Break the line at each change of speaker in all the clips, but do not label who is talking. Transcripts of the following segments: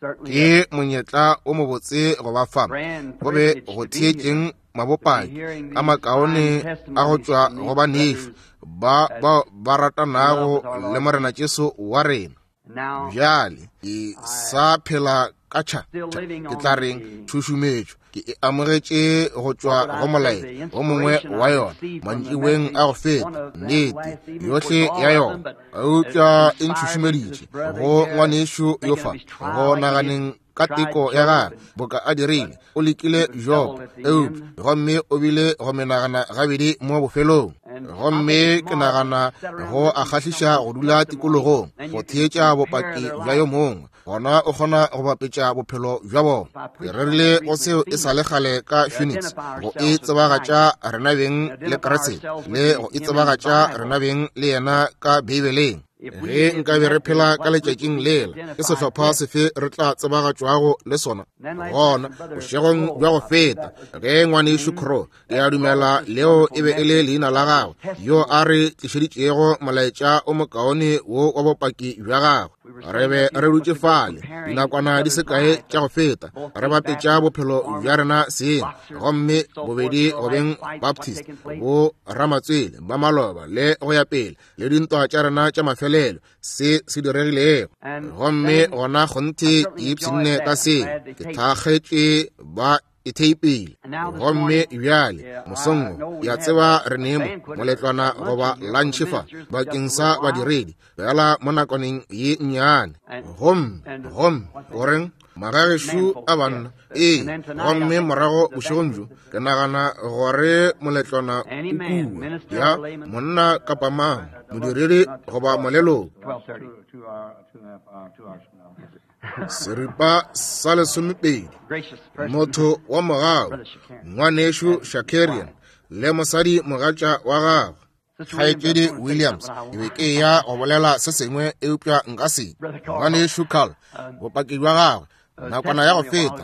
Ke monyetla o mobotse go ba fa, go be go theetšeng mabopaki a makaone a go tšwa go banešu ba bao ba ratanago le Morena Jesu wa rena. Bjale ke sa phela ka tšha, ke tla reng, tšhušumetšo ke e amogetše go tšwa go molaetša o mongwe wa yona mantšiboeng a go feta, nnete yohle ya yona, eupša e ntšhušumeditše go ngwanešu yo fa go naganeng ka teko ya gagwe boka a dirile. O lekile Job, eupša gomme o bile go menagana gabedi mo bofelong. Gomme ke nagana go a kgahliša go dula tikologong go theetša bopaki bja yo mongwe, gona o kgona go bapetša bophelo bja bona. Ke rerile go seo e sa le kgale ka Phoenix, go e tsebagatša rena beng le Kriste, le go e tsebagatša rena beng le yena ka Beibeleng. Ge nkabe re phela ka letšatšing lela, ke sehlopha sefe re tla tsebagatšwago le sona? Gona bošegong bja go feta, ge ngwanešu Crow, ke a dumela leo e be e le leina la gagwe, yo a re tlišeditšego molaetša o mokaone wo wa bopaki bja gagwe, re be re dutše fale dinakwana di se kae tša go feta, re bapetša bophelo bja rena seng, gomme bobedi go beng Baptist, bo ramatswele ba maloba le go ya pele, le dintwa tša rena tša mafelelo, se se diregilego. Gomme gona kgonthe ke ipshinne ka seo, ke thakgetše ba e theipile. Gomme bjale mosong wo, ke a tseba re ne mo moletlwana goba lantšhe fa bakeng sa badiredi, fela mo nakwaneng ye nnyane. Gomme, gomme, goreng, magagešo a banna, ee. Gomme morago bošegong bjo, ke nagana gore moletlwana o kua ya monna kapa mang, modiredi goba moleloko. Seripa sa lesomepedi, motho wa mogau, ngwanešu Shakarian le mosadi mogatša wa gagwe, Kgaetšedi Williams, ke be ke ya go bolela se sengwe eupša nka se. Ngwanešu Carl, bopaki bja gagwe nakwana ya go feta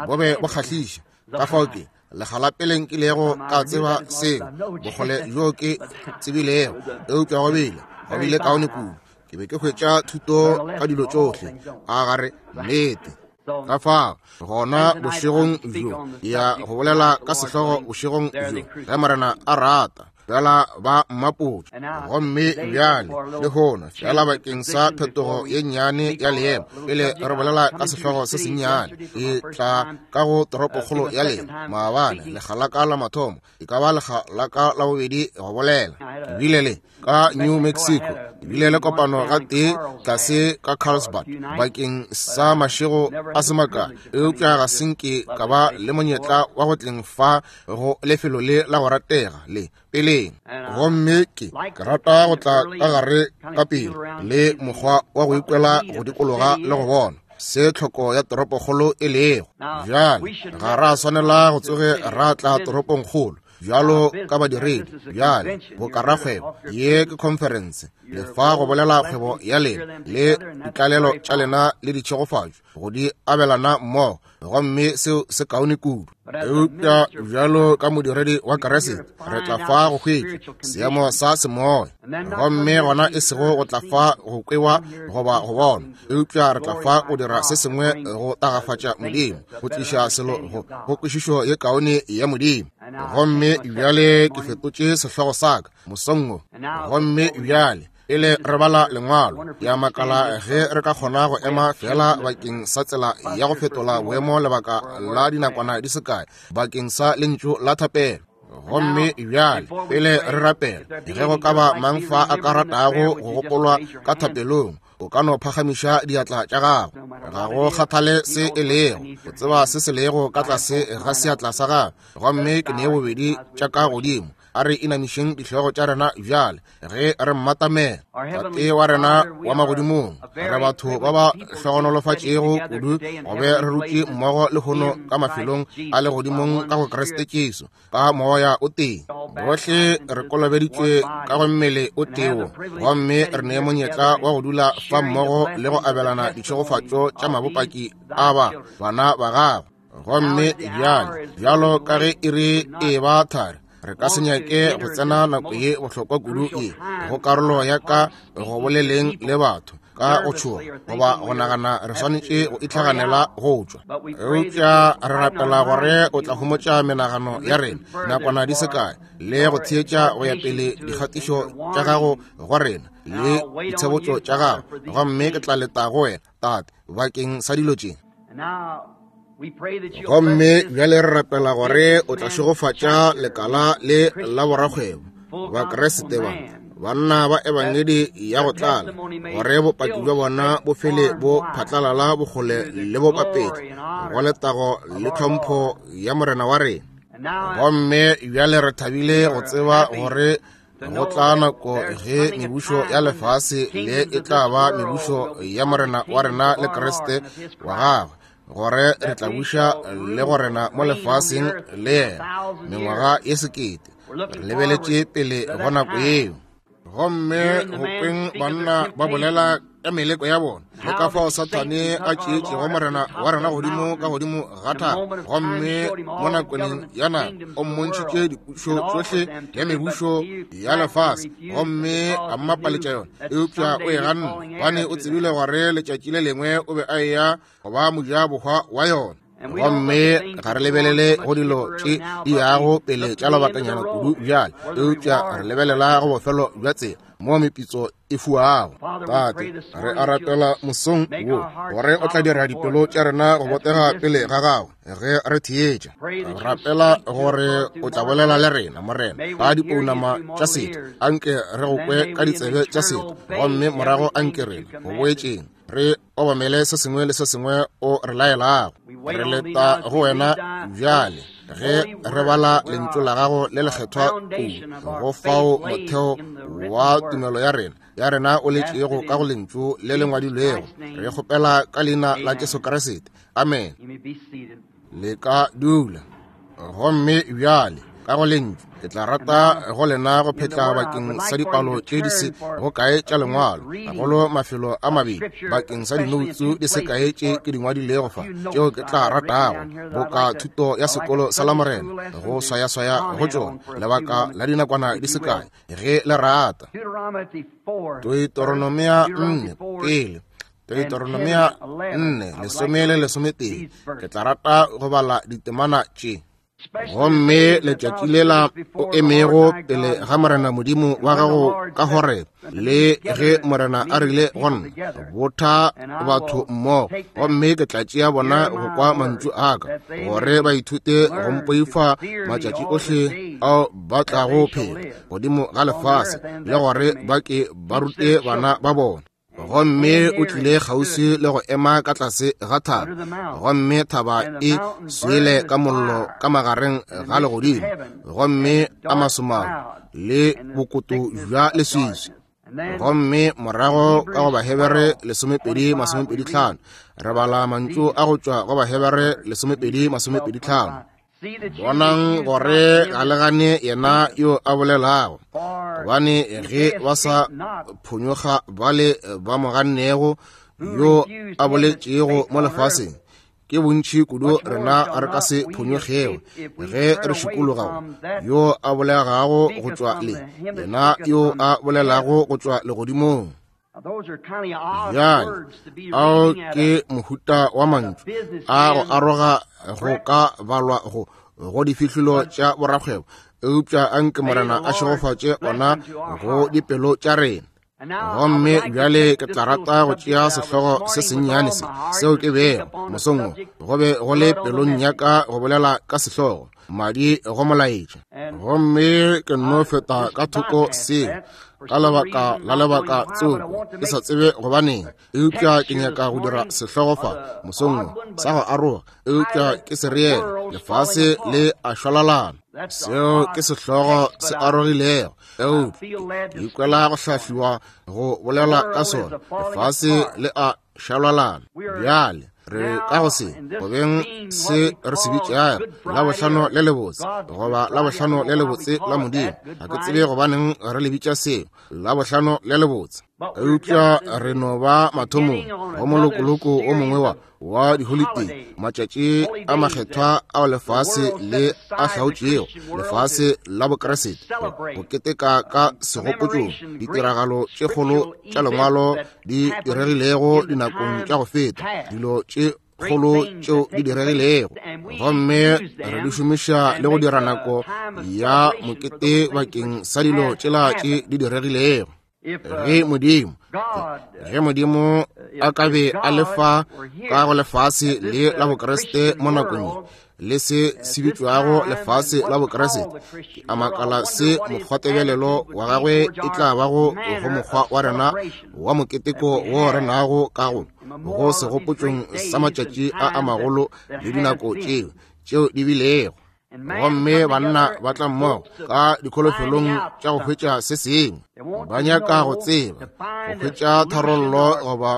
bo be bo kgahliša. Ka fao ke lekga la pele nkilego ka tseba seo, bokgole bjo ke tsebilego, eupša go bile go bile kaone kudu. Ke be ke hwetša thuto ka dilo tšohle, a gare nnete. Ka fao gona bošegong bjo ke ya go bolela ka sehlogo bošegong bjo, ge Morena a rata, fela ba mmapotša. Gomme bjale lehono fela bakeng sa phetogo ye nnyane ya leemo, pele re bolela ka sehlogo se sennyane, ke tla ka go toropokgolo ya lena maabane, lekga la ka la mathomo, e ka ba lekga la ka la bobedi go bolela. Ke bile le ka New Mexico, ke bile le kopano gatee tlase ka Carlsbad bakeng sa mašego a se makae, eupša ga se nke ka ba le monyetla wa go tleng fa go lefelo le la go ratega le peleng. Gomme ke rata go tla ka gare ka pele le mokgwa wa go ikwela go dikologa le go bona se tlhoko ya toropokgolo e lego. Bjale ga ra swanela go tsoge ra tla toropongkgolo bjalo ka badiredi. Bjale bokarakgwebo, ye ke conference, le fa go bolela kgwebo ya lena le ditlalelo tša lena le ditšhegofatšo go di abelana mmogo, gomme seo se kaone kudu. Eupša bjalo ka modiredi wa Kriste, re tla fa go hwetša seemo sa semoya, gomme gona e sego go tla fa go kwewa goba go bonwa, eupša re tla fa go dira se sengwe go tagafatša Modimo, go tliša selo go kwešišo ye kaone ya Modimo. Gomme bjale ke fetotše sehlogo sa ka mosong wo. Gomme bjale pele re bala lengwalo, ke a makala ge re ka kgona go ema fela bakeng sa tsela ya go fetola boemo lebaka la dinakwana di se kae bakeng sa lentšu la thapelo. Gomme bjale pele re rapela, ge go ka ba mang fa a ka ratago go gopolwa ka thapelong, o ka no phagamiša diatla tša gago. Ga go kgathale se e lego, o tseba se se lego ka tlase ga seatla sa gago. Gomme ke nee bobedi tša ka godimo. A re inamišeng dihlogo tša rena bjale ge re mmatamela. Tate wa rena wa magodimong, re batho ba ba hlogonolofatšego kudu go be re rutše mmogo lehono ka mafelong a legodimong ka go Kriste Jesu, ka moya o tee. Bohle re kolobeditšwe ka go mmele o tee wo, gomme re ne monyetla wa go dula fa mmogo le go abelana ditšhegofatšo tša mabopaki a ba bana ba gago. Gomme bjale, bjalo ka ge iri e ba thari, re ka se nyake go tsena nako ye bohlokwa kudu ye go karolo ya ka go boleleng le batho. ka go tšhoga goba go nagana re swanetše go itlhaganela go tšwa. Eupša re rapela gore o tla homotša menagano ya rena nakwana di se kae le go theetša go ya pele dikgatišo tša gago go rena le ditshebotšo tša gago, gomme ke tla leta go wena, Tate, bakeng sa dilo tše. Gomme bjale re rapela gore o tla šegofatša lekala le la borakgwebo, Bakriste ba, banna ba ebangedi ya go tlala, gore bopaki bja bona bo fele bo phatlalala bokgole le bopapetla go letago le tlhompho ya Morena wa rena. Gomme bjale re thabile go tseba gore go tla nako ge mebušo ya lefase le e tla ba mebušo ya Morena wa rena le Kriste wa gagwe, gore re tla buša le go rena mo lefaseng le yena mengwaga ye sekete. Re lebeletše pele go nako yeo. Gomme go kweng banna ba bolela ka meleko ya bona le ka fao Sathane a tšeetšego Morena wa rena godimo ka godimo ga thaba, gomme mo nakweneng ya nako o mmontšhitše dipušo tšohle le mebušo ya lefase, gomme a mmapaletša yona, eupša o e ganne, gobane o tsebile gore letšatši le lengwe o be a eya go ba mojabohwa wa yona. Gomme ga re lebelele go dilo tše di yago pele tša lobakanyana kudu bjale, eupša re lebelela go bofelo bja tsela mo mepitso e fuago. Tate, re a rapela mosong wo gore o tla dira dipelo tša rena go botega pele ga gago ge re theetša. Rapela gore o tla bolela le rena, Morena, ka dipounama tša setho. Anke re go kwe ka ditsebe tša setho, gomme morago anke rena go boetšeng re obamele se sengwe le se sengwe o re laelago. Re leta go wena bjale ge re bala lentšu la gago le lekgethwa kudu, go fao motheo wa tumelo ya rena ya rena o letšego ka go lentšu le le ngwadilwego. Re kgopela ka leina la Jesu Kriste, amen. Le ka dula. Gomme bjale ka go lentšu ke tla rata go lena go phetla bakeng sa dipalo tše di se go kae tša lengwalo, gagolo mafelo a mabedi bakeng sa dinoutsu di se kae tše ke di ngwadilego fa, tšeo ke tla ratago boka thuto ya sekolo sa Lamorena go swayaswaya go tšona lebaka la dinakwana di se kae ge le rata. Deuteronomia 4 pele, Deuteronomia 4 lesome le lesometee, ke tla rata go bala ditemana tše. Gomme letšatši lela o emego pele ga Morena Modimo wa gago ka Horebe, le ge Morena a rile go nna, botha batho mmogo, gomme ke tla tšea bona go kwa mantšu a ka, gore ba ithute go mpoifa matšatši ohle ao ba tlago phela godimo ga lefase, le gore ba ke ba rute bana ba bona. Gomme o tlile kgauswi le go ema ka tlase ga thaba, gomme thaba e swele ka mollo ka magareng ga legodimo, gomme a masomao le bokoto bja leswiswi. Gomme morago ka go Bahebere 12:25 re bala mantšu a go tšwa go Bahebere 12:25. Bonang gore ga le gane yena yo a bolelago, gobane ge ba sa phonyokga bale ba mo gannego yo a boletšego mo lefaseng, ke bontši kudu rena re ka se phonyokgego ge re šikologago yo a bolegago go tšwa le yena yo a bolelago go tšwa legodimong. Bjale, ao ke mohuta wa mantšu a go aroga go ka balwa go go difihlolo tša borakgwebo, eupša anke Morena a šegofatše ona go dipelo tša rena. Gomme bjale ke tla rata go tšea sehlogo se sennyane se seo ke bego mosong wo go be go le pelong ya ka go bolela ka sehlogo madi go molaetša, gomme ke nno feta ka thoko seo ka lebaka la lebaka tsoko, ke sa tsebe gobaneng, eupša ke nyaka go dira sehlogo fa mosong wo sa go aroga, eupša ke se reele lefase le a šwalalana. Seo ke sehlogo se arogilego, eupša ke ikwela go hlahliwa go bolela ka sona, lefase le a šwalalana. Bjale re ka go se go beng se re se bitšago Labohlano le lebotse, goba Labohlano le lebotse la Modimo. Ga ke tsebe gobaneng re le bitša seo Labohlano le lebotse. Eupša re no ba mathomong go molokoloko o mongwe wa wa diholitei, matšatši a makgethwa ao lefase le a hlaotšego, lefase la Bokriste, go keteka ka segopotšong ditiragalo tše kgolo tša lengwalo di diregilego dinakong tša go feta, dilo tše kgolo tšeo di diregilego, gomme re di šomiša le go dira nako ya mokete bakeng sa dilo tšela tše di diregilego. Ge Modimo, ge Modimo a ka be a le fa ka go lefase le la Bokriste mo nakong ye, le se se bitšwago lefase la Bokriste, ke a makala se mokgwatebelelo wa gagwe e tla bago go mokgwa wa rena wa moketeko wo re nago ka go go segopotšong sa matšatši a a magolo le dinako tšeo tšeo di bilego. Gomme banna ba tla mmogo ka dikholofelong tša go hwetša se sengwe, ba nyaka go tseba, go hwetša tharollo goba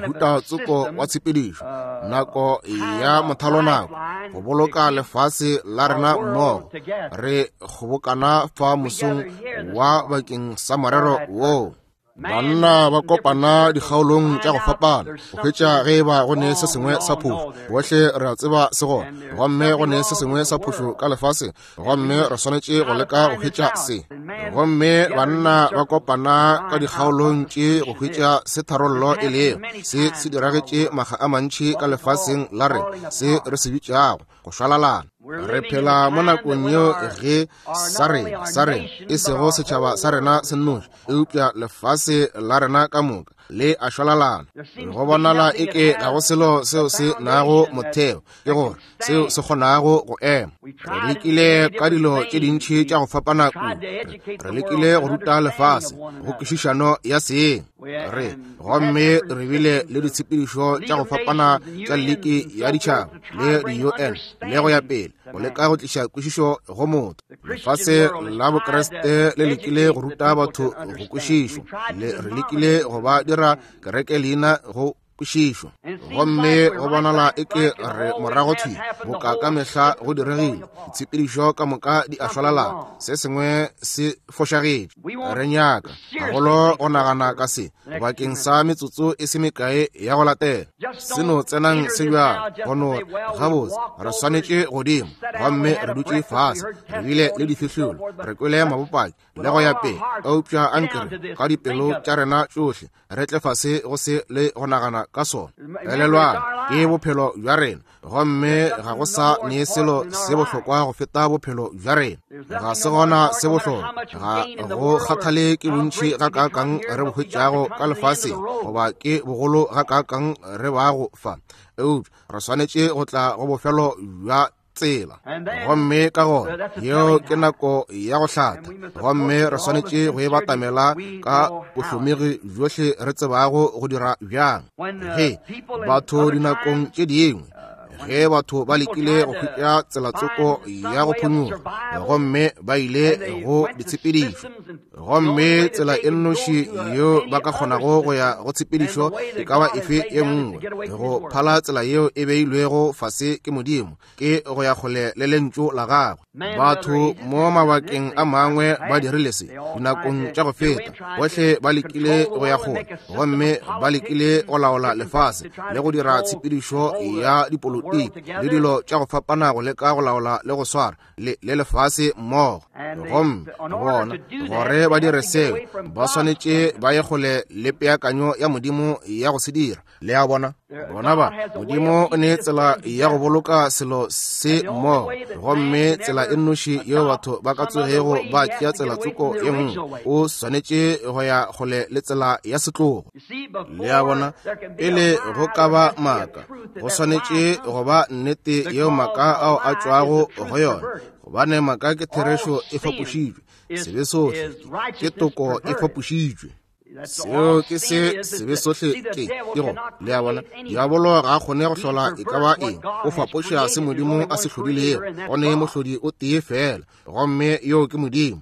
mohuta tsoko wa tshepedišo, nako ya mothalonako, go boloka lefase la rena mmogo. Re kgobokana fa mosong wa bakeng sa morero woo. Banna ba kopana dikgaolong tša go fapana go hwetša ge e ba go ne se sengwe sa phošo. Bohle re a tseba se gona, gomme go ne se sengwe sa phošo ka lefaseng, gomme re swanetše go leka go hwetša se. Gomme banna ba kopana ka dikgaolong tše go hwetša se tharollo e lego. Se se diragetše makga a mantši ka lefaseng la rena, se re se bitšago go šwalalana. Re phela mo nakong yeo ge sa rena, sa rena, e sego setšhaba sa rena se nnoši, eupša lefase la rena ka moka le a šwalalana. Go bonala eke ga go selo seo se nago motheo, ke gore seo se kgonago go ema. Re lekile ka dilo tše dintši tša go fapana kudu. Re lekile go ruta lefase go kwešišano ya seeng. Re gomme re bile le ditshepedišo tša go fapana tša liki ya ditšhaba le di-UN le go ya pele, go leka go tliša kwešišo go motho. Lefase la Bokriste le lekile go ruta batho go kwešišo, le re lekile go ba dira kereke leina go kwešišo, gomme go bonala eke re morago thwi boka ka mehla go diregile. Ditshepedišo ka moka di a šwalalana, se sengwe se fošagetše. Re nyaka gagolo go nagana ka se bakeng sa metsotso e se mekae ya go latela. Se no tsenang se bjalo, go no re, Gabotse, re swanetše godimo, gomme re dutše fase, re bile le difihlolo, re kwele mabopaki le go ya pele, eupša anke re ka dipelo tša rena tšohle re tle fase go se le go nagana ka sona. Elelwang, ke bophelo bja rena, gomme ga go sa ne selo se bohlokwa go feta bophelo bja rena. Ga se gona se bohlokwa, ga go kgathale ke bontši gakaakang re bo hwetšago ka lefaseng, goba ke bogolo gakaakang re bago fa, eupša re swanetše go tla go bofelo bja tsela. Gomme ka gona yeo ke nako ya go hlatha, gomme re swanetše go e batamela ka bohlomegi bjohle re tsebago go dira bjang. Ge batho dinakong tše dingwe, ge batho ba lekile go hwetša tselatsoko ya go phonyokga, gomme ba ile go ditshepedišo, gomme tsela e nnoši yeo ba ka kgonago go ya go tshepedišo e ka ba efe e nngwe go phala tsela yeo e beilwego fase ke Modimo, ke go ya kgole le lentšu la gagwe. Batho mo mabakeng a mangwe ba dirile se dinakong tša go feta, bohle ba lekile go ya kgole, gomme ba lekile go laola lefase le go dira tshepedišo ya dipolotiki le dilo tša go fapana go leka go laola le go swara le, le lefase mmogo. Gomme bona gore ba dire seo, ba swanetše ba ye kgole le peakanyo ya Modimo ya go se dira. Le a bona? Bona ba, Modimo o ne tsela ya go boloka selo se mmogo, gomme tsela e nnoši yeo batho ba ka tsogego ba tšea tsela tsoko ye nngwe, o swanetše go ya kgole le tsela ya setlogo. Le a bona? Pele go ka ba maaka, go swanetše go ba nnete yeo maaka ao a tšwago go yona, gobane maaka ke therešo e fapošitšwe, sebe sohle ke toko e fapošitšwe. Seo ke se sebe sohle ke, ke go, le a bona, diabolo ga a kgone go hlola e ka ba eng, o fapoša se Modimo a se hlodilego. Go ne mohlodi o tee feela, gomme yoo ke Modimo.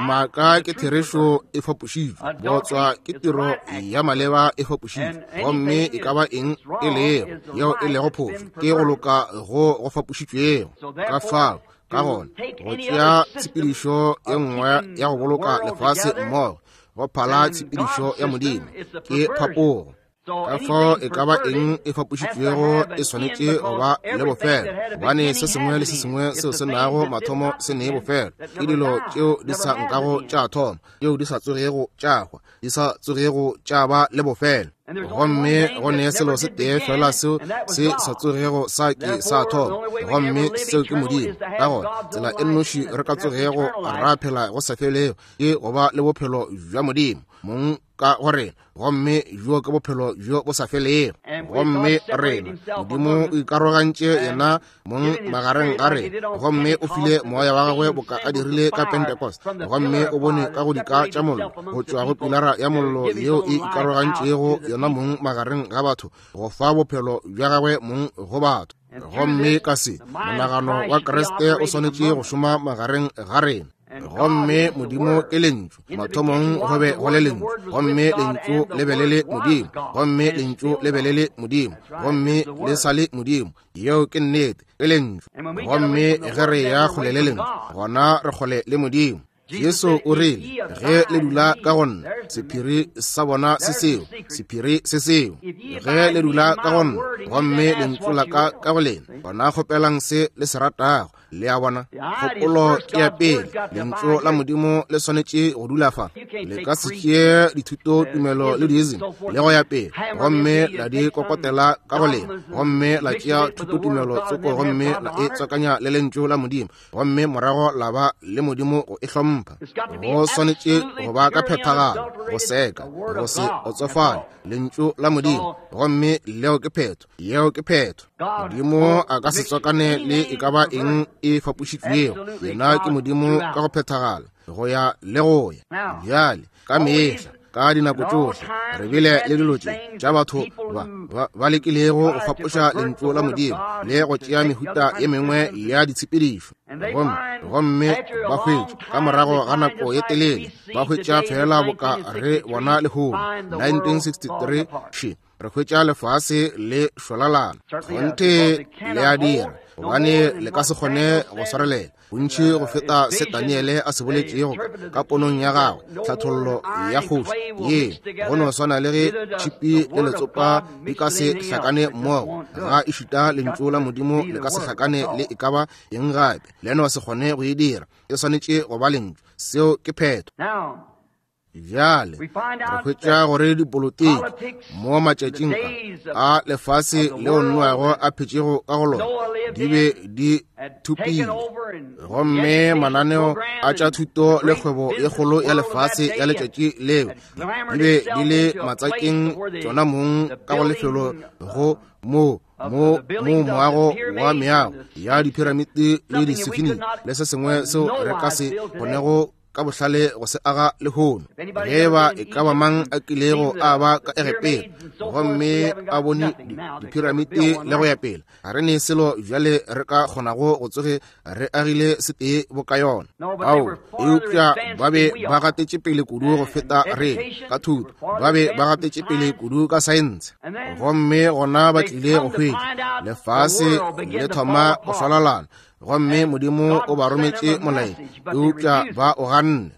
Maaka ke therešo e fapošitšwe, bootswa ke tiro ya maleba e fapošitšwe, gomme e ka ba eng e lego yeo e lego phošo ke go loka go go fapošitšwego. Ka fao, ka gona, go tšea tshepedišo e nngwe ya go boloka lefase mmogo, Go phala tshepedišo ya Modimo. Ke phapogo. Ka fao e ka ba eng e fapošitšwego e swanetše go ba le bofelo, gobane se sengwe le se sengwe seo se nago mathomo se ne bofelo. Ke dilo tšeo di sa nkago tša thoma, tšeo di sa tsogego tša hwa, di sa tsogego tša ba le bofelo. Gomme go ne selo se tee fela seo se sa tsogego sa ke sa thoma, gomme seo ke Modimo. Ka gona tsela e nnoši re ka tsogego ra phela go sa felego ke go ba le bophelo bja Modimo mong ka go rena, gomme bjo ke bophelo bjo bo sa felego. Gomme rena, Modimo o ikarogantše yena mong magareng ga rena, gomme o file moya wa gagwe boka a dirile ka Pentecost, gomme o bone ka go dika tša mollo go tšwa go pilara ya mollo yeo e ikarogantšego yona mong magareng ga batho, go fa bophelo bja gagwe mong go batho. Gomme ka se, monagano wa Kriste o swanetše go šoma magareng ga rena. Gomme Modimo ke Lentšu. Mathomong go be go le Lentšu, gomme Lentšu le be le le Modimo, gomme Lentšu le be le le Modimo, gomme le sa le Modimo. Yeo ke nnete, ke Lentšu. Gomme ge re ya kgole le Lentšu, gona re kgole le Modimo. Jesu o rile, ge le dula ka go nna, sephiri sa bona se seo, sephiri se seo. Ge le dula ka go nna, gomme lentšu la ka ka go lena, gona kgopelang se le se ratago. Le a bona, kgopolo ke ya pele. Lentšu la Modimo le swanetše go dula fa. Le ka se tšee dithuto, tumelo le diism le go ya pele, gomme la di kokotela ka go lena, gomme la tšea thutotumelo tsoko gomme la e tswakanya le Lentšu la Modimo, gomme morago la ba le Modimo go e hlompha. Go swanetše go ba ka phethagalo, go seka, go se otsofale, Lentšu la Modimo, gomme leo ke phetho. Yeo ke phetho. Modimo a ka se tswakane le e ka ba eng e fapošitšwego. Yena ke Modimo ka go phethagala, go ya le go ya. Bjale, ka mehla, ka dinako tšohle, re bile le dilo tše tša batho ba lekilego go fapoša Lentšu la Modimo le go tšea mehuta ye mengwe ya ditshepedišo. Gomme ba hwetša, ka morago ga nako ye telele, ba hwetša feela boka re bona lehono, 1963, še, re hwetša lefase le šwalalana. Kgonthe le a dira, gobane le ka se kgone go swarelela bontši go feta se Daniele a se boletšego ka ponong ya gagwe, tlhathollo ya kgoši ye. Go no swana le ge tšhipi le letsopa di ka se hlakane mmogo, ga ešita lentšu la Modimo le ka se hlakane le e ka ba eng gape. Le no se kgone go e dira, e swanetše go ba lentšu. Seo ke phetho. Bjale re hwetša gore dipolotiki mo matšatšing a lefase leo Noago a phetšego ka go lona di be di thopile, gomme mananeo a tša thuto le kgwebo ye kgolo ya lefase ya letšatši leo di be di le matsakeng tšona mong ka go lefelo go mo mo mo moago wa meago ya diphiramiti le disifini le se sengwe seo re ka se kgonego ka bohlale go se aga lehono. Ge ba e ka ba mang a kilego a ba ka Egepeta gomme a bone diphiramiti le go ya pele, ga re ne selo bjale re ka kgonago go tsoge re agile setee boka yona. Ao, eupša ba be ba gatetše pele kudu go feta re ka thuto, ba be ba gatetše pele kudu ka saense, gomme gona ba tlile go hwetša lefase le thoma go šwalalana, gomme Modimo o ba rometše molaetša, eupša ba o ganne.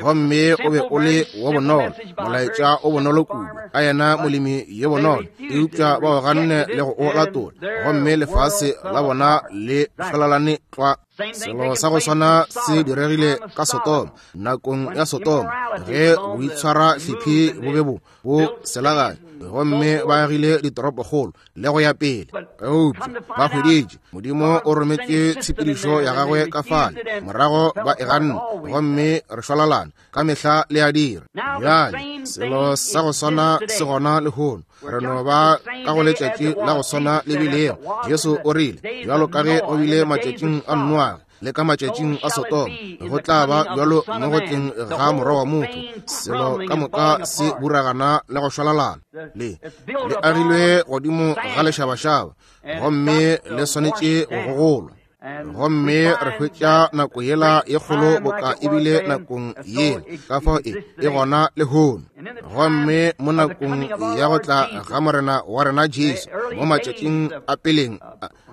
Gomme o be o le wo bonolo, molaetša o bonolo kudu, ka yena molemi yo bonolo, eupša ba o ganne le go o latola, gomme lefase la bona le šwalalane tlwa. Selo sa go swana se diregile ka Sodoma, nakong ya Sodoma, ge boitshwara hlephi bo be bo bo selaganya, gomme ba agile ditoropokgolo le go ya pele, eupša ba hweditše Modimo o rometše tshepedišo ya gagwe ka fale, morago ba e ganne, gomme re šwalalana ka mehla le a dira. Bjale selo sa go swana se gona lehono, re no ba ka go letšatši la go swana le bilego. Jesu o rile, bjalo ka ge go bile matšatšing a Noage le ka matšatšing a Sodoma, go tla ba bjalo mo go tleng ga Morwa wa motho. Selo ka moka se buragana le go šwalalana, le le agilwe godimo ga lešabašaba, gomme le swanetše go gogolwa. Gomme re hwetša nako yela ye kgolo boka ebile nakong yela, ka fao e e gona lehono. Gomme mo nakong ya go tla ga Morena wa rena Jesu, mo matšatšing a peleng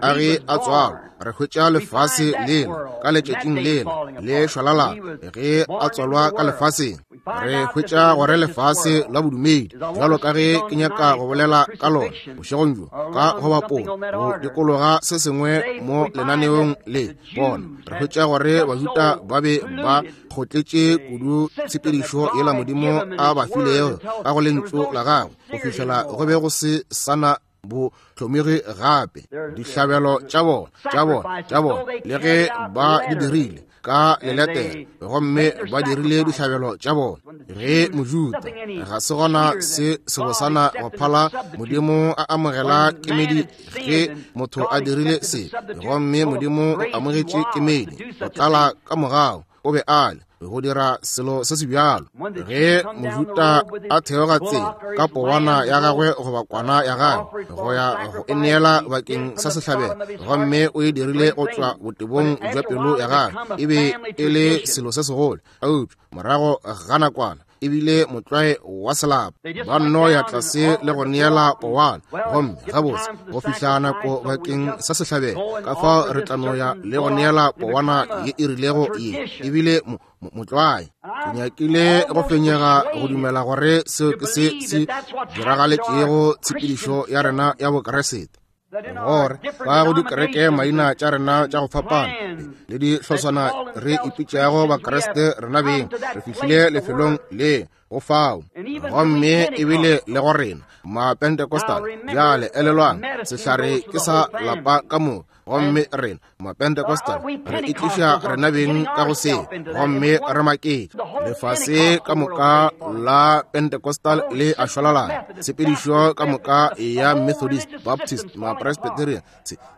a ge a tswalwa, re hwetša lefase lela ka letšatšing lela le šwalalana ge a tswalwa ka lefaseng. Re hwetša gore lefase la bodumedi, bjalo ka ge ke nyaka go bolela ka lona bošegong bjo, ka go bapola go dikologa se sengwe mo lenaneong le bona, re hwetša gore Bajuda ba be ba kgotletše kudu tshepedišo yela Modimo a ba filego ka go lentšu la gagwe, go fihlela go be go se sana bo hlomege gape dihlabelo tša bona, tša bona, tša bona, le ge ba di dirile ka leletere, gomme ba dirile dihlabelo tša bona. Ge Mojuda ga se gona se sebosana go phala Modimo a amogela kemedi ge motho a dirile se, gomme Modimo o amogetše kemedi go tlala ka mogau o be a le go dira selo se se bjalo. Ge Mojuda a theoga tsela ka powana ya gagwe goba kwana ya gagwe go ya go e neela bakeng sa sehlabelo, gomme o e dirile go tšwa botebong bja pelo ya gagwe, e be e le selo se segolo. Eupša morago ga nakwana e bile motlwae wa selapa, ba nno ya tlase le go neela powana, gomme gabotse go fihla nako bakeng sa sehlabelo, ka fao re tla no ya le go neela powana ye e rilego ye e bile motlwae. Ke nyakile go fenyega go dumela gore seo ke se se diragaletšego tshepedišo ya rena ya Bokeresete, gore ka go dikereke maina tša rena tša go fapana le dihloswana re ipitšago Bakreste rena beng, re fihlile lefelong le go fao, gomme ebile le go rena Mapentecostal. Bjale elelwang, sehlare ke sa lapa ka moka, gomme rena Mapentecostal re itliša rena beng ka go se, gomme re maketše. Lefase ka moka la Pentecostal le a šwalalana, tshepedišo ka moka ya Methodist, Baptist, Mapresbyterian,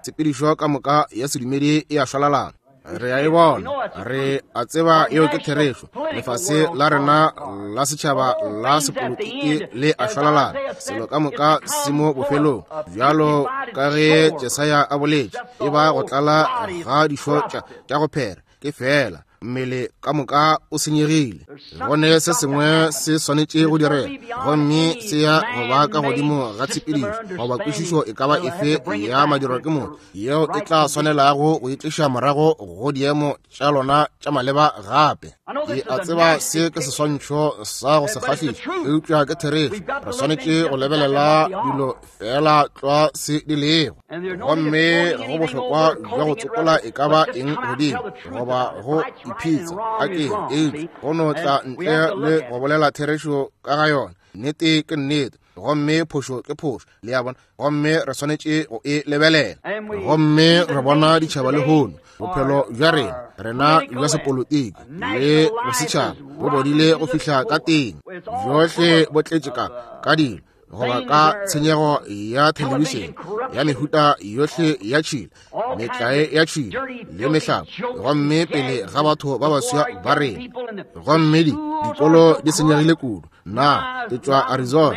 tshepedišo ka moka ya sedumedi e a šwalalana. Re a e bona, re a tseba yeo ke therešo. Lefase la rena la setšhaba la sepolotiki le a šwalalana, selo ka moka se mo bofelong, bjalo ka ge Jesaya a boletše, e ba go tlala ga dišo tša go phera, ke fela mmele ka moka o senyegile. Gone se sengwe se swanetše go direga, gomme se ya go ba ka godimo ga tshepedišo goba kwešišo e ka ba efe ya madirwa ke motho yeo e tla swanelago go itliša morago go diemo tša lona tša maleba gape. Ke a tseba se ke seswantšho sa go se kgahliša, eupša ke therešo. Re swanetše go lebelela dilo fela tlwa se di lego, gomme go bohlokwa bja go tsopola e ka ba eng godimo goba go iphitsa a ke eupša go no tla ntle le go bolela therešo ka ga yona. Nnete ke nnete, gomme phošo ke phošo, le a bona, gomme re swanetše go e lebelela. Gomme re bona ditšhaba lehono, bophelo bja rena rena bja sepolotiki le bosetšhaba bo bodile go fihla ka teng, bjohle bo tletše ka dilo goba ka tshenyego ya thelebišene ya mehuta yohle ya tšhila, metlae ya tšhila le mehlabo, gomme pele ga batho ba baswa ba rena. Gomme dikolo di senyegile kudu. Nna ke tšwa Arizona,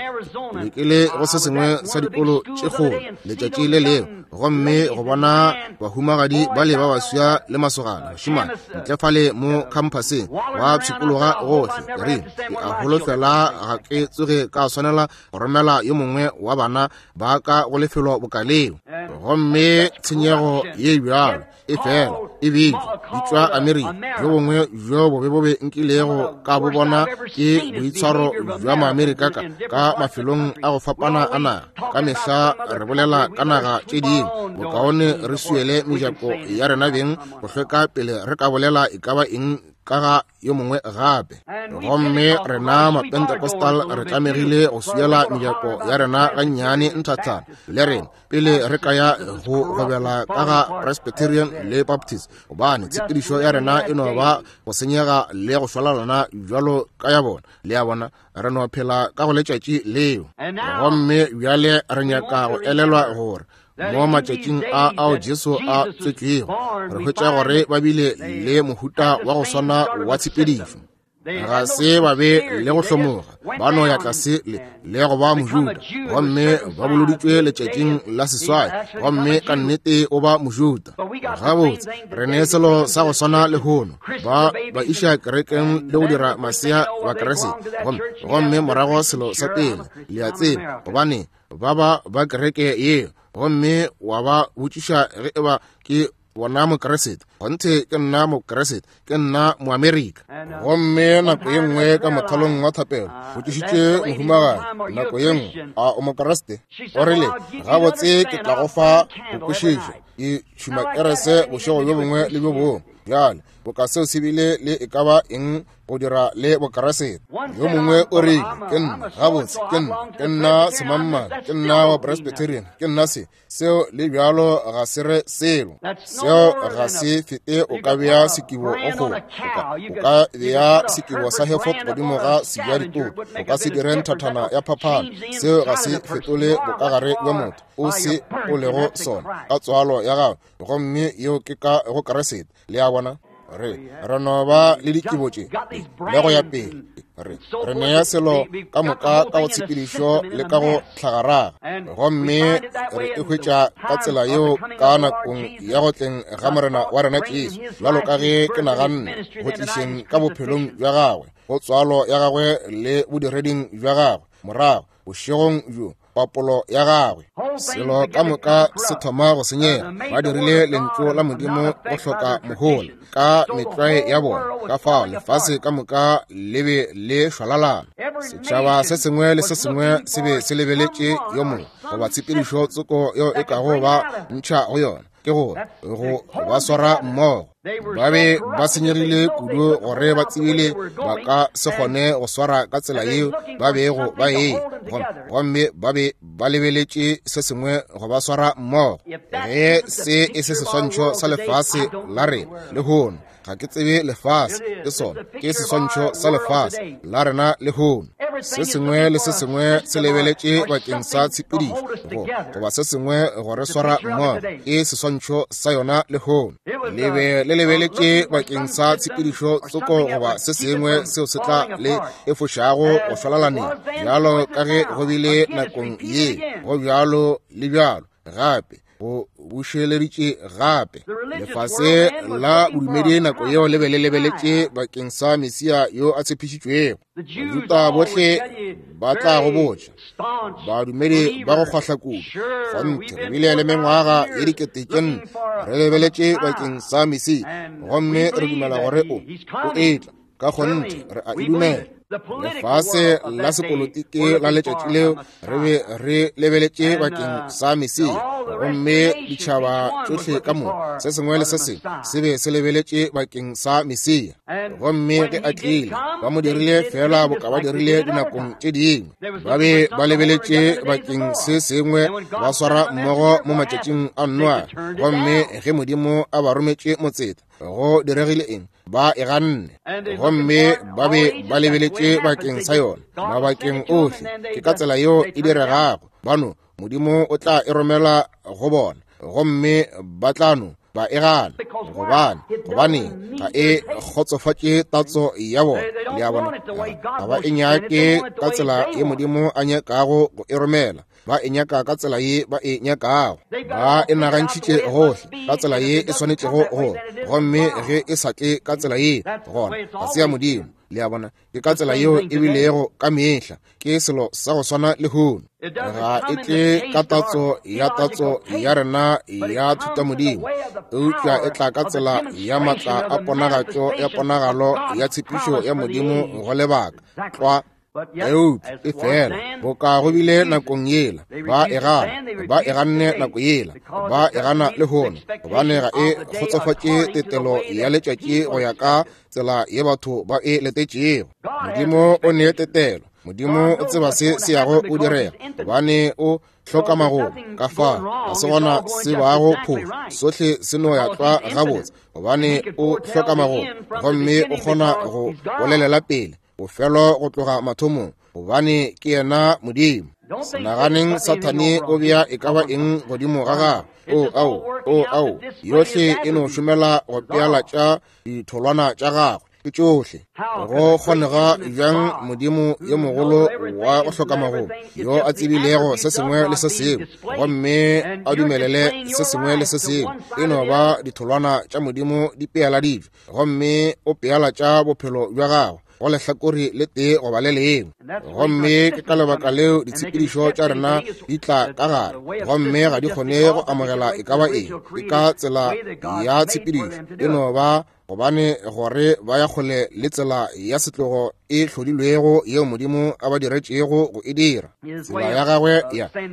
ke be ke le go se sengwe sa dikolo tše kgolo letšatši le lengwe, gomme go bona bahumagadi ba le ba baswa le masogana bašemane ntle fale mo khamphaseng ba pshikologa gohle. Ke rile, ke a holofela ga ke tsoge ka swanela go romela yo mongwe wa bana ba ka go lefelo boka leo. Gomme tshenyego ye bjalo e fela e bitšwa di tšwa Amerika. Bjo bongwe bjo bobe bobe nkilego ka bo bona ke boitshwaro bja Maamerika ka mafelong a go fapana a naga. Ka mehla re bolela ka naga tše dingwe, bokaone re swiele mejako ya rena beng go hlweka pele re ka bolela e ka ba eng ka ga yo mongwe gape. Gomme rena Mapentecostal re tlamegile go swiela mejako ya rena gannyane nthathana le rena pele re ka ya go gobela ka ga Presbyterian le Baptist, gobane tshepedišo ya rena e no ba go senyega le go šwalalana bjalo ka ya bona. Le a bona, re no phela ka go letšatši leo. Gomme bjale re nyaka go elelwa gore mo matšatšing a ao Jesu a tswetšwego, re hwetša gore ba bile le mohuta wa go swana wa tshepedišo. Ga se ba be le go hlomoga, ba no ya tlase le go ba Mojuda, gomme ba boloditšwe letšatšing la seswai, gomme ka nnete o ba Mojuda. Gabotse, re ne selo sa go swana lehono, ba ba iša kerekeng le go dira masea ba Keresete, gomme morago selo sa pele, le a tseba, gobane ba ba ba kereke yeo, gomme wa ba botšiša ge eba ke bona Mokeresete. Kgonthe ke nna Mokeresete, ke nna Moamerika. Gomme nako ye nngwe ka mothalong wa thapelo, botšišitše mohumagadi nako ye nngwe, a o Mokeresete? O rile, gabotse ke tla go fa go kwešiša, ke tšhuma kerese bošego bjo bongwe le bjo bongwe. Bjale, boka seo se bile le e ka ba eng go dira le Bokeresete. Yo mongwe o rile, ke nna, gabotse, ke nna, ke nna semangmang, ke nna wa Presbyterian, ke nna se, seo le bjalo ga se re selo. Seo ga se fete o ka bea sekibo go kgomo, o ka bea sekibo sa Hereford godimo ga seja ditopo, o ka se dire nthathana ya phaphano. Seo ga se fetole bokagare bja motho, o se o lego sona ka tswalo ya gago, gomme yeo ke ka go Keresete. Le a bona? Re no ba le dikibo tše le go ya pele, re nea selo ka moka ka go tshepedišo le ka go tlhagaraga, gomme re e hwetša ka tsela yeo ka nakong ya go tleng ga Morena wa rena Jesu, bjalo ka ge ke naganne go tlišeng ka bophelong bja gagwe, go tswalo ya gagwe le bodireding bja gagwe morago bošegong bjo, papolo ya gagwe. Selo ka moka se thoma go senyega. Ba dirile lentšu la Modimo go hloka mohola ka metlwae ya bona, ka fao lefase ka moka le be le šwalalana. Setšhaba se sengwe le se sengwe se be se lebeletše yo mongwe goba tshepedišo tsoko yeo e kago ba ntšha go yona, ke gore go ba swara mmogo. Ba be ba senyegile kudu gore ba tsebile ba ka se kgone go swara ka tsela yeo ba bego ba e, gomme ba be ba lebeletše se sengwe go ba swara mmogo. Ge se e se seswantšho sa lefase la rena lehono, ga ke tsebe lefase ke sona, ke seswantšho sa lefase la rena lehono. Se sengwe le se sengwe se lebeletše bakeng sa tshepedišo goba se sengwe go re swara mmogo, ke seswantšho sa yona lehono. Le be le lebeletše bakeng sa tshepedišo tsoko goba se sengwe seo se tla le efošago go šwalalaneng, bjalo ka ge go bile nakong ye, go bjalo le bjalo gape go bušeleditše gape. Lefase la bodumedi nako yeo le be le lebeletše bakeng sa Mesia yo a tshepišitšwego. Bajuda bohle ba tla go botša, badumedi ba go kgwahla kudu, kgonthe re bile le mengwaga ye 4000 re lebeletše bakeng sa Mesia, gomme re dumela gore o etla. Ka kgonthe re a e dumela. Lefase la sepolotiki la letšatši leo re be re lebeletše bakeng sa Mesia, gomme ditšhaba tšohle ka moka, se sengwe le se sengwe se be se lebeletše bakeng sa Mesia. Gomme ge a tlile, ba mo dirile fela boka ba dirile dinakong tše dingwe. Ba be ba lebeletše bakeng se sengwe, ba swara mmogo mo matšatšing a Noa. Gomme ge Modimo a ba rometše motseta, go diregile eng? Ba e ganne, gomme ba be ba lebeletše bakeng sa yona mabakeng ohle. Ke ka tsela yeo e diregago. Bano Modimo o tla e romela go bona, gomme ba tla no ba e gana. Gobane ga e kgotsofatše tatso ya bona. Le a bona, ga ba e nyake ka tsela ye Modimo a nyakago go e romela. Ba e nyaka ka tsela ye ba e nyakago. Ba e nagantšhitše gohle ka tsela ye e swanetšego go, gomme ge e sa tle ka tsela ye, gona ga se ya Modimo. Le a bona, ke ka tsela yeo e bilego ka mehla. Ke selo sa go swana lehono. Ga e tle ka tatso ya tatso ya rena ya thutamodimo, eupša e tla ka tsela ya matla a ponagatšo ya ponagalo ya tshepišo ya Modimo go lebaka tlwa. Eupša e fela boka go bile nakong yela, ba e gana, ba e ganne nako yela, ba e gana lehono, gobane ga e kgotsofatše tetelo ya letšatši go ya ka tsela ye batho ba e letetšego. Modimo o ne tetelo. Modimo o tseba se se yago o direga, gobane o hloka magomo. Ka fao ga se gona se bago phošo, sohle se no ya tlwa gabotse, gobane o hloka magomo, gomme o kgona go bolelela pele bofelo go tloga mathomong, gobane ke yena Modimo. Naganeng Sathane o bea e ka ba eng godimo ga gagwe. O ao, o ao, yohle e no šomela go pealatša ditholwana tša gagwe. Ke tšohle. Go kgonega bjang Modimo yo mogolo wa go hloka magomo, yo a tsebilego se sengwe le se sengwe, gomme a dumelele se sengwe le se sengwe, e no ba ditholwana tša Modimo di pealaditšwe, gomme o pealatša bophelo bja gago go lehlakore le tee goba le lengwe. Gomme ke ka lebaka leo ditshepedišo tša rena di tla ka gare, gomme ga di kgone go amogela e ka ba eng. Ke ka tsela ya tshepedišo, e no ba gobane gore ba ya kgole le tsela ya setlogo e hlodilwego yeo Modimo a ba diretšego go e dira. Tsela ya gagwe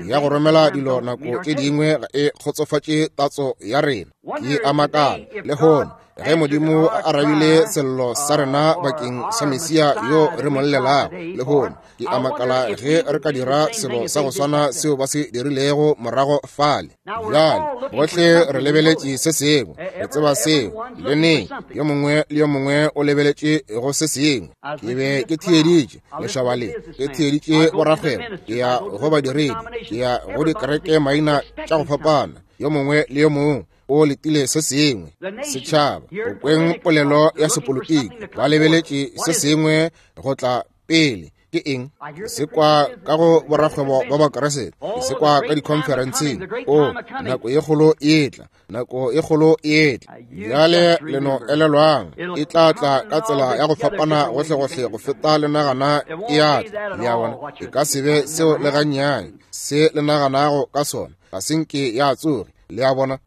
ya go romela dilo nako tše dingwe ga e kgotsofatše tatso ya rena. Ke a makala lehono ge Modimo a arabile sello sa rena bakeng sa Mesia yo re mo llelago lehono. Ke a makala ge re ka dira selo sa go swana seo ba se dirilego morago fale. Bjale bohle re lebeletše se sengwe, re tseba seo le neng, yo mongwe le yo mongwe o lebeletše go se sengwe. Ke be ke theeditše lešaba le, ke theeditše borakgwebo, ke ya go badiredi, ke ya go dikereke maina tša go fapana, yo mongwe le yo mongwe o letile se sengwe. Setšhaba, go kweng polelo ya sepolotiki, ba lebeletše se sengwe go tla pele. Ke eng? Ke se kwa ka go borakgwebo ba Bakeresete, ke se kwa ka dikhonferenseng. O, nako ye kgolo e tla, nako e kgolo e tla. Bjale le no elelwang, e tla tla ka tsela ya go fapana gohlegohle go feta le nagana e a tla. Le a bona, e ka se be seo le gannyane se le naganago ka sona, ga se nke ya tsoge. Le a bona?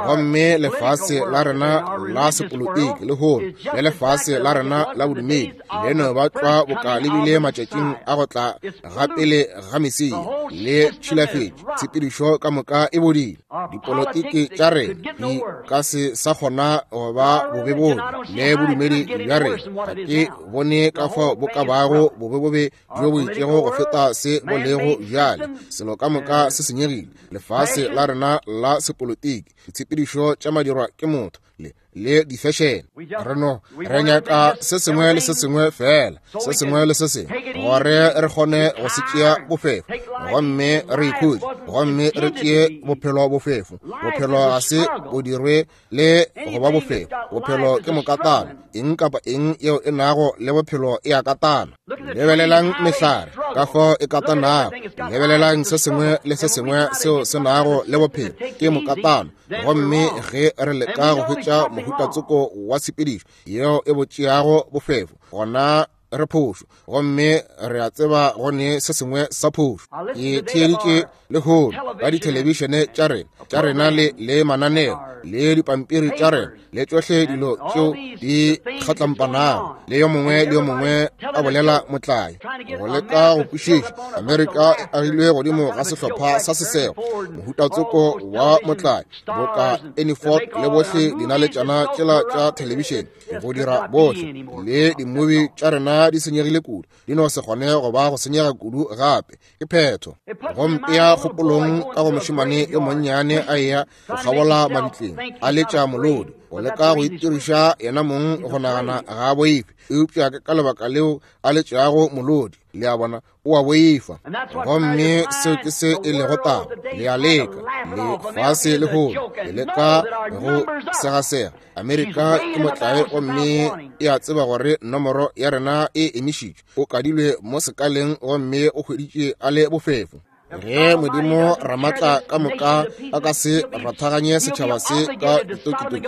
Gomme lefase la rena la sepolotiki lehono le lefase la rena la bodumedi le no ba tlwa boka le bile matšatšing a go tla ga pele ga Mesia, le tšhilafetše, tshepedišo ka moka e bodile. Dipolotiki tša rena di ka se sa kgona go ba bobebobe le bodumedi bja rena ga ke bone ka fao bo ka bago bobebobe bjo bo itšego go feta se bo lego bjale. Selo ka moka se senyegile. Lefase la rena la sepolotiki, ditshepedišo tša madirwa ke motho le le difešene, re no re nyaka se sengwe le se sengwe fela, se sengwe le se sengwe, gore re kgone go se tšea bofefo gomme re ikhutše gomme re tšee bophelo bofefo. Bophelo ga se bo dirwe le go ba bofefo. Bophelo ke mokatana. Eng kapa eng yeo e nago le bophelo e a katana. Lebelelang mehlare ka fao e katanago, lebelelang se sengwe le se sengwe seo se nago le bophelo, ke mokatano. Gomme ge re leka go hwetša mohutatsoko wa tshepedišo yeo e bo tšeago bofefo, gona re phošo, gomme re a tseba go ne se sengwe sa phošo. Ke theeditše lehono ka dithelebišene tša rena, tša rena le, le mananeo le dipampiri tša rena le tšohle dilo tšeo di kgatlampanago, le yo mongwe le yo mongwe a bolela motlae go leka go kwešiša. Amerika e agilwe godimo ga sehlopha sa sesego, mohutatsoko wa motlae boka Ernie Ford le bohle dinaletšana tšela tša thelebišene go dira bohle, le dimubi tša rena di senyegile kudu, di no se kgone go ba go senyega kudu gape. Ke phetho. Go mpea kgopolong ka go mošemane yo monnyane a eya go kgabola mabitleng, a letša molodi, go leka go itiriša yena mong go nagana ga a boife, eupša ke ka lebaka leo a letšago molodi. Le a bona, o a boifa. Gomme seo ke se e lego taba. Le a leka, lefase lehono le leka go segasega. Amerika ke motlae gomme e a tseba gore nomoro ya rena e emišitšwe. O kadilwe mo sekaleng gomme o hweditše a le bofefo. Ge Modimo Ramatla ka moka a ka se rathaganye setšhaba se ka ditokitoki,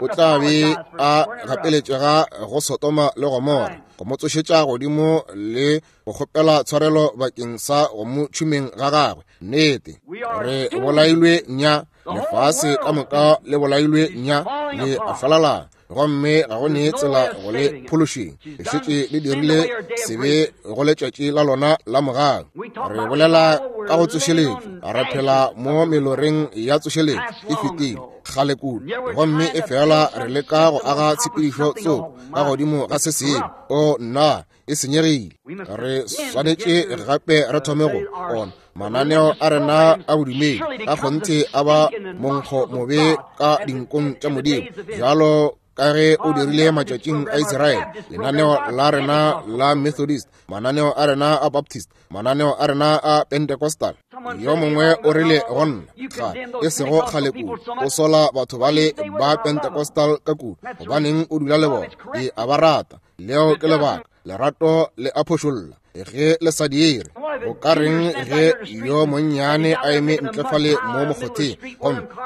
o tla be a gapeletšega go Sodoma le Gomora, go mo tsošetša godimo le go kgopela tshwarelo bakeng sa go mo tšhumeng ga gagwe. Nnete, re bolailwe nya, lefase ka moka le bolailwe nya, le a falalana, gomme ga go ne tsela go le phološeng. Le šetše le dirile sebe go letšatši la lona la mogau. Re bolela ka go tsošeletšo, re phela mo meloreng ya tsošeletšo e fetile kgale kudu, gomme e fela re leka go aga tshepedišo tsoko ka godimo ga se sengwe. O nna, e senyegile. Re swanetše gape re thome go ona mananeo a rena a bodumedi a kgonthe a ba monkgo mobe ka dinkong tša Modimo, bjalo ka ge o dirile matšatšing a Israele. Lenaneo la rena la Methodist, mananeo a rena a Baptist, mananeo a rena a Pentecostal. Yo mongwe o rile go nna, ga e sego kgale kudu, o sola batho bale ba Pentecostal ka kudu, gobaneng o dula le bona? Ke a ba rata. Leo ke lebaka. Lerato le a phošolla ge le sa dire. Go ka reng ge yo monnyane a eme ntle fale mo mokgotheng,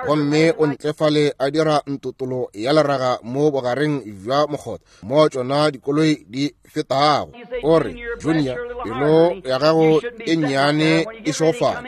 gomme o ntle fale a dira ntotolo ya leraga mo bogareng bja mokgotha mo tšona dikoloi di fetago? O re, Junior, pelo ya gago e nnyane e šofala,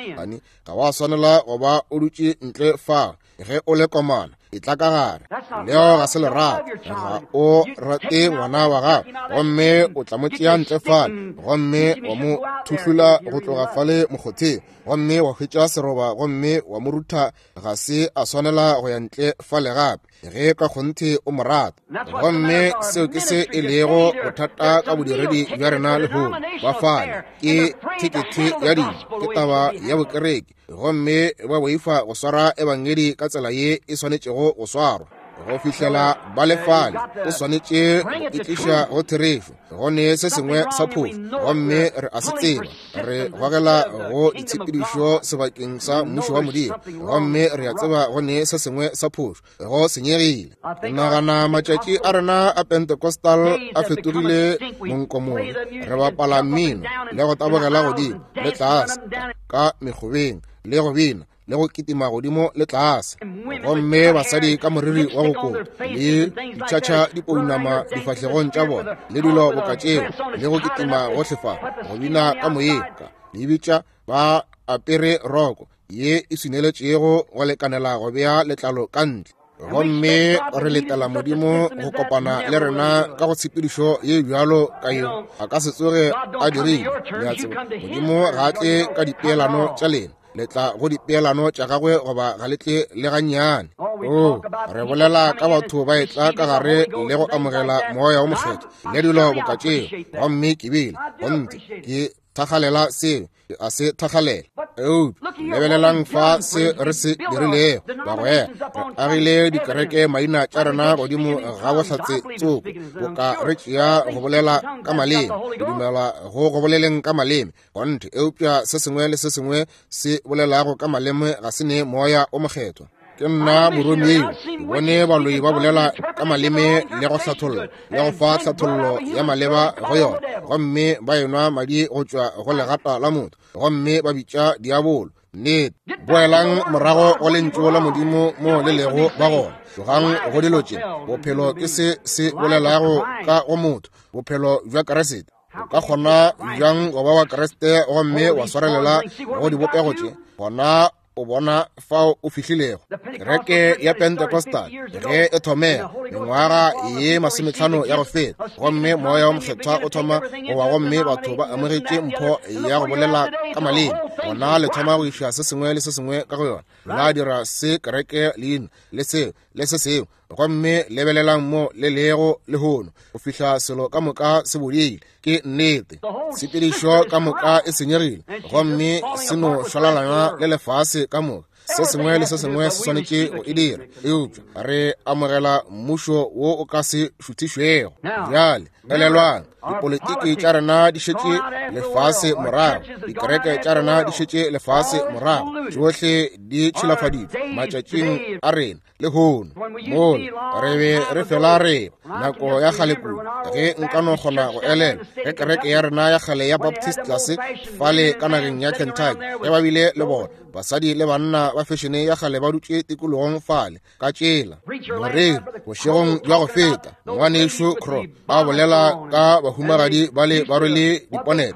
ga wa swanela go ba o dutše ntle fa ge o le komana. E tla ka gare. Leo ga se lerato. Ga o rate ngwana wa gago, gomme o tla mo tšea ntle fale, gomme wa mo thuhlula go tloga fale mokgotheng, gomme wa hwetša seroba, gomme wa mo rutha ga se a swanela go ya ntle fale gape, ge ka kgonthe o mo rata. Gomme seo ke se e lego bothata ka bodiredi bja rena lehono. Ba fale ke thekethe ya dilo, ke taba ya bokereke, gomme ba boifa go swara ebangedi ka tsela ye e swanetšego go swarwa. Go fihlela ba le fale, o swanetše go e tliša go therešo. Go ne se sengwe sa phošo, gomme re a se tseba. Re gogela go ditshepedišo sebakeng sa mmušo wa Modimo, gomme re a tseba go ne se sengwe sa phošo, go senyegile. Nagana matšatši a rena a Pentecostal a fetogile monkomong. Re bapala mmino le go tabogela godimo le tlase ka mekgobeng le go bina le go kitima godimo le tlase, gomme basadi ka moriri wa go kota le ditšhatšha dipounama difahlegong tša bona le dilo boka tšeo, le go kitima gohle fa, go bina ka moyeng, ka le bitša ba apere roko ye e swineletšego go lekanela go bea letlalo ka ntle. Gomme re letela Modimo go kopana le rena ka go tshepedišo ye bjalo ka yeo a ka se tsoge a dirile. Le a tseba, Modimo ga a tle ka dipeelano tša lena, le tla go dipeelano tša gagwe goba ga le tle le gannyane. O, re bolela ka batho ba etla ka gare le go amogela Moya wo Mokgethwa le dilo boka tšeo, gomme ke bile gonthe ke thakgalela seo, a se thakgalela. Eupša lebelelang fa se re se dirilego, bagwera. Re agile dikereke maina tša rena godimo ga bohlatse tsoko, boka re tšea go bolela ka maleme, re dumela go go boleleng ka maleme gonthe, eupša se sengwe le se sengwe se bolelago ka maleme ga se ne Moya o Mokgethwa. Ke nna moromiwa, ke bone baloi ba bolela ka maleme le go hlatholla le go fa hlathollo ya maleba go yona, gomme ba enwa madi go tšwa go legata la motho, gomme ba bitša diabolo. Nnete, boelang morago go lentšu la Modimo mo le lego ba gona. Tlogang go dilo tše. Bophelo ke se se bolelago ka go motho, bophelo bja Kriste. O ka kgona bjang go ba wa Kriste gomme wa swarelela go dibopego tše? Gona o bona fao o fihlilego. Kereke ya Pentecostal ge e thomega mengwaga ye 50 ya go feta, gomme Moya wo Mokgethwa o thoma go wa, gomme batho ba amogetše mpho ya go bolela ka maleme, gona le thoma go iša se sengwe le se sengwe ka go yona, la dira se kereke leina le seo le se sengwe, gomme lebelelang mo le lego lehono, go fihla selo ka moka se bodile. Ke nnete, tshepedišo ka moka e senyegile, gomme se no šwalalana le lefase ka moka. Se sengwe le se sengwe se swanetše go e dira, eupša re amogela mmušo wo o ka se šuthišwego. Bjale elelwang, dipolitiki tša rena di šetše lefase morago, dikereke tša rena di šetše lefase morago, tšohle di tšhilafaditšwe matšatšing a rena lehono. Mola re be re fela re nako ya kgale kudu, ge nka no kgona go elela ge kereke ya rena ya kgale ya Baptist tlase fale ka nageng ya Kentucky, ge ba bile le bona basadi le banna ba fešene ya kgale ba dutše tikologong fale ka tšela. Moreri bošegong bja go feta, ngwanešu Crow a bolela ka bahumagadi bale ba rwele diponete,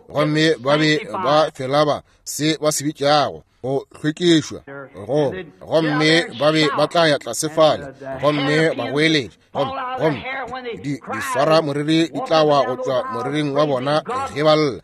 gomme ba be ba fela ba se ba se bitšago go hlwekišwa, go gomme ba be ba tla ya tlase fale gomme ba goeletša, gomme di swara moriri di tla wa go tšwa moriring wa bona ge ba lla,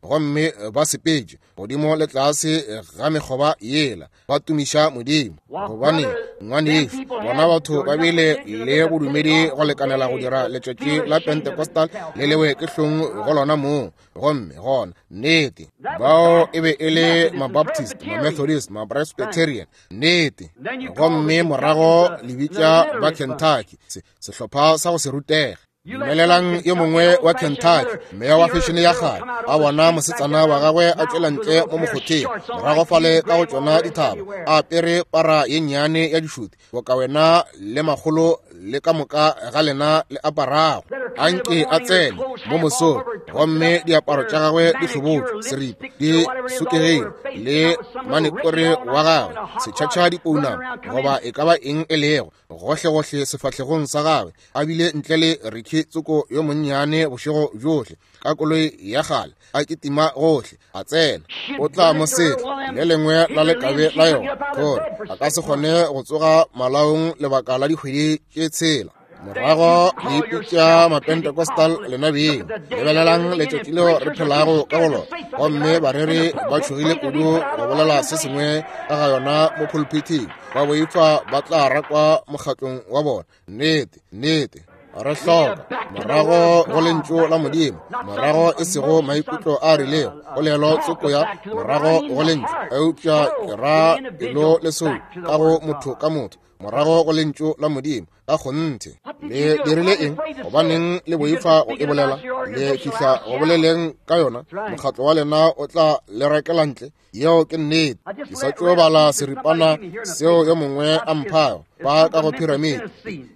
gomme ba sepetše godimo le tlase ga mekgoba yela ba tumiša Modimo. Gobane ngwanešu, bona batho ba bile le bodumedi go lekanela go dira letšatši la Pentecostal le lewe ke hlong go lona mong. Gomme gona nnete, bao e be e le Mabaptist, Mamethodist, Mapresbyterian, nnete. Gomme morago le bitša ba Kentucky sehlopha sa go se rutege. Dumelelang yo mongwe wa Kentucky, meya wa fešene ya kgale, a bona mosetsana wa gagwe a tšwela ntle mo mokgotheng, morago fale ka go tšona dithaba, a apere para ye nnyane ya dišuti, boka wena le makgolo le ka moka ga lena le aparago. A nke a tsene mo mosong, gomme diaparo tša gagwe di hlobotšwe, seripa di sokegile, le manekore wa gagwe setšhatšha dipounama, goba e ka ba eng e lego, gohlegohle sefahlegong sa gagwe, a bile ntle le Ricky tsoko yo monnyane bošego bjohle ka koloi ya kgale, a kitima gohle, a tsena. O tla mo setla le lengwe la lekabe la yona, gore a ka se kgone go tsoga malaong lebaka la dikgwedi tše tshela. Morago le ipitša Mapentecostal lena beng. Lebelelang letšatši leo re phelago ka go lona, gomme bareri ba tšhogile kudu go bolela se sengwe ka ga yona mo pulpithing, ba boifa ba tla rakwa mokgatlong wa bona. Nnete, nnete. Re hloka morago go lentšu la Modimo, morago e sego maikutlo a rilego, polelo tsoko ya morago go lentšu, eupša ke ra pelo le soulo ka go motho ka motho, morago go lentšu la Modimo ka kgonthe. Le dirile eng? Gobaneng le boifa go e bolela? Le fihla go boleleng ka yona, mokgatlo wa lena o tla le rakela ntle. Yeo ke nnete. Ke sa tšo bala seripana seo yo mongwe a mphago ba ka go Pyramid,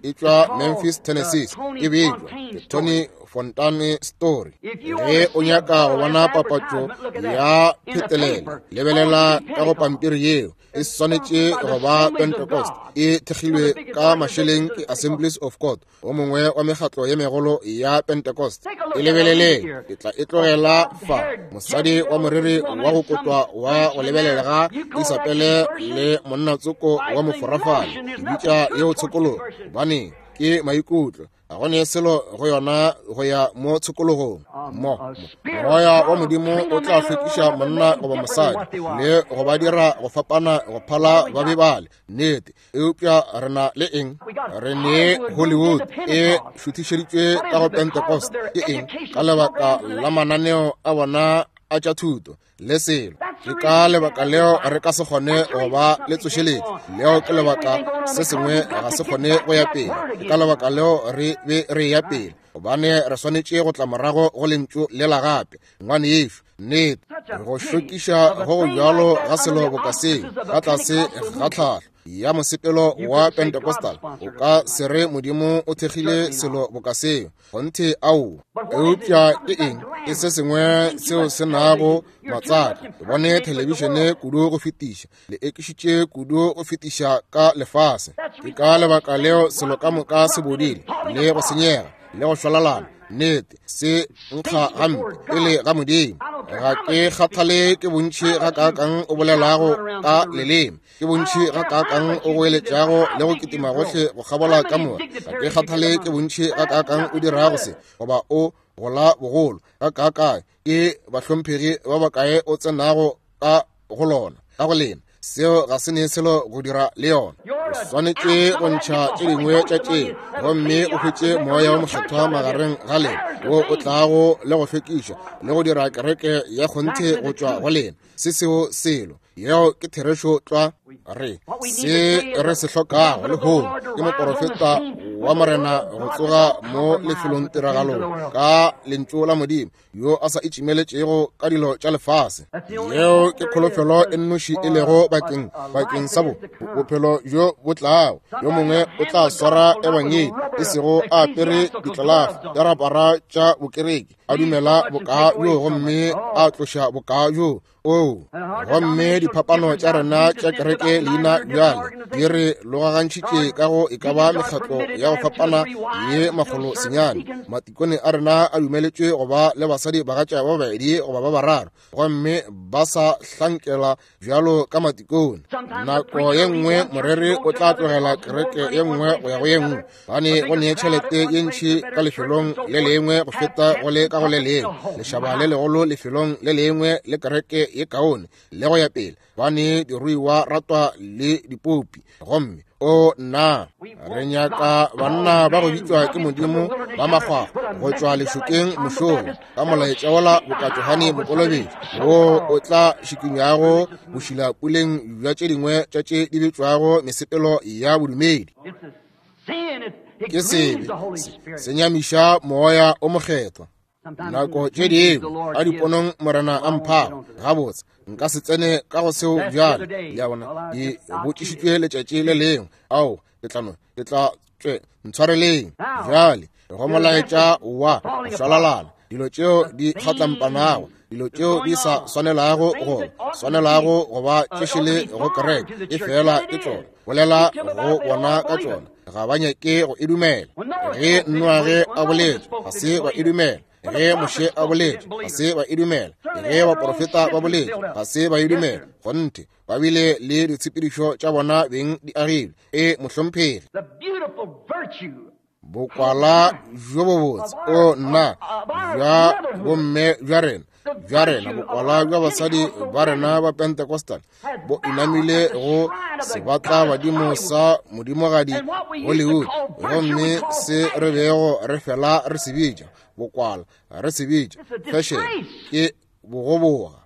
e tšwa Memphis, Tennessee, e bitšwa ke Tony Fontane story. Ge o nyaka go bona papatšo ya phetelelo, lebelela ka go pampiri yeo. E swanetše go ba Pentecost, e thekgilwe ka mašeleng ke Assemblies of God, o mongwe wa mekgatlo ye megolo ya Pentecost. E lebeleleng, ke tla e tlogela fa. Mosadi wa moriri wa go kotwa wa go lebelelega Isabele le monna tsoko wa moforafale, ke bitša yeo tshokologo, gobane ke maikutlo. Ga go ne selo go yona go ya mo tshokologong. Mo moya wa Modimo o tla hlwekiša monna goba mosadi le go ba dira go fapana go phala ba be bale. Nnete. Eupša re na le eng? Re ne Hollywood e šuthišeditšwe ka go Pentecost. Ke eng? Ka lebaka la mananeo a bona a tša thuto le selo. Ke ka lebaka leo re ka se kgone go ba le tsošeletšo. Leo ke lebaka se sengwe ga se kgone go ya pele. Ke ka lebaka leo re be re ya pele, gobane re swanetše go tla morago go lentšu lela gape. Ngwanešu, nnete, go šokiša go go bjalo ga selo boka seo ka tlase ga tlhahlo ya mosepelo wa Pentecostal, o ka se re Modimo o thekgile selo boka seo. Kgonthe, aowa. Eupša ke eng? Ke se sengwe seo se nago matsaka. Ke bone thelebišene kudu go fetiša, le ekišitše kudu go fetiša ka lefase. Ke ka lebaka leo selo ka moka se bodile le go senyega le go šwalalana. Nnete, se nkga gampe pele ga Modimo. Ga ke kgathale ke bontši gakaakang o bolelago ka leleme, ke bontši gakaakang o goeletšago le go kitima gohle go kgabola kamora. Ga ke kgathale ke bontši gakaakang o dirago se goba o gola bogolo gakaakae, ke bahlomphegi ba bakae o tsenago ka go lona, ka go lena. Seo ga se ne selo go dira le yona. O swanetše go ntšha tše dingwe tša tšeo, gomme o hwetše moya wa mokgethwa magareng ga lena, wo o tlago le go hlwekiša le go dira kereke ya kgonthe go tšwa go lena. Se seo selo. Yeo ke therešo tlwa. Re se re se hlokago lehono ke moporofeta wa Morena go tsoga mo lefelong tiragalong ka lentšu la Modimo, yo a sa itšimeletšego ka dilo tša lefase. Yeo ke kholofelo e nnoši e lego bakeng sa bophelo bjo bo tlago. Yo mongwe o tla swara ebangedi, e sego a apere ditlelafo ya rapara tša bokereki, a dumela boka bjo gomme a tloša boka bjo. Oo, gomme diphapano tša rena tša kereke leina bjale di re logagantšhitše ka go e ka ba mekgatlo ya go fapana ye 190. Matikone a rena a dumeletšwe go ba le basadi bagatša ba babedi goba ba bararo, gomme ba sa hlankela bjalo ka matikone. Nako ye nngwe moreri o tla tlogela kereke ye nngwe go ya go ye nngwe, gobane go ne tšhelete ye ntši ka lefelong le lengwe go feta go le ka go le lengwe, lešaba le legolo lefelong le lengwe le kereke ye kaone le go ya pele, gobane diruiwa ratwa le dipopi. Gomme o nna, re nyaka banna ba go bitšwa ke Modimo ba makgwakgwa go tšwa lešokeng mošomo ka molaetša wola boka Johane Mokolobetši, wo o tla šikinyago bošila puleng bja tše dingwe tša tše di bitšwago mesepelo ya bodumedi. Ke sebe, se nyamiša Moya o Mokgethwa. Nako tše dingwe a diponong Morena a mphago, gabotse nka se tsene ka go seo bjale. Le a bona, ke botšišitšwe letšatši le lengwe. Ao, ke tla no, ke tla tšwe, ntshwareleng. Bjale, go molaetša wa go šwalalana, dilo tšeo di kgatlampanago, dilo tšeo di sa swanelago go swanelago go ba tšešele go kereke, e fela ke tšona. Bolela go bona ka tšona, ga ba nyake go e dumela. Ge Noage a boletše, ga se ba e dumela. Ge Moshe a boletše, ga se ba e dumela. Ge baprofeta ba boletše, ga se ba e dumela. Kgonthe, ba bile le ditshepedišo tša bona beng di agilwe. E, mohlomphegi. Bokwala bjo bobotse, o nna, bja bomme bja rena, bja rena, bokwala bja basadi ba rena ba Pentecostal bo inamile go sebatla badimo sa modimogadi Hollywood, gomme se re bego re fela re se bitša bokwala, re se bitša fashion, ke bogoboga.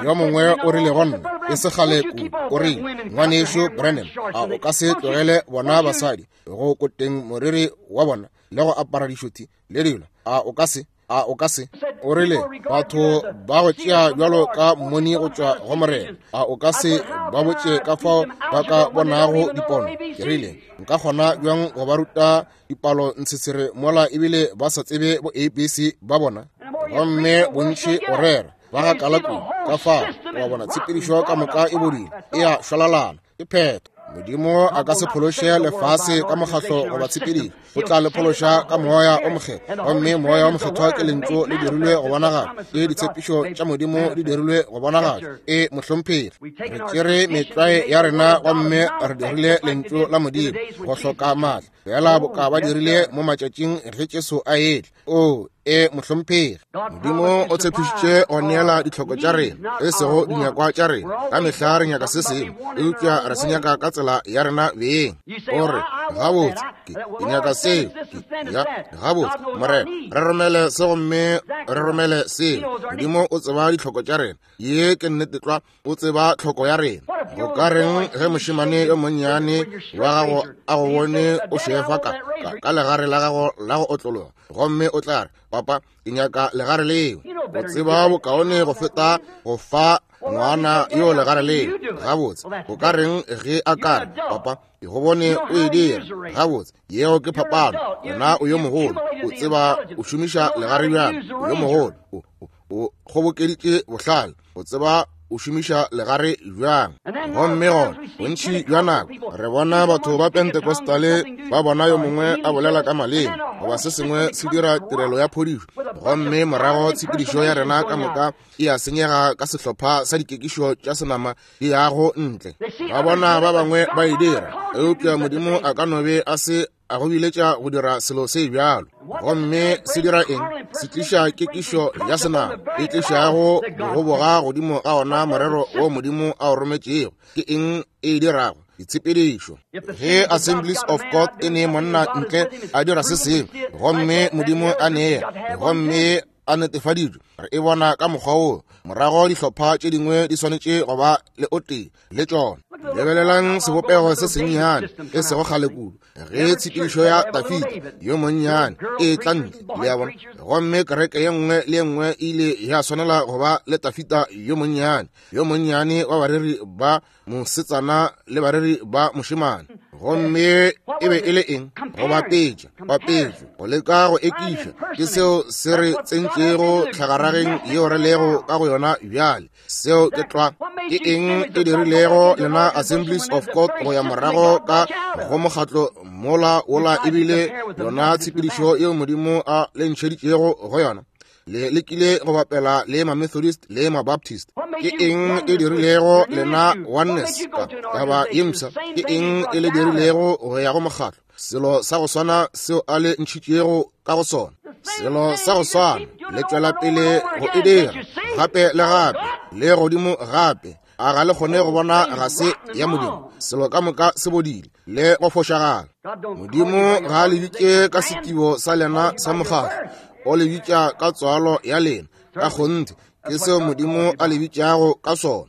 Yo mongwe o rile go nna e se kgale kudu, o rile, Ngwanešu Branham, a o ka se tlogele bona basadi go koteng moriri wa bona le go apara dišothi le dilo? A o ka se? A o ka se? O rile, batho ba go tšea bjalo ka mmoni go tšwa go Morena. A o ka se ba botše ka fao ba ka bonago dipono? Ke rile, nka kgona bjang go ba ruta dipalo ntshetshere mola ebile ba sa tsebe bo ABC ba bona? Gomme bontši o rera ba ga kala kudu ka fao, wa bona, tshepedišo ka moka e bodile, e a šwalalana, ke phetho. Modimo a ka se phološe lefase ka mokgahlo goba tshepedišo, o tla le phološa ka Moya o Mokgethwa. Gomme Moya o Mokgethwa ke Lentšu le dirilwe go bonagala, ke ditshepišo tša Modimo di dirilwe go bonagala. E, mohlomphegi, re tšere metlwae ya rena gomme re dirile Lentšu la Modimo go hloka maatla, fela boka ba dirile mo matšatšing ge Jesu a etla. O, e, mohlomphegi. Modimo o tshepišitše go neela ditlhoko tša rena, e sego dinyakwa tša rena. Ka mehla re nyaka se sengwe, eupša re se nyaka ka tsela ya rena beng. O re, gabotse, ke, ke nyaka seo. Ke, ya, gabotse, Morena, re romele se gomme re romele seo. Modimo o tseba ditlhoko tša rena. Ye ke nnete tlwa. O tseba tlhoko ya rena. Go ka reng ge mošemane yo monnyane wa gago a go bone o šefa ka, ka, ka legare la gago la go otlologa, gomme o tla re, Papa, ke nyaka legare leo. O tseba bokaone go feta go fa ngwana yo legare leo. Gabotse, go ka reng ge a ka re, Papa, ke go bone o e dira. Gabotse, yeo ke phapano. Wena o yo mogolo, o tseba o šomiša legare bjang. O yo mogolo, o, o, o kgobokeditše bohlale, o tseba o šomiša legare bjang. Gomme gona bontši bja nako re bona batho ba Pentecostale ba bona yo mongwe a bolela ka maleme goba se sengwe se dira tirelo ya phodišo, gomme morago tshepedišo ya rena ka moka e a senyega ka sehlopha sa dikekišo tša senama di yago ntle. Ba bona ba bangwe ba e dira, eupša Modimo a ka no be a se a go biletša go dira selo se bjalo. Gomme se dira eng? Se tliša kekišo ya senama e tlišago bogoboga godimo ga ona morero wo Modimo a o rometšego. Ke eng e e dirago? Ditshepedišo. Ge Assemblies of God e ne monna ntle a dira se sengwe, gomme Modimo a nea, gomme a netefaditšwe, re e bona ka mokgwa wo. Morago dihlopha tše dingwe di swanetše go ba le o tee le tšona. Lebelelang sebopego se sennyane e sego kgale kudu, ge tshepedišo ya Dafida yo monnyane e tla ntle, le a bona, gomme kereke ye nngwe le ye nngwe e ile ya swanela go ba le Dafida yo monnyane, yo monnyane wa bareri ba mosetsana le bareri ba mošemane. Gomme e be e le eng? Go bapetša, bapetšo, go leka go ekiša. Ke seo se re tsentšego tlhagarageng yeo re lego ka go yona bjale. Seo ke tlwa. Ke eng e dirilego lena Assemblies of God go ya morago ka go mokgatlo mola wola ebile yona tshepedišo yeo Modimo a le ntšheditšego go yona? Le lekile go bapela le ma-Methodist le ma-Baptist. Ke eng e dirilego lena Oneness ka taba ye mpsha? Ke eng e le dirilego go ya go mokgatlo? Selo sa go swana seo a le ntšhitšego ka go sona. Selo sa go swana, le tšwela pele go e dira gape le gape le godimo gape. A ga le kgone go bona ga se ya Modimo? Selo ka moka se bodile le go fošagala. Modimo ga a le bitše ka setibo sa lena sa mokgatlo, o le bitša ka tswalo ya lena. Ka kgonthe ke seo Modimo a le bitšago ka sona.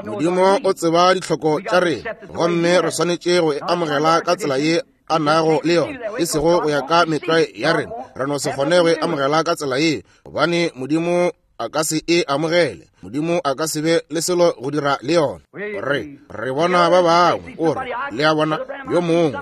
Modimo o tseba ditlhoko tša rena, gomme re swanetše go e amogela ka tsela ye a nago le yona, e sego go ya ka metlwae ya rena. Re no se kgone go e amogela ka tsela ye, gobane Modimo a ka se e amogele. Modimo a ka se be le selo go dira le yona. Re, re bona ba bangwe, o re, le a bona, yo mongwe,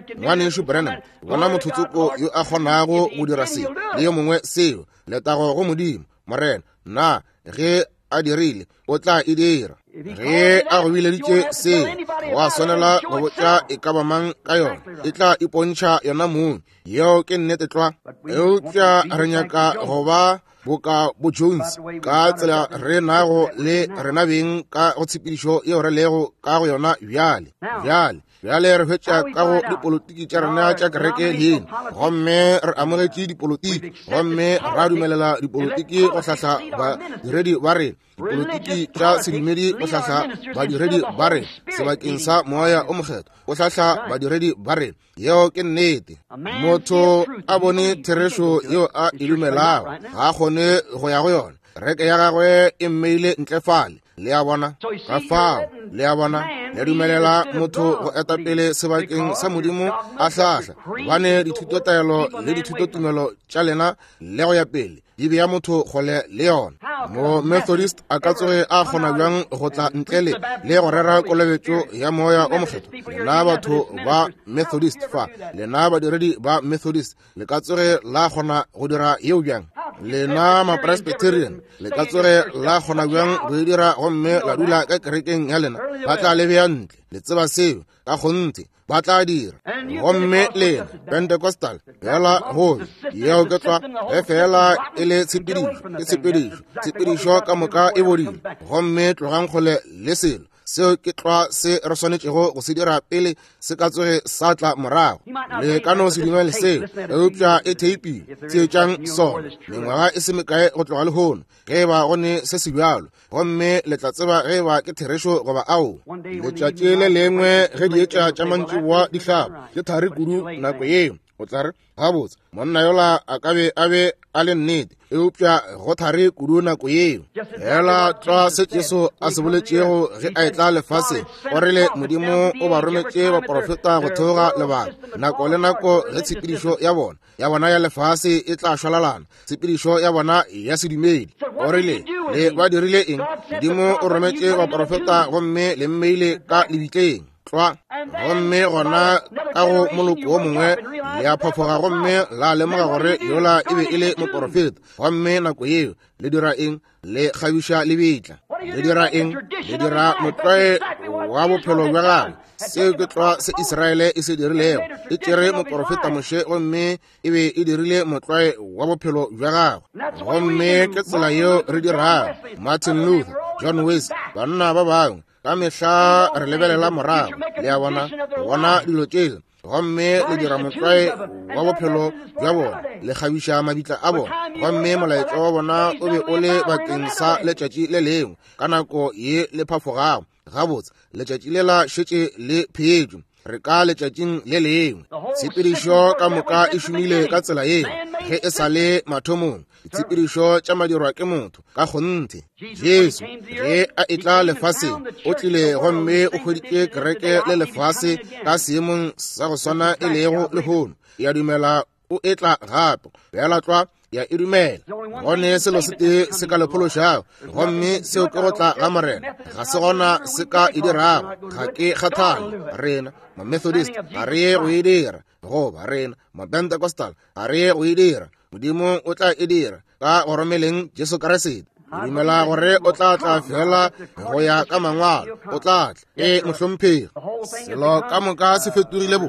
ke Ngwanešu Branham, bona motho tsoko yo a kgonago go dira se, le yo mongwe seo. Letago go Modimo, Morena, na ge a dirile, o tla e dira. Ge a go bileditše seo, wa swanela go botša e ka ba mang ka yona, e tla ipontšha yona mong. Yeo ke nnete tlwa. Eupša re nyaka go ba boka bo Jones ka tsela re nago le rena beng ka go tshepedišo yeo re lego ka go yona bjale. Bjale, bjale re hwetša ka go dipolotiki tša rena tša kereke leina, gomme re amogetše dipolotiki, gomme ra dumelela dipolotiki go hlahla badiredi ba rena, dipolotiki tša sedumedi go hlahla badiredi ba rena sebakeng sa Moya o Mokgethwa go hlahla badiredi ba rena. Yeo ke nnete. Motho a bone therešo yeo a e dumelago, ga a kgone go ya go yona. Kereke ya gagwe e mmeile ntle fale. Le a bona? Ka fao, le a bona, le dumelela motho go eta pele sebakeng sa Modimo a hlahla, gobane dithutotaelo le dithutotumelo tša lena le go ya pele di bea motho kgole le yona. Mo Methodist a ka tsoge a kgona bjang go tla ntle le le go rera kolobetšo ya Moya o Mokgethwa? Lena batho ba Methodist fa, lena badiredi ba Methodist, le ka tsoge la kgona go dira yeo bjang? Lena Mapresbyterian, le ka tsoge la kgona bjang go e dira gomme la dula ka kerekeng ya lena? Ba tla le bea ntle. Le tseba seo ka kgonthe, ba tla dira. Gomme lena Pentecostal, fela gobe yeo ke tlwa, ge fela e le tshepedišo, ke tshepedišo, tshepedišo ka moka e bodile, gomme tlogang kgole le selo. Seo ke tlwa se re swanetšego go se dira pele se ka tsoge sa tla morago. Le ka no se dumele seo, eupša e theipile. Theetšang sona mengwaga e se mekae go tloga lehono, ge e ba go ne se se bjalo, gomme le tla tseba ge e ba ke therešo goba ao. Letšatši le lengwe ge dietša tša mantšiboa di hlaba, ke thari kudu nako yeo, o tla re, gabotse, monna yola a ka be a be a le nnete, eupša go thari kudu nako yeo. Fela tlwa se Jesu a se boletšego ge a etla lefaseng, o rile Modimo o ba rometše baprofeta go theoga lebaka, nako le nako ge tshepedišo ya bona ya bona ya lefase e tla šwalalana, tshepedišo ya bona ya sedumedi. O rile, le ba dirile eng? Modimo o rometše baprofeta gomme le mmeile ka lebitleng. Tlwa. Gomme gona ka go moloko wo mongwe le a phophoga gomme la lemoga gore yola e be e le moporofeta. Gomme nako yeo le dira eng? Le kgabiša lebitla. Le dira eng? Le dira motlwae wa bophelo bja gagwe. Seo ke tlwa se Israele e se dirilego. E tšere moporofeta Moshe gomme e be e dirile motlwae wa bophelo bja gagwe. Gomme ke tsela yeo re dirago. Martin Luther, John Wesley, banna ba bangwe, ka mehla re lebelela morago, le a bona, go bona dilo tšela, gomme le dira motlwae wa bophelo bja bona, le kgabiša mabitla a bona. Gomme molaetša wa bona o be o le bakeng sa letšatši le lengwe, ka nako ye le phafogago. Gabotse, letšatši lela šetše le pheetšwe, re ka letšatšing le lengwe. Tshepedišo ka moka e šomile ka tsela yeo ge e sa le mathomong. Ditshepedišo tša madirwa ke motho ka kgonthe. Jesu ge a etla lefaseng, o tlile gomme o hweditše kereke le lefase ka seemong sa go swana e lego lehono. Ya dumela o etla gape, bjala tlwa ya e dumela. Gone selo se tee se ka le phološago, gomme seo ke go tla ga Morena. Ga se gona se ka e dirago. Ga ke kgathale, rena ma-Methodist ga re ye go e dira, goba rena ma-Pentecostal ga re ye go e dira. Modimo o tla e dira ka go romeleng Jesu Kriste. Ke dumela gore o tla tla fela go ya ka mangwalo. O tla tla. Ee, mohlomphegi. Selo ka moka se fetogile bo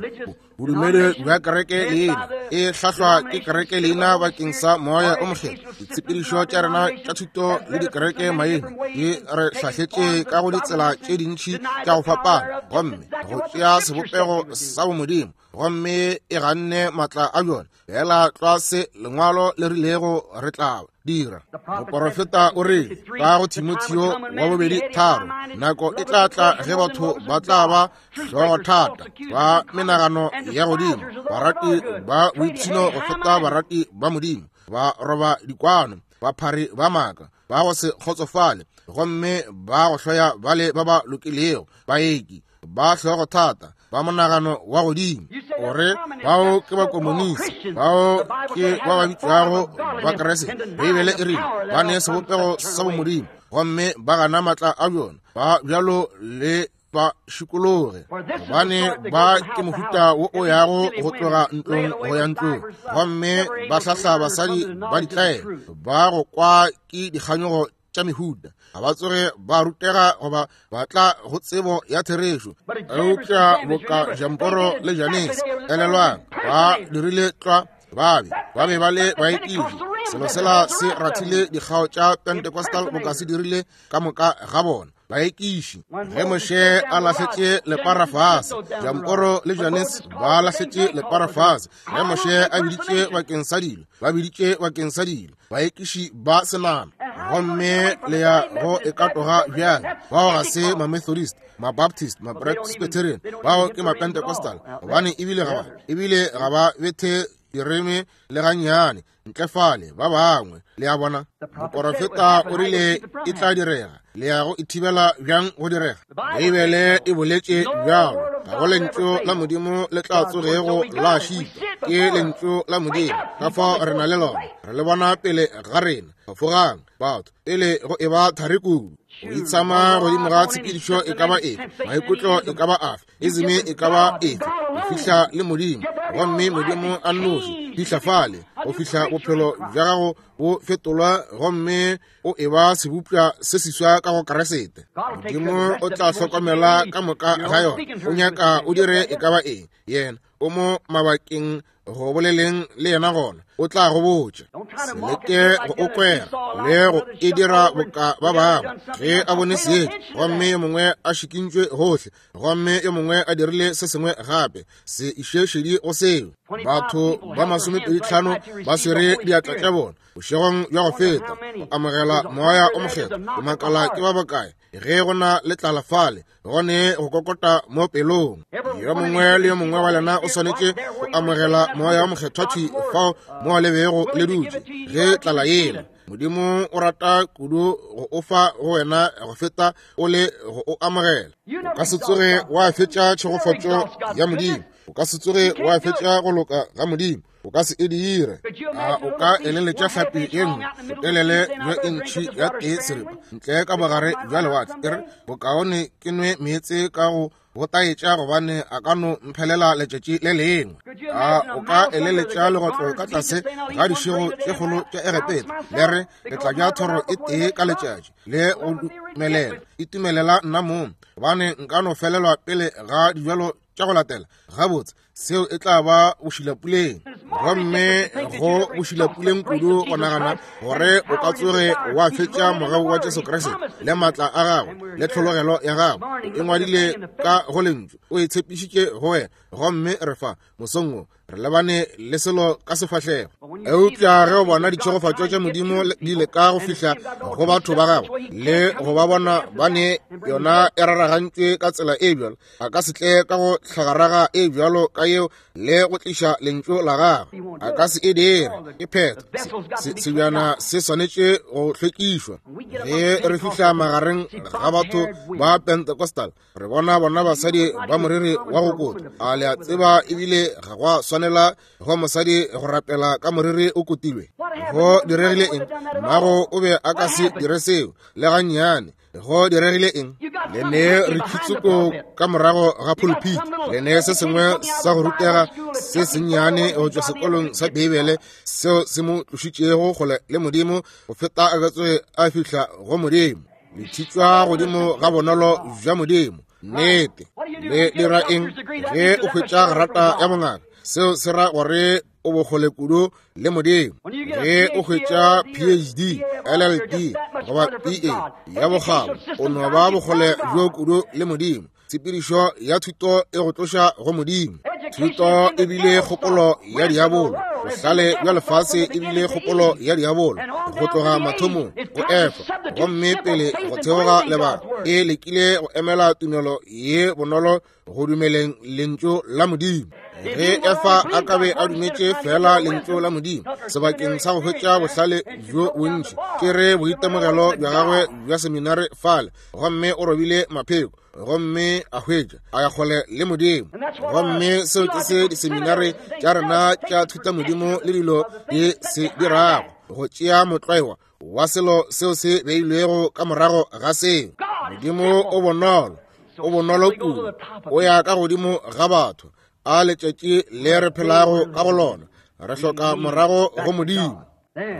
bodumedi bja kereke leina, e hlahlwa ke kereke leina bakeng sa Moya o Mokgethwa. Ditshepedišo tša rena tša thuto le dikereke maina di re hlahletše ka go ditsela tše dintši tša go fapana, gomme go tšea sebopego sa bomodimo, gomme e ganne maatla a bjona. Fela tlwa se Lengwalo le rilego re tla dira. Moporofeta o rile ka go Timotheo wa bobedi 3, nako e tla tla ge batho ba tla ba hlogothata, ba menagano ya godimo, barati ba boipshino go feta barati ba Modimo, ba roba dikwano, baphari ba maaka, ba go se kgotsofale, gomme ba go hloya bale ba ba lokilego, baeki, ba hlogothata, ba monagano wa godimo. O re bao ke bakomonisi, bao ke ba ba bitšwago Bakriste. Beibele e rile ba ne sebopego sa bomodimo gomme ba gana maatla a bjona, ba bjalo le ba šikologe, gobane ba ke mohuta wo o yago go tloga ntlong go ya ntlong, gomme ba hlahla basadi ba ditlaela ba go kwa ke dikganyogo tša mehuta. Ga ba tsoge ba rutega goba ba tla go tsebo ya therešo. Eupša boka Jamporo le Janese, elelwang, ba dirile tlwa, ba be ba be ba le baekiši. Selo sela se rathile dikgao tša Pentecostal boka se dirile ka moka ga bona baekiši. Ge Moshe a lahletše lepara fase, Jamporo le Janese ba lahletše lepara fase. Ge Moshe a biditše bakeng sa dilo, ba biditše bakeng sa dilo, baekiši ba senama. Gomme le ya go e katoga bjang? Bao ga se ma-Methodist, ma-Baptist, ma-Presbyterian, bao ke ma-Pentecostal, gobane ebile ga ba, ebile ga ba bethe direme le gannyane ntle fale ba bangwe. Le a bona, moporofeta o rile e tla direga. Le ya go e thibela bjang go direga? Beibele e boletše bjalo. Ga go lentšu la Modimo le tla tsogego la šitwa. Ke lentšu la Modimo, ka fao re na le lona, re le bona pele ga rena. Phafogang, batho, pele go e ba thari kudu. Go itshama godimo ga tshepedišo e ka ba efe, maikutlo e ka ba afe, izime e ka ba efe, go fihla le Modimo, gomme Modimo a nnoši, fihla fale go fihla bophelo bja gago bo fetolwa gomme o e ba sebopša se seswa ka go Kriste. Modimo o tla hlokomela ka moka ga yona. O nyaka o dire e ka ba eng, yena o mo mabakeng go boleleng le yena, gona o tla go botša. Se leke go o kwera le go e dira boka ba bangwe. Ge a bone seetša gomme yo mongwe a šikintšwe gohle, gomme yo mongwe a dirile se sengwe gape, se iše šedi go seo. Batho ba 25 ba swere diatla tša bona bošegong bja go feta go amogela Moya o Mokgethwa. Ke makala ke ba bakae ge go na le tlala fale, gone go kokota mo pelong. Yo mongwe le yo mongwe wa lena o swanetše go amogela Moya o Mokgethwa thwi fao mo le bego le dutše ge tlala yela. Modimo o rata kudu go o fa go wena go feta o le go o amogela. O ka se tsoge wa fetša tšhegofatšo ya Modimo, o ka se tsoge wa fetša go loka ga Modimo, o ka se e dire. A o ka eleletša hlapi ye nngwe botelele bjo intšhi ya tee seripa ntle ka bogare bja lewatle, e re, bokaone ke nwe meetse ka go go taetša, gobane a ka no mphelela letšatši le lengwe. A o ka eleletša legotlo ka tlase ga dišego tše kgolo tša Egepeta, le re, ke tla ja thoro e tee ka letšatši, le go dumelela itumelela nna mong, gobane nka no felelwa pele ga dijalo tša go latela? Gabotse, seo e tla ba bošilapuleng, gomme go bošilapuleng kudu go nagana gore o ka tsoge wa fetša mogau wa Jesu Kriste le maatla a gagwe le tlhologelo ya gagwe e ngwadile ka go lentšu, o e tshepišitše go wena, gomme re fa mosong wo re lebane le selo ka sefahlego. Eupša ge o bona ditšhegofatšo tša Modimo di leka go fihla go batho ba gagwe le go ba bona ba ne yona e raragantšwe ka tsela e bjalo, a ka se tle ka go hlagaraga e bjalo ka yeo le go tliša lentšu la gagwe. A ka se e dire. Ke phetho. Sebjana se swanetše go hlwekišwa. Ge re fihla magareng ga batho ba Pentecostal, re bona bona basadi ba moriri wa go kotwa. A le a tseba ebile ga gwa swanela go mosadi go rapela ka moriri o kotilwe? Go diregile eng? Mmago o be a ka se dire seo le gannyane. Go diregile eng? Le ne re khitsoko ka morago ga pulpit, le ne se sengwe sa go rutega se sennyane go tšwa sekolong sa Beibele seo se mo tlošitšego kgole le Modimo go feta a ka tsoge a fihla go Modimo. Le thitšwa godimo ga bonolo bja Modimo. Nnete. Le dira eng ge o hwetša grata ya bongaka? Seo se ra gore o bokgole kudu le Modimo. Ge o hwetša PhD, LLD goba BA ya bokgabo, o no ba bokgole bjo kudu le Modimo. Tshepedišo ya thuto e go tloša go Modimo. Thuto e bile kgopolo ya diabolo, bohlale bja lefase e bile kgopolo ya diabolo go tloga mathomong go Efa, gomme pele go theoga lebaka e lekile go emela tumelo ye bonolo go dumeleng lentšu la Modimo. Ge Efa a ka be a dumetše fela lentšu la Modimo sebakeng sa go hwetša bohlale bjo bontši, ke re boitemogelo bja gagwe bja seminare fale, gomme o robile mapheko. gomme a hwetša a ya kgole le Modimo. Gomme seo ke se diseminare tša rena tša thutamodimo le dilo di se dirago, go tšea motlwaewa wa selo seo se beilwego ka morago ga seo. Modimo o bonolo, o bonolo kudu, o ya ka godimo ga batho. A letšatši le re phelago ka go lona, re hloka morago go Modimo.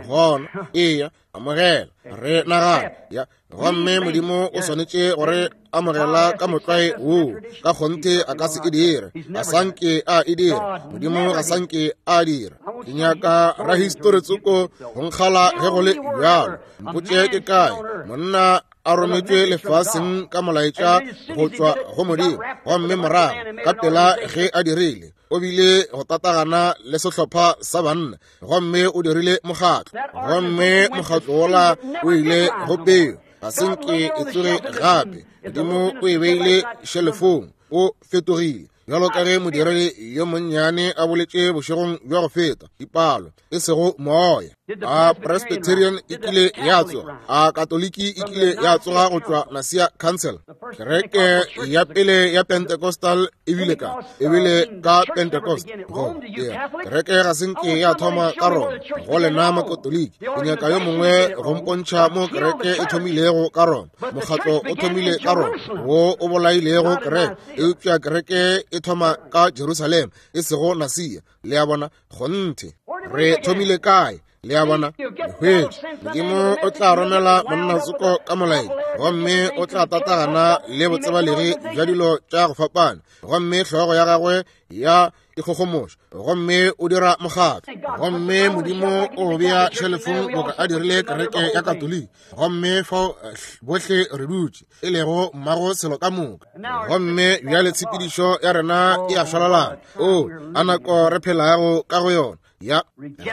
Gona, eya, amogela, re nagana, ya, gomme Modimo o swanetše gore amogela ka motlwae woo. Ka kgonthe a ka se e dire, a sanke a e dira. Modimo ga sanke a dira. Ke nyaka rahistori tsoko go nkgala ge go le bjalo. Mpotše ke kae monna a rometšwe lefaseng ka molaetša go tšwa go Modimo, gomme morago ka pela ge a dirile, o bile go tatagana le sehlopha sa banna, gomme o dirile mokgatlo, gomme mokgatlo wola o ile go peo, ga se nke e tsoge gape. Modimo o e beile šelefong, o fetogile. Bjalo ka ge modiredi yo monnyane a boletše bošegong bja go feta, dipalo, e sego moya. A Presbyterian e kile ya tsoga, a Katoliki e kile ya tsoga go tšwa Nicaea Council. Kereke ya pele ya Pentecostal e bile ka, e bile ka Pentecost. Go, yeah. Kereke ga se nke ya thoma ka Roma. Go lena Makatoliki, ke nyaka yo mongwe go mpontšha mo kereke e thomilego ka Roma. Mokgatlo o thomile ka Roma, wo o bolailego kereke. Eupša kereke e thoma ka Jerusalema, e sego Nicaea. Le a bona? Kgonthe. Re thomile kae? Le a bona? Hwetše. Modimo o tla romela monnatsoko ka molaetša, gomme o tla tatagana le botsebalegi bja dilo tša go fapana, gomme hlogo ya gagwe ya ikgogomoša, gomme o dira mokgatlo, gomme Modimo o bea šelefong boka a dirile kereke ya Katoliki, gomme fao bohle re dutše, e lego mmago selo ka moka. Gomme bjale tshepedišo ya rena e a šwalalana. O, a nako re phelago ka go yona! Ya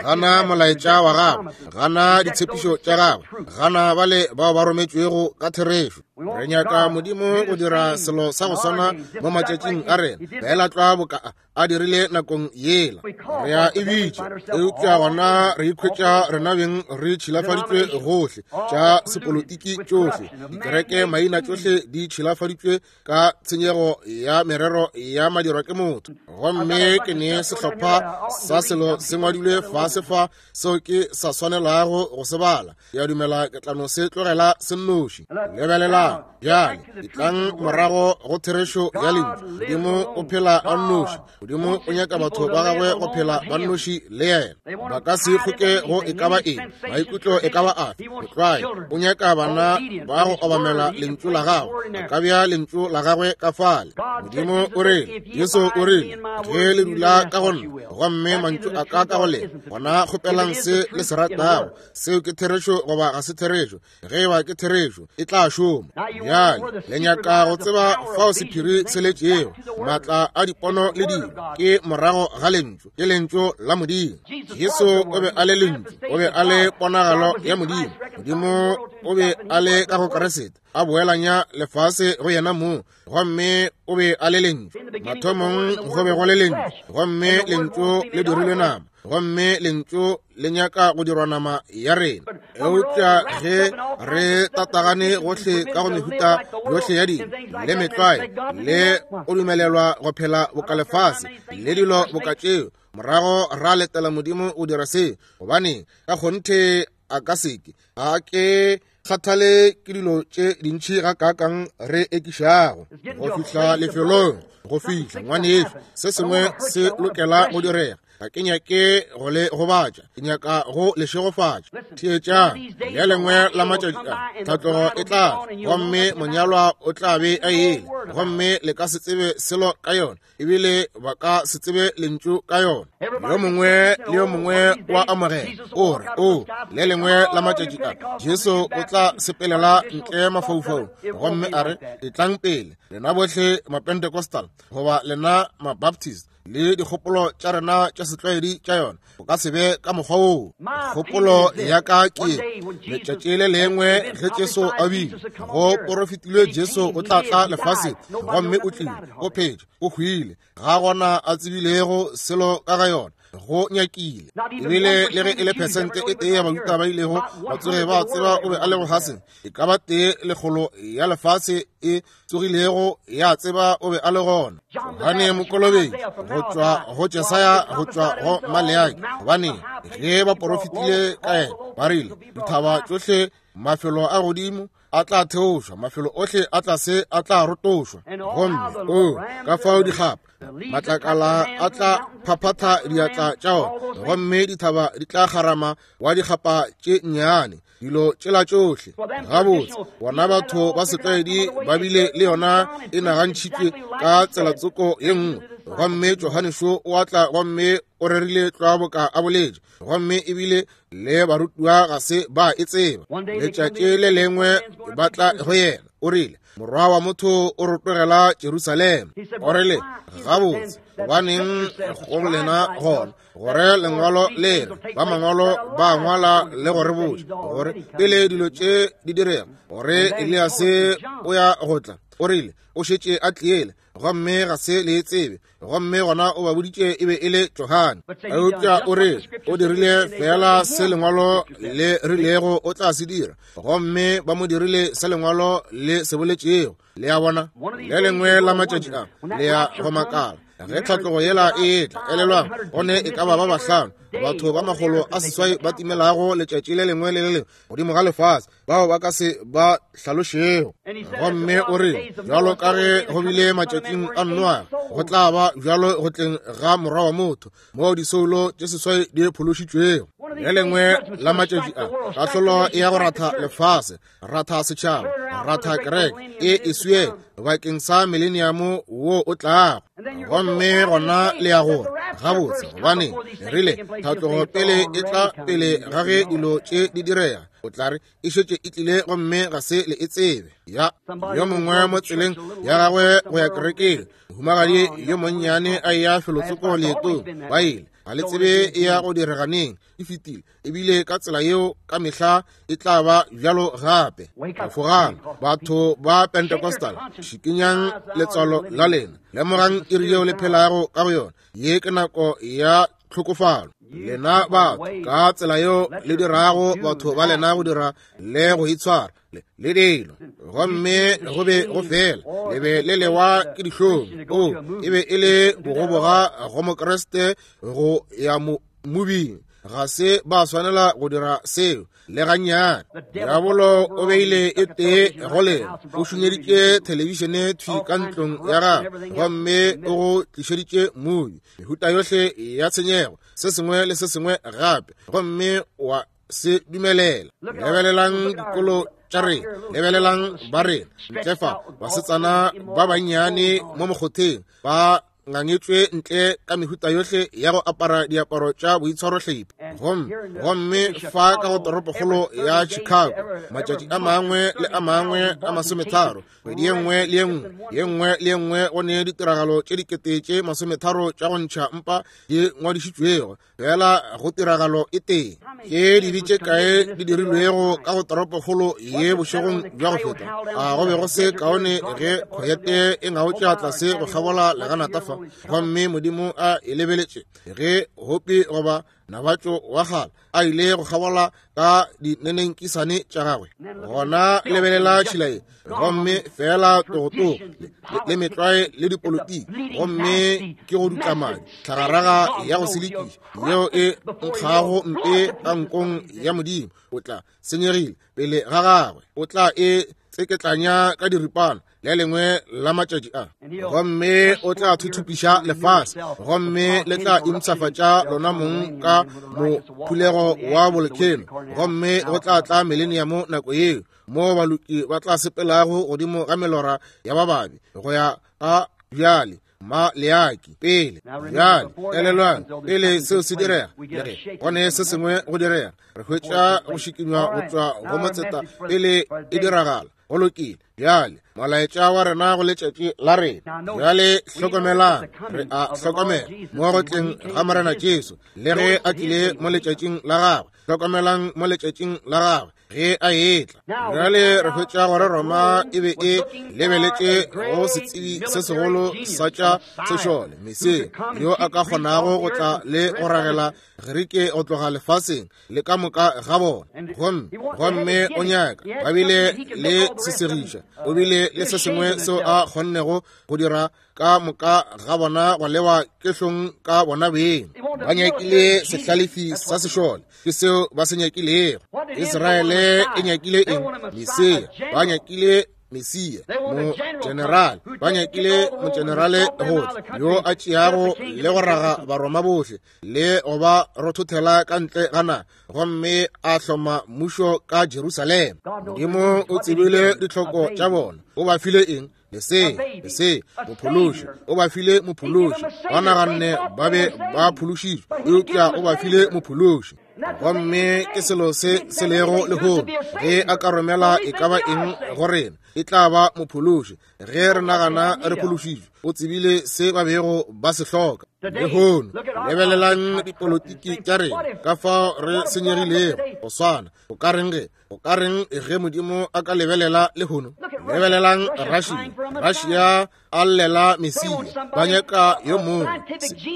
gana molaetša wa gagwe, gana ditshepišo tša gagwe, gana bale bao ba rometšwego ka therešo. Re nyaka Modimo go dira selo sa go swana mo matšatšing a rena, feela tlwa boka a dirile nakong yela. Re a e bitša, eupša gona re ikhwetša rena beng re tšhilafaditšwe gohle, tša sepolotiki tšohle, dikereke maina tšohle di tšhilafaditšwe ka tshenyego ya merero ya madirwa ke motho. Gomme ke ne sehlopha sa selo se ngwadilwe fase fa seo ke sa swanelago go se bala. Ke a dumela ke tla no se tlogela se nnoši. Lebelelang bjale, etlang morago go therešo ya lentšu. Modimo o phela a nnoši. Modimo o nyaka batho ba gagwe go phela ba nnoši le yena. Ba ka se kgoke go e ka ba eng, maikutlo e ka ba afe. Motlwae o nyaka bana ba go obamela lentšu la gagwe. A ka bea lentšu la gagwe ka fale. Modimo o rile, Jesu o rile, ge le dula ka go nna, gomme mantšu a ka ka go lena, gona kgopelang se le se ratago. Seo ke therešo goba ga se therešo? Ge e ba ke therešo, e tla šoma. Bjale le nyaka go tseba fao sephiri se letšego. Maatla a dipono le dilo ke morago ga lentšu, ke lentšu la Modimo. Jesu o be a le lentšu, o be a le ponagalo ya Modimo. Modimo o be a le ka go Kriste, a boelanya lefase go yena mong, gomme o be a le lentšu. Mathomong go be go le lentšu, gomme lentšu le dirilwe nama, gomme lentšu le nyaka go dirwa nama ya rena. Eupša ge re tatagane gohle ka go mehuta yohle ya dilo le metlwae le go dumelelwa go phela boka lefase le dilo boka tšeo, morago ra letela Modimo go dira se, gobane ka kgonthe a ka seke. Ga ke kgathale ke dilo tše dintši gakaakang re ekišago go fihla lefelong, go fihla ngwanešu, se sengwe se lokela go direga. Ga ke nyake go le gobatša, ke nyaka go le šegofatša. Theetšang, le lengwe la matšatši a tlhatlogo e tla, gomme monyalwa o tla be a ile, gomme le ka se tsebe selo ka yona, ebile ba ka se tsebe lentšu ka yona. Yo mongwe le yo mongwe wa amogela, o re, o, le lengwe la matšatši a Jesu o tla sepelela ntle mafaufaung, gomme a re, etlang pele, lena bohle Mapentecostal goba lena Mabaptist, le dikgopolo tša rena tša setlwaedi tša yona. O ka se be ka mokgwa woo. Kgopolo ya ka ke letšatši le lengwe ge Jesu a bile go porofetilwe Jesu o tla tla lefaseng, gomme o tlile, o phetše, o hwile, ga gona a tsebilego selo ka ga yona. Go nyakile ebile le ge e le phesente e tee ya Bajuda ba ilego ba tsoge ba tseba o be a le lefaseng, e ka ba 1/100 ya lefase e tsogilego ya tseba o be a le gona. Johane Mokolobetši, go tšwa go Jesaya, go tšwa go Maleaki, gobane ge ba porofetile ka yena ba rile, dithaba tšohle, mafelo a godimo a tla theošwa, mafelo ohle a tlase a tla rotošwa, gomme o ka fao dikgapa matlakala a tla phaphatha diatla tša ona, gomme dithaba di tla kgarama wa dikgapa tše nnyane, dilo tšela tšohle. Gabotse, bona batho ba setlwaedi ba bile le yona e nagantšhitšwe ka tselatsoko ye nngwe, gomme Johane šo o atla gomme o rerile tlwa boka a boletše, gomme ebile le barutiwa ga se ba e tseba. Letšatši le lengwe ba tla go yena, o rile, Morwa wa motho o rotogela Jerusalema. O rile, gabotse, gobaneng go lena gona gore lengwalo le re ba mangwalo ba ngwala le go re botša gore pele dilo tše di direga gore Eliase o ya go tla? O rile, o šetše a tliele, gomme ga se le tsebe. Gomme gona o ba boditše e be e le Johane. Eupša o re o dirile fela se lengwalo le rilego o tla se dira, gomme ba mo dirile se lengwalo le se boletšego. Le a bona, le lengwe la matšatši a le ya go makala ge tlhatlogo yela e etla. Elelwang, go ne e ka ba ba 5 batho ba 800 ba timelago letšatši le lengwe le le lengwe godimo ga lefase, bao ba ka se ba hlalošego. Gomme o re, bjalo ka ge go bile matšatšing a Noa, go tla ba bjalo go tleng ga Morwa wa motho, moo disoulo tše 8 di phološitšwego. Le lengwe la matšatši a, kahlolo e ya go ratha lefase, ratha setšhaba, ratha kereke e e swie bakeng sa mileniamo wo o tlago. Gomme gona le ya gore gabotse, gobane rile tlhatlogo pele e tla pele ga ge dilo tše di direga, o tla re e šetše e tlile gomme ga se le e tsebe. Ya yo mongwe mo tseleng ya gagwe go ya kerekeng, mohumagadi yo monnyane a eya felotsoko leetong, ba ile ga le tsebe e ya go direganeng, e fetile ebile ka tsela yeo ka mehla e tla ba bjalo gape. Fogang batho ba Pentecostal, šikinyang letswalo la lena, lemogang iri yeo le phelago ka go yona. Ye ke nako ya tlhokofalo. Lena batho, ka tsela yeo le dirago batho ba lena go dira le go itshwara le dilo, gomme go be go fela le be le lewa ke dihlong. O e be e le bogoboga go Mokriste go ya mobing. Ga se ba swanela go dira seo le gannyane. Diabolo o beile e tee go lena, o šunyeditše thelebišene thwi ka ntlong ya gagwe, gomme o go tlišeditše mobi, mehuta yohle ya tshenyego, se sengwe le se sengwe gape, gomme wa se dumelela. Lebelelang dikolo tša rena, lebelelang ba rena ntle fa, basetsana ba bannyane mo mokgotheng ba ngangetswe ntle ka mehuta yohle ya go apara diaparo tša boitshwarohlephi. Gomme fa ka go toropokgolo ya Chicago, matšatši a mangwe le a mangwe a 30, kgwedi ye nngwe le ye nngwe, ye nngwe le ye nngwe, go ne ditiragalo tše 30,000 tša go ntšha mpa di ngwadišitšwego fela go tiragalo e tee. Ke dibe tše kae di dirilwego ka go toropokgolo ye bošegong bja go feta? A go be go se kaone ge khoyete e ngaotša tlase go kgabola leganata fa, gomme Modimo a e lebeletše ge hopi goba nabatšo wa kgale a ile go kgabola ka dinenenkisane tša gagwe? Gona lebelela tšhila ye, gomme fela togotogo le metlwae le dipolotiki, gomme ke go dutla madi, tlhagaraga ya go selekiša yeo e nkgago mpe ka nkong ya Modimo. O tla senyegile pele ga gagwe, o tla e tseketlanya ka diripana le lengwe la matšatši a, gomme o tla thuthupiša lefase, gomme le tla impshafatša lona mong ka mophulego wa bolkheno, gomme go tla tla mileniamo nako yeo moo baloki ba tla sepelago godimo ga melora ya bababi go ya ka bjale ma leaki pele. Bjale elelwang, pele seo se direga, le ge go ne se sengwe go direga, re hwetša go šikinywa go tšwa go motseta pele e diragala. Go lokile. Bjale molaetša wa rena go letšatši la rena. Bjale hlokomelang, re a hlokomela mo go tleng ga Morena Jesu, le ge a tlile mo letšatšing la gagwe. Hlokomelang mo letšatšing la gagwe. ge a etla. Bjale re hwetša gore Roma e be e lebeletše go setsebi se segolo sa tša sešole, Mesia, yo a ka kgonago go tla le go ragela Gerike go tloga lefaseng le ka moka ga bona. Gomme, gomme o nyaka, ba bile le sesegiša, o bile le se sengwe seo a kgonnego go dira ka moka ga bona go lewa ke hlong ka bona beng. Ba nyakile sehlalefi sa sešole, ke seo ba se nyakilego. Israele e nyakile eng? Mesia. Ba nyakile Mesia, mogenerale. Ba nyakile mogenerale gohle yo a tšeago le go raga Baroma bohle le go ba rothothela ka ntle ga naga, gomme a hloma mmušo ka Jerusalema. Modimo o tsebile ditlhoko tša bona. O ba file eng? Lesea, lesea, mophološi. O ba file mophološi. Ba naganne ba be ba phološitšwe, eupša o ba file mophološi. Gomme ke selo se se lego lehono. Ge a ka romela e ka ba eng go rena, e tla ba mophološi. Ge re nagana re phološitšwe, o tsebile se ba bego ba se hloka. Lehono, lebelelang dipolotiki tša rena, ka fao re senyegilego go swana. O ka reng ge O ka reng ge Modimo a ka lebelela lehono? Lebelelang Russia. Russia a llela Mesia. Ba nyaka yo mongwe,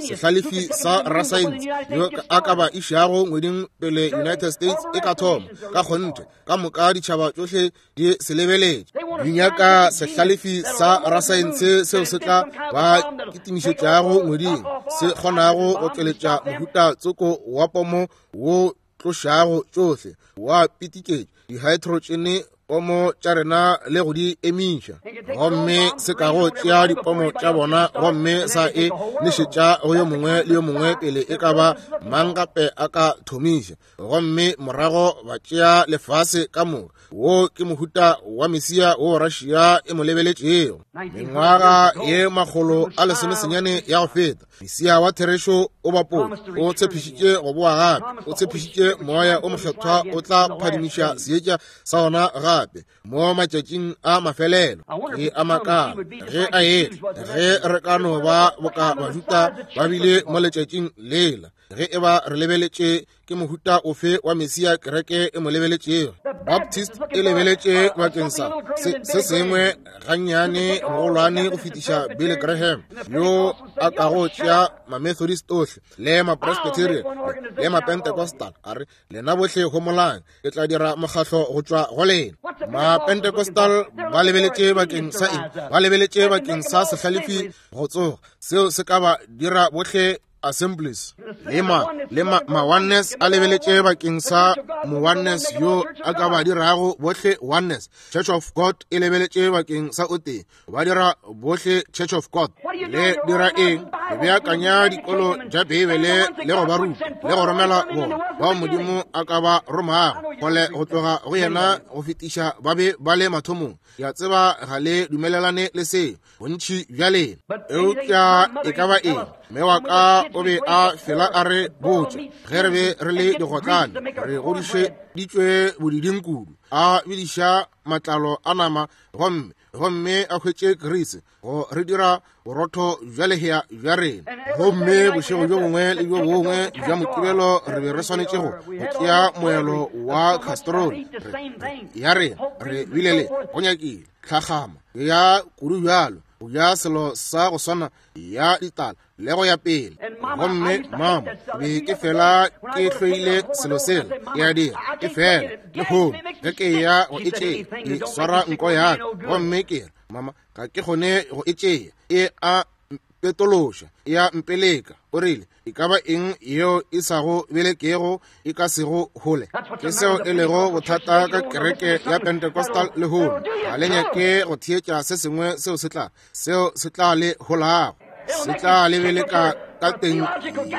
sehlalefi sa rasaense, yo a ka ba išago ngweding pele United States e ka thoma. Ka kgonthe, ka moka ditšhaba tšohle di se lebeletše. Di nyaka sehlalefi sa rasaense seo se tla ba kitimišetšago ngweding, se kgonago go tšweletša mohuta tsoko wa pomo wo tlošago tšohle wa pitiketša dihaetrotšene pomo tša rena le go di emiša, gomme se ka go tšea dipomo tša bona gomme sa e nešetša go yo mongwe le yo mongwe pele e ka ba mang gape a ka thomiša, gomme morago ba tšea lefase ka moka. Wo ke mohuta wa Mesia wo Russia e mo lebeletšego. Mengwaga ye 190 ya go feta, Mesia wa therešo o bapotše, o tshepišitše go boa gape, o tshepišitše Moya o Mokgethwa o tla phadimiša seetša sa ona gape mo matšatšing a mafelelo. Ke a makala ge a etla, ge re ka no ba boka Bajuda ba bile mo letšatšing lela, ge e ba re lebeletše ke mohuta ofe wa Mesia kereke e mo lebeletšego. Baptist e lebeletše bakeng sa se sengwe gannyane mogolwane go fetiša Billy Graham, yo a kago tšea ma-Methodist ohle le ma-Presbyterian le ma-Pentecostal, a re, Lena bohle homolang, ke tla dira mokgahlo go tšwa go lena. Ma-Pentecostal ba lebeletše bakeng sa eng? Ba lebeletše bakeng sa sehlalefi go tsoga, seo se ka ba dira bohle Assemblies. Le ma, le ma, ma Oneness a lebeletše bakeng sa mo Oneness yo a ka ba dirago bohle Oneness. Church of God e lebeletše bakeng sa o tee, ba dira bohle Church of God. Le dira eng? Le beakanya dikolo tša Beibele le go ba ruta le go romela bona bao Modimo a ka ba romago kgole go tloga go yena go fetiša ba be ba le mathomong. Ke a tseba ga le dumelelane le seo, bontši bja lena, eupša e ka ba eng, mme wa ka o be a fela a re botša ge re be re le digotlane, re godišeditšwe bodiding kudu, a bidiša matlalo a nama gomme, gomme a hwetše grease go re dira borotho bja lehea bja rena. Gomme bošego bjo bongwe le bjo bongwe bja Mokibelo re be re swanetše go tšea moelo wa castrol ya rena, re bile le go nyakile tlhagama ya kudu bjalo, go ja selo sa go swana ya ditala le go ya pele. Gomme mama, be ke fela ke hloile selo sela, ke a dira ke fela lehono ge ke ya go e tšea, ke swara nko ya ka gomme ke re, mama, ga ke kgone go e tšea, e a mpetološa, e a mpeleka. O rile, e ka ba eng yeo e sa go belekego e ka sego hole. Ke seo e lego bothata ka kereke ya Pentecostal lehono. Ga le nyake go theetša se sengwe seo se tla, seo se tla le holago, se tla le beleka ka teng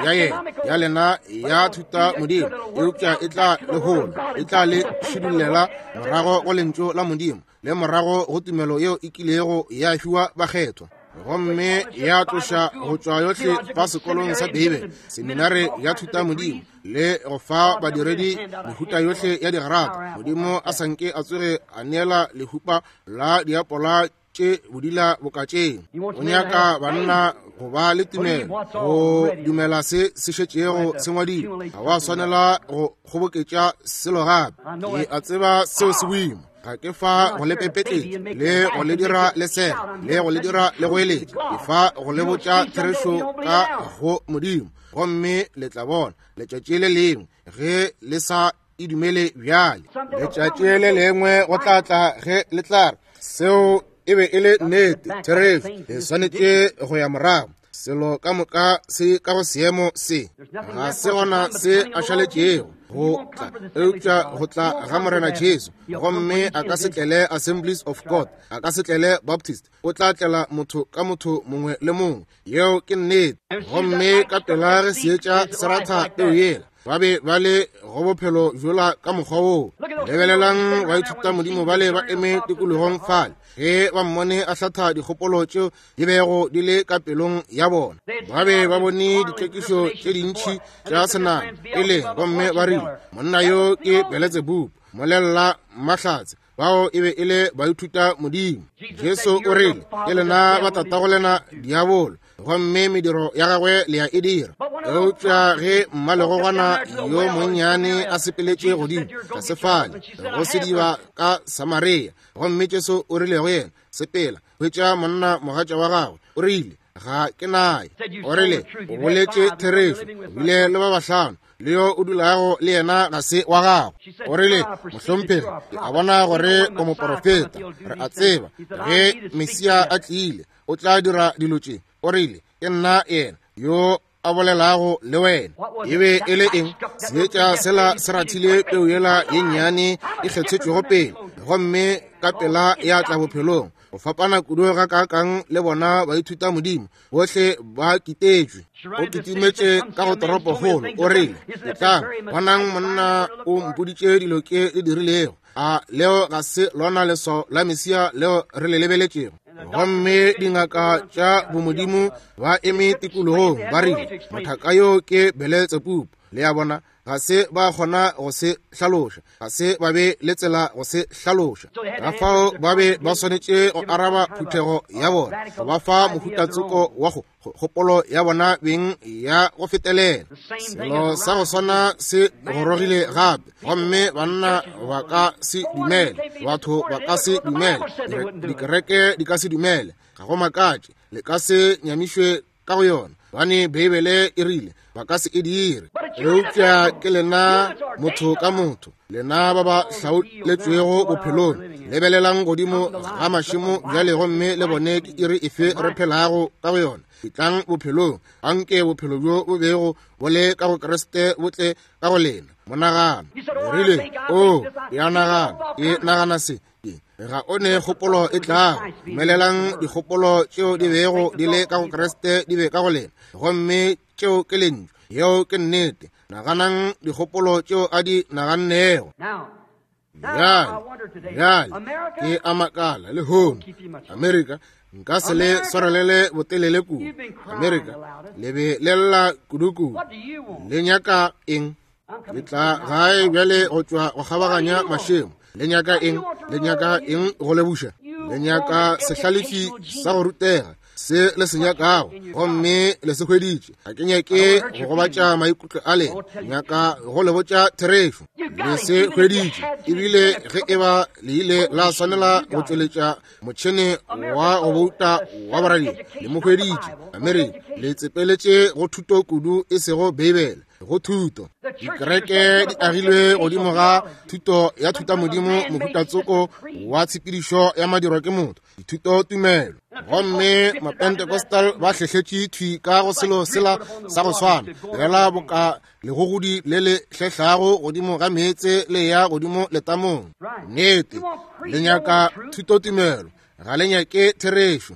ya yena ya lena ya thuta Modimo, eupša e tla le hola, e tla le šidullela morago go lentšu la Modimo le morago go tumelo yeo e kilego ya fiwa bakgethwa, gomme ya tloša go tšwa yohle fa sekolong sa Beibele, seminare ya thuta Modimo, le go fa badiredi mehuta yohle ya digrata. Modimo a sa nke a tsoge a neela lehupa la diapola tše bodila boka tše. O nyaka banna go ba le tumelo, go dumela se se šetšego se ngwadilwe. Ga wa swanela go kgoboketša selo gape. Ke a tseba seo se boima. Ga ke fa go le pepetletša le go le dira le sega le go le dira le go eletša. Ke fa go le botša therešo ka go Modimo, gomme le tla bona letšatši le lengwe ge le sa e dumele bjale. Letšatši le lengwe go tla tla ge le tla re seo e be e le nnete, therešo. Le swanetše go ya morago. Selo ka moka se ka go seemo se, ga se gona se a šaletšego go tla eupša go tla ga Morena Jesu. Gomme a ka se tlele Assemblies of God, a ka se tlele Baptist, o tla tlela motho ka motho mongwe le mongwe. Yeo ke nnete. Gomme ka pela ge seetša se ratha peo yela, ba be ba le go bophelo bjola ka mokgwa woo. Lebelelang baithuta modimo bale ba eme tikologong fale, ge ba mmone a hlatha dikgopolo tšeo di bego di le ka pelong ya bona. Ba be ba bone ditlhekišo tše dintši tša senama pele, gomme ba rile, monna yo ke Beletsebubu, molelela mahlatse. Bao e be e le baithuta modimo. Jesu o rile, ke lena ba tatago lena diabolo, gomme mediro ya gagwe le ya e dira. Eupša ge mmalegogwana yo monnyane a sepeletše godimo tlase fale go sediba ka Samaria, gomme Jesu o rile go yena, sepela, hwetša monna mogatša wa gagwe. O rile, ga ke naye. O rile, o boletše therešo, o bile le ba bahlano, le yo o dulago le yena ga se wa gago. O rile, mohlomphegi, ke a bona gore o moporofeta. Re a tseba ge Mesia a tlile o tla dira dilo tše. O rile, ke nna yena yo a bolelago le wena. E be e le eng? Seetša sela se rathile peu yela ye nnyane e kgethetšwego pele, gomme ka pela ya tla bophelong. Go fapana kudu ga kaakang le bona baithuta modimo bohle ba kitetšwe. O kitimetše ka go toropokgolo, o rile, etlang, bonang monna o mpoditše dilo ke di dirilego. A leo ga se lona leswao la Mesia leo re le lebeletšego? Gomme dingaka tša bomodimo ba eme tikologong ba rile, mothaka yo ke Beletsebubu. Le a bona, ga se ba kgona go se hlaloša, ga se ba be le tsela go se hlaloša. Ka fao ba be ba swanetše go araba phuthego ya bona, go ba fa mohutatsoko wa go kgopolo ya bona beng ya go fetelela. Selo sa go swana se gorogile gape, gomme banna ba ka se dumele, batho ba ka se dumele, dikereke di ka se dumele. Ga go makatše, le ka se nyamišwe ka go yona, gobane Beibele e rile ba ka se e dire. Eupša ke lena motho ka motho, lena ba ba hlaoletšwego bophelong, lebelelang godimo ga mašemo bjale gomme le bone ke iri efe re phelago ka go yona. Etlang bophelong, anke bophelo bjo bo bego bo le ka go Kriste bo tle ka go lena. Monagano o rile, o, ke a nagana, ke nagana se. Ga o ne kgopolo e tlago. Dumelelang dikgopolo tšeo di bego di le ka go Kriste di be ka go lena, gomme tšeo ke lentšu. Yeo ke nnete. Naganang dikgopolo tšeo a di nagannego. Bjale, bjale ke a makala lehono, Amerika, nka se le swarelele botelele kudu. Amerika, le be le lla kudu-kudu. Le nyaka eng? Le tla gae bjale go tšwa go kgabaganya mašemo. Le nyaka eng? Le nyaka eng go le buša? Le nyaka sehlalefi sa go rutega, se le se nyakago, gomme le se hweditše. Ga ke nyake go gobatša maikutlo a lena, nyaka go le botša therešo. Le se hweditše, ebile ge e ba le ile la swanela go tšweletša motšhene wa go bouta wa boradia, le mo hweditše. Amerika, le tsepeletše go thuto kudu, e sego Beibele, go thuto. Dikereke di agilwe godimo ga thuto ya thutamodimo, mohutatsoko wa tshepedišo ya madirwa ke motho, dithuto tumelo. Gomme Mapentecostal ba hlehletše thwi ka go selo sela sa go swana, fela boka legogodi le le hlehlago godimo ga meetse le ya godimo letamong. Nnete, le nyaka thutotumelo, ga le nyake therešo.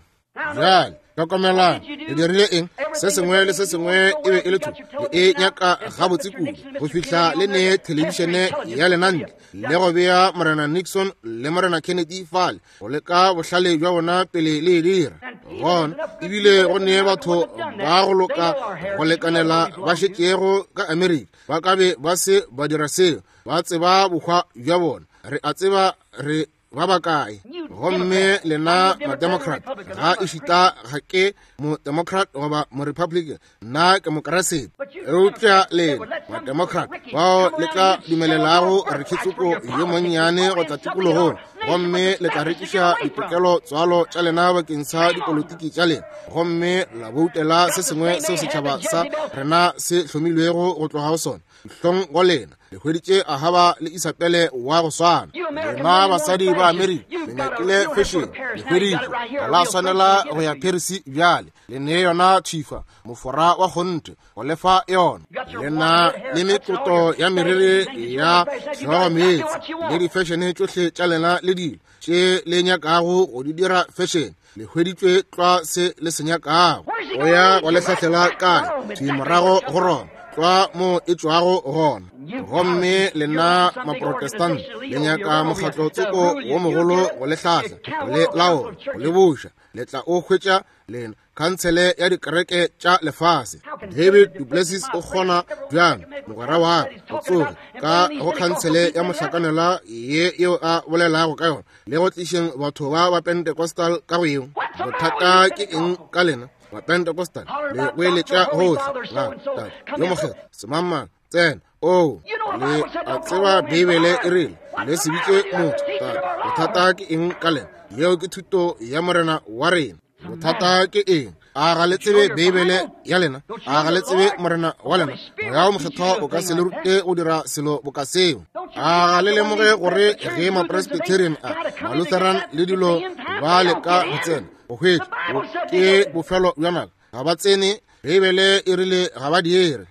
Bjale hlokomelang, le dirile eng? Se sengwe le se sengwe e be e le thuto, le e nyaka gabotse kudu go fihla le ne thelebišene ya lena ntle le go bea Morena Nixon le Morena Kennedy fale go leka bohlale bja bona pele le e dira. Gona ebile go ne batho ba go loka go lekanela ba šetšego ka Amerika ba ka be ba se ba dira seo. Ba tseba bohwa bja bona. Re a tseba re ba bakae? Gomme lena Mademocrat, ga ešita ga ke Modemocrat goba Morepublican, nna ke Mokeresete. Eupša lena Mademocrat bao le tla dumelelago rekitsoko yo monnyane go tla tikologong, gomme le tla rekiša ditokelo tswalo tša lena bakeng sa dipolotiki tša lena, gomme la boutela se sengwe seo setšhaba sa rena se hlomilwego go tloga go sona. Hlong go lena, le hweditše Ahaba le Isabele wa go swana. Lena basadi ba Amerika, le nyakile fashion, le hweditše. Ga la swanela go ya Paris bjale, le ne yona thifa, mofora wa kgonthe, go lefa yona. Le na le mekoto ya meriri ya hlogo meetse, le di-fashion tšohle tša lena le dilo tše le nyakago go di dira fashion. Le hweditšwe tlwa se le se nyakago. O ya go le hlahlela kae? Thwi morago go Roma, tlwa mo e tšwago gona. Gomme lena Maprotestant le nyaka mokgatlo tsoko wo mogolo go le hlahla, go le laola, go le buša. Le tla o hwetša lena khansele ya dikereke tša lefase. David Duplessis o kgona bjang, mogwera wa ka, go tsoge ka go khansele ya mohlakanelwa ye yeo a bolelago ka yona, le go tlišeng batho ba ba Pentecostal ka go yeo? Bothata ke eng ka lena ba Pentecostal? Le goeletša gohle ga Tate yo Mokgethwa, semangmang, tsena. Oo, le a tseba Beibele e rile le se bitše motho Tate. Bothata ke eng ka lena? Yeo ke thuto ya Morena wa rena. Bothata ke eng? A ga le tsebe Beibele ya lena? A ga le tsebe Morena wa lena? Moya wo Mokgethwa o ka se le rute go dira selo boka seo. A ga le lemoge gore ge Mapresbyterian a, Malutheran le dilo ba leka go tsena, go hwetša, ke bofelo bja nako. Ga ba tsene, Beibele e rile ga ba dire.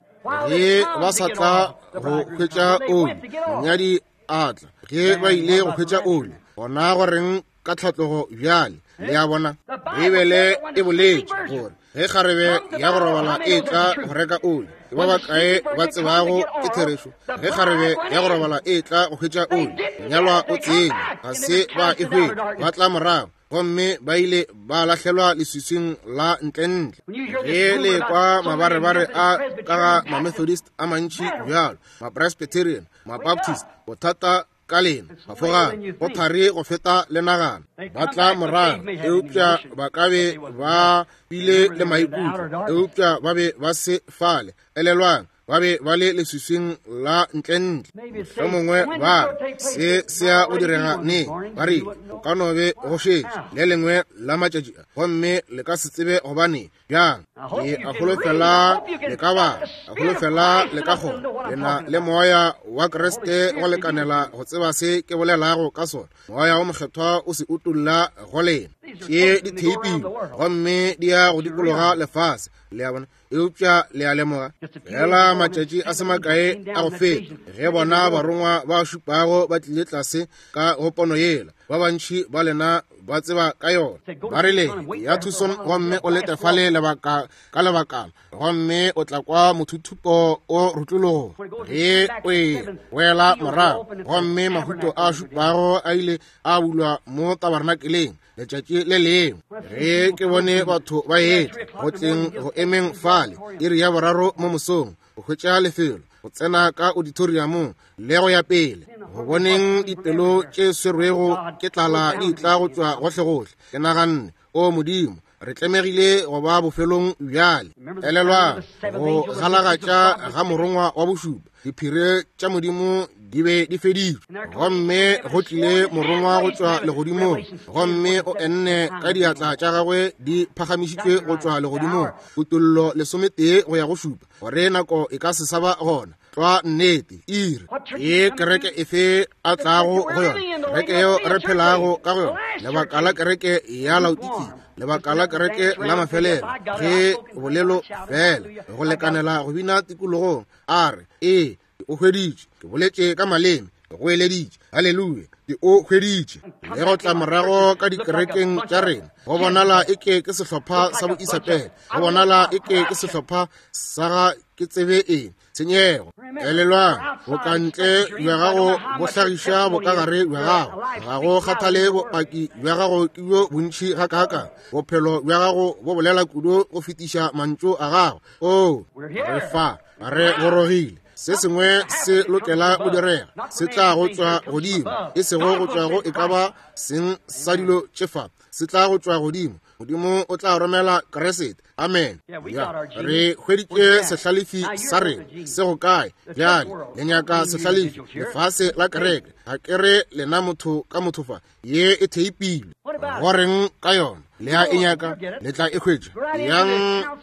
Ge ba sa tla go hwetša oli, monyadi a tla. Ge ba ile go hwetša oli, gona go reng ka tlhatlogo bjale? Le a bona, Beibele e boletše gore ge kgarebe ya go robala e tla go reka oli, ke ba bakae ba tsebago ke therešo? Ge kgarebe ya go robala e tla go hwetša oli, monyalwa o tsene, ga se ba e hwetša, ba tla morago gomme ba ile ba lahlelwa leswiswing la ntlentle. Ge le kwa mabarebare a ka ga Mamethodist a mantši bjalo, Mapresbyterian, Mabaptist, bothata ka lena bafogang go thari go feta le nagana. Ba tla morago, eupša ba ka be ba bile le maikutlo, eupša ba be ba se fale. Elelwang, ba be ba le leswiswing la ntlentle. Mohlomongwe ba re, se se ya go direga neng? Ba rile, go ka no be go šetše le lengwe la matšatši a, gomme le ka se tsebe gobaneng. Bjang? Ke a holofela le ka ba, a holofela le ka kgona. Le na le Moya wa Kriste go lekanela go tseba se ke bolelago ka sona. Moya wo Mokgethwa o se utolla go lena. Tše di theipilwe gomme di ya go dikologa lefase. Le a bona? Eupša le a lemoga, fela matšatši a se makae a go feta, ge bona barongwa ba šupago ba tlile tlase ka go pono yela, ba bantši ba lena ba tseba ka yona. Ba rile, ya Tucson gomme o lete fale lebaka ka lebakana, gomme o tla kwa mothuthupo o rutlologa ge o e wela morago, gomme mahuto a šupago a ile a bulwa mo tabernakeleng letšatši le lengwe. Ge ke bone batho ba etla go tleng go emeng fale iri ya boraro mo mosong go hwetša lefelo go tsena ka auditoriumong le go ya pele, go boneng dipelo tše swerwego ke tlala di tla go tšwa gohlegohle, ke naganne, O Modimo, re tlemegile go ba bofelong bjale. Elelwang go galagatša ga morongwa wa bošupa, diphiri tša Modimo di be di feditšwe, gomme go tlile morongwa go tšwa legodimong, gomme o enne ka diatla tša gagwe di phagamišitšwe go tšwa legodimong, Kutollo 11 go ya go 7, gore nako e ka se sa ba gona. Tlwa nnete, iri ye kereke efe a tlago go yona, kereke yeo re phelago ka go yona, lebaka la kereke ya Laodikia, lebaka la kereke la mafelelo, ge bolelo fela go lekanela go bina tikologong, a re, Ee, ke o hweditše, ke boletše ka maleme, ke goeleditše, haleluya, ke o hweditše. Le go tla morago ka dikerekeng tša rena, go bonala eke ke sehlopha sa boisapele, go bonala eke ke sehlopha sa ga ke tsebe eng, tshenyego. Elelwang, bokantle bja gago bo hlagiša bokagare bja gago. Ga go kgathale bopaki bja gago ke bjo bontši gakaakang, bophelo bja gago bo bolela kudu go fetiša mantšu a gago. Oo, re fa, re gorogile. Se sengwe se lokela go direga, se tla go tšwa godimo, e sego go tšwa go e ka ba seng sa dilo tše fa, se tla go tšwa godimo. Modimo o tla romela Kriste. Amen. Ya, re hweditše sehlalefi sa rena se go kae bjale? Le nyaka sehlalefi, lefase la kereke. Ga ke re lena motho ka motho fa, ye e theipilwe. Go reng ka yona? Le a e nyaka, le tla e hwetša. Yang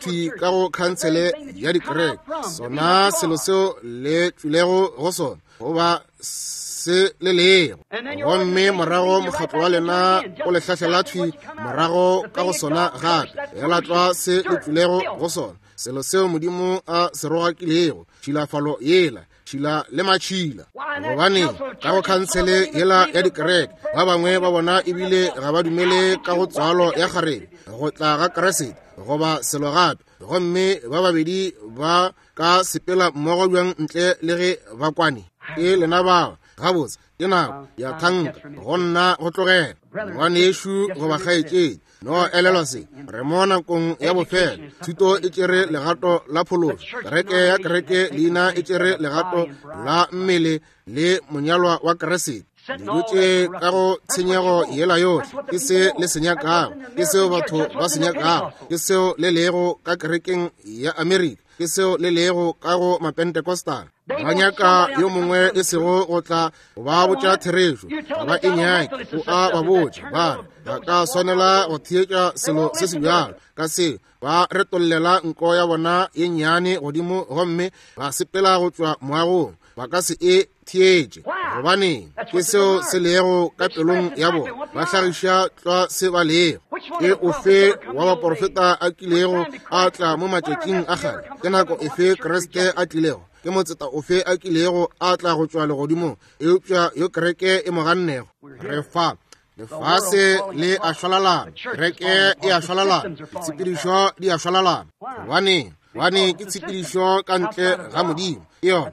thwi ka go khansele ya dikereke, sona selo seo le tšwilego go sona, goba se le lego, gomme morago mokgatlo wa lena o le hlahlela thwi morago ka go sona gape, ela tlwa se le tšwilego go sona, selo seo Modimo a se rogakilego, tšhilafalo yela, tšhila le matšhila. Gobane ka go khansele yela ya dikereke, ba bangwe ba bona ebile ga ba dumele ka go tswalo ya kgarebe, go tla ga Kriste, goba selo gape, gomme ba babedi ba ka sepela mmogo bjang ntle le ge ba kwane? Ke lena bao. Gabotse, ke nako ya thanka go nna go tlogela. Ngwanešu goba kgaetšedi, no elelwa se, re mo nakong ya bofelo. Thuto e tšere legato la phološo, kereke ya kereke leina e tšere legato la mmele le monyalwa wa Kriste. Dijo tše ka go tshenyego yela yohle ke se le se nyakago, ke seo batho ba se nyakago, ke seo le lego ka kerekeng ya Amerika, ke seo le lego ka go Mapentecostal. Ba nyaka yo mongwe e sego go tla go ba botša therešo, ga ba e nyake, o a ba botša, ba re ga ka swanela go theetša selo se se bjalo ka se. Ba retollela nko ya bona ye nnyane godimo gomme ba sepela go tšwa moagong, ba ka se e theetše. Gobaneng? Ke seo se lego ka pelong ya bona, ba hlagiša tlwa se ba lego. Ke ofe wa baporofeta a kilego a tla mo matšatšing a kgale? Ke nako efe Kriste a tlilego? Ke motseta ofe a kilego a tla go tšwa legodimong eupša yo kereke e mo gannego? Re fa lefase le a šwalalana, kereke e a šwalalana, ditshepedišo di a šwalalana. Gobaneng? Gobane ke tshepedišo ka ntle ga Modimo. Ke yona.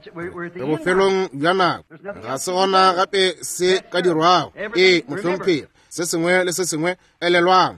Re bofelong bja nako, ga se gona gape se ka dirwago. Ee, mohlomphegi, se sengwe le se sengwe, elelwang.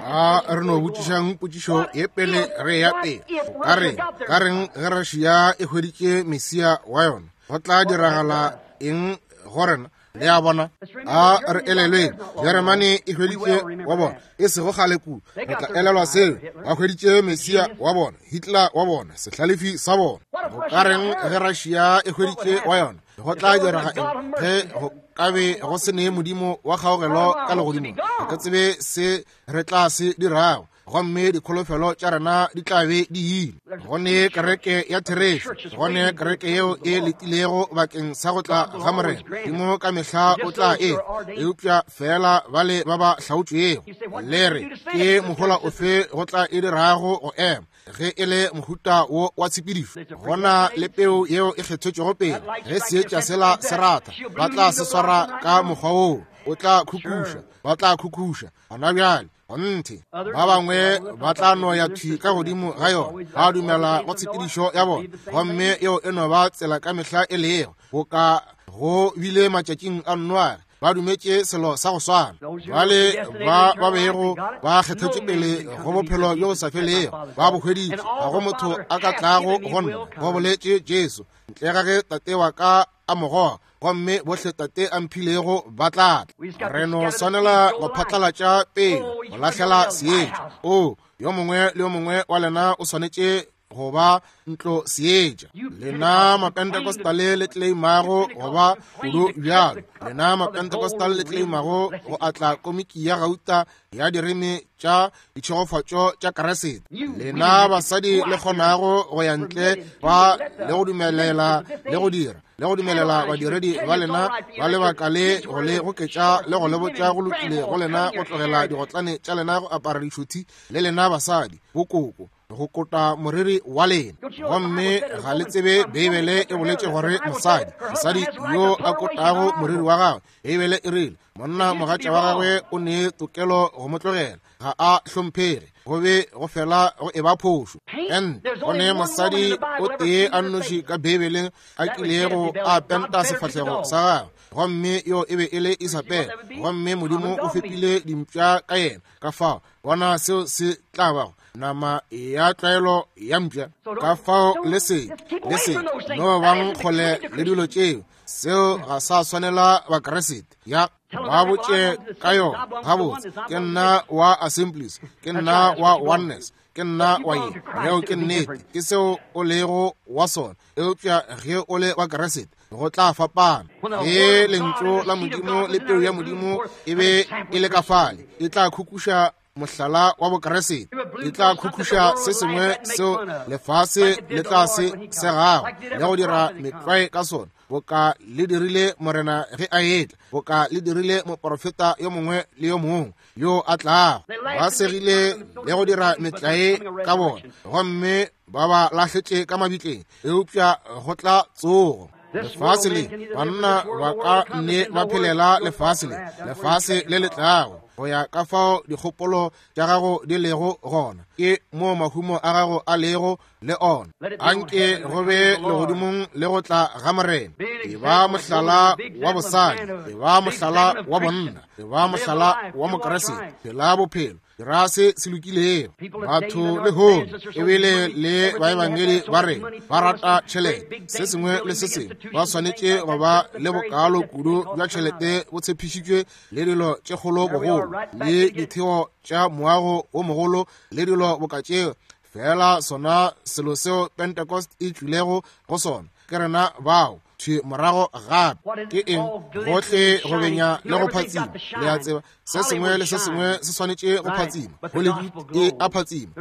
A re no botšišang potšišo ye pele re ya pele. Ka reng, ka reng ge Russia e hweditše Mesia wa yona? Go tla diragala eng go rena? Le a bona? A re elelweng, Jeremane e hweditše wa bona, e sego kgale kudu. Re tla elelwa seo. Ba hweditše Mesia wa bona, Hitler wa bona, sehlalefi sa bona. Go ka reng ge Russia e hweditše wa yona? Go tla direga eng ge go ka be go se ne Modimo wa kgaogelo ka legodimong? Ga ke tsebe se re tla se dirago, gomme dikholofelo tša rena di tla be di ile. Go ne kereke ya therešo, go ne kereke yeo e letilego bakeng sa go tla ga Morena. Modimo ka mehla o tla e, eupša feela bale ba ba hlaotšwego. Le re, ke mohola ofe go tla e dirago go ema ge e le mohuta wo wa tshepedišo? Go na le peu yeo e kgethetšwego pele. Ge seetša sela se ratha, ba tla se swara ka mokgwa woo. O tla khukhuša, ba tla khukhuša gona bjale. Kgonthe, ba bangwe ba tla no ya thwi ka godimo ga yona, ba dumela go tshepedišo ya bona, gomme yeo e no ba tsela ka mehla e lego, boka go bile matšatšing a Noage. Ba dumetše selo sa go swana. Bale ba ba bego ba kgethetše pele go bophelo bjo bo sa felego ba bo hweditše. Ga go motho a ka tlago go nna, go boletše Jesu, ntle ga ge Tate wa ka a mo goga, gomme bohle Tate a mphilego ba tla tla. Re no swanela go phatlalatša pele, go lahlela seetša. O, yo mongwe le yo mongwe wa lena o swanetše go ba ntlo seetša. Lena Mapentecostal le tleimago go ba kudu bjalo, lena Mapentecostal le tleimago go atla komiki ya gauta ya direme tša ditšhegofatšo tša Kriste, lena basadi le kgonago go ya ntle ba le go dumelela le go dira le go dumelela badiredi ba lena ba lebaka le go le goketša le go le botša go lokile go lena go tlogela digotlane tša lena go apara dišothi, le lena basadi bokoko go kota moriri wa lena, gomme ga le tsebe Beibele e boletše gore mosadi, mosadi yo a kotago moriri wa gagwe, Beibele e rile monna mogatša wa gagwe o ne tokelo go mo tlogela, ga a hlomphege, go be go fela go eba phošo. And go ne mosadi o tee a nnoši ka Beibeleng a kilego a penta sefahlego sa gagwe, gomme yo e be e le Isabele, gomme Modimo o fepile dimpša ka yena. Ka fao bona seo se tla bago. nama ya tlwaelo ya mpša. Ka fao le se, le se no bang kgole le dilo tšeo. Seo ga sa swanela Bakriste. Ya, ba botše ka yona. Gabotse, ke nna wa Assemblies, ke nna wa Oneness, ke nna wa ye. Yeo ke nnete, ke seo o lego wa sona. Eupša ge o le wa Kriste, go tla fapana. Ge Lentšu la Modimo le peu ya Modimo e be e le ka fale, e tla khukuša mohlala wa Bokriste, e tla khukhuša se sengwe seo lefase le tla se segago le go dira metlwae ka sona, boka le dirile Morena ge a etla, boka le dirile moprofeta yo mongwe le yo mongwe yo a tlago. Ba segile le go dira metlae ka bona, gomme ba ba lahletše ka mabitleng, eupša go tla tsogo. Lefase le, banna ba ka nne ba phelela lefase le, lefase le le tlago, go ya ka fao dikgopolo tša gago di lego gona, ke moo mahumo a gago a lego le ona. Anke go be legodimong le go tla ga Morena. E ba mohlala wa bosadi, e ba mohlala wa bonna, e ba mohlala wa Mokriste. Phela bophelo, dira se se lokilego. Batho lehono ebile le baebangedi ba rena ba rata tšhelete, se sengwe le se sengwe ba swanetše go ba le bokaalo kudu bja tšhelete bo tshepišitšwe le dilo tše kgolo bogolo le ditheo tša moago wo mogolo le dilo boka tšeo. Fela sona selo seo Pentecost e tšwilego go sona, ke rena bao thwi morago gape. Ke eng? Gohle go benya le go phatsima. Le a tseba, se sengwe le se sengwe se swanetše go phatsima. Hollywood e a phatsima,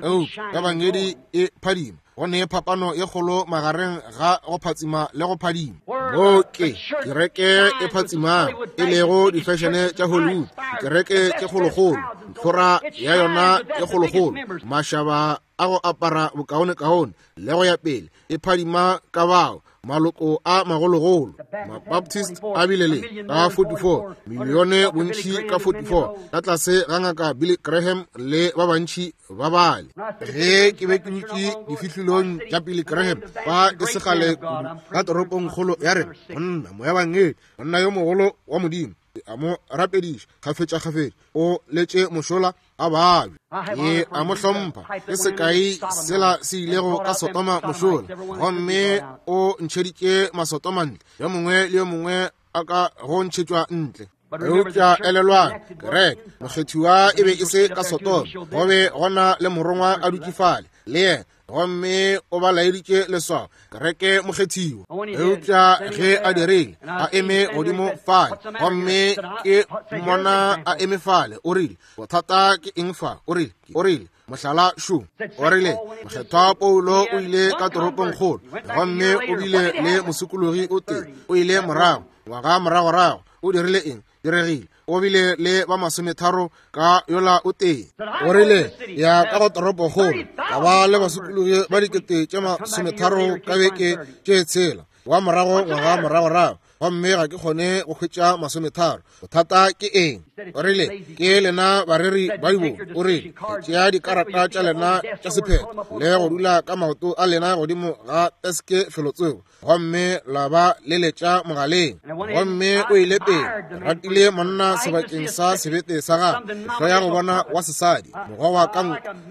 eupša Ebangedi e phadima. Go ne phapano ye kgolo magareng ga go phatsima le go phadima. Moo ke kereke e phatsimago, e lego difešene tša Hollywood, kereke tše kgolokgolo, ntlhora ya yona e kgolokgolo, mašaba a go apara bokaonekaone le go ya pele, e phadima ka bao maloko a magologolo. Mabaptist a bile le ka 44 milione bontši ka 44 ka tlase ga ngaka Billy Graham le ba bantši ba bale. Ge ke be ke dutše difihlolong tša Billy Graham fa e se kgale kudu ka toropongkgolo ya rena, monna moebangedi, monna yo mogolo wa Modimo, a mo rapediša kgafetšakgafetša, o letše mošola a babja. Ke a mo hlompha. Ke sekai sela se ilego ka Sodoma mošola, gomme o ntšheditše Masodoma ntle, yo mongwe le yo mongwe a ka go ntšhetšwa ntle. Eupša elelwang, kereke mokgethiwa e be e se ka Sodoma, go be gona le morongwa a dutše fale le yena, gomme o ba laeditše leswao, kereke mokgethiwa. Eupša ge a dirile, a eme godimo fale, gomme ke mmona a eme fale, o rile, bothata ke eng fa? O rile, o rile, mohlala šo. O rile, mokgethwa Paulo o ile ka toropongkgolo, gomme o bile le mosokologi o tee, o ile morago, ngwaga moragorago, o dirile eng? Diregile, o bile le ba masometharo ka yola o tee. O rile, ya ka go toropokgolo, ka ba le basokologi ba dikete tše masometharo ka beke tše tshela, wa morago ngwaga moragorago, gomme ga ke kgone go hwetša masometharo. Bothata ke eng? O rile, ke lena bareri ba dibo. O rile, tšea dikarata tša lena tša sephetho le go dula ka maoto a lena godimo ga teske felotsoko, gomme la ba leletša mogaleng. Gomme o ile pele, ratile monna sebakeng sa sebete sa gagwe, hloya go bona wa sesadi, mokgwa wa ka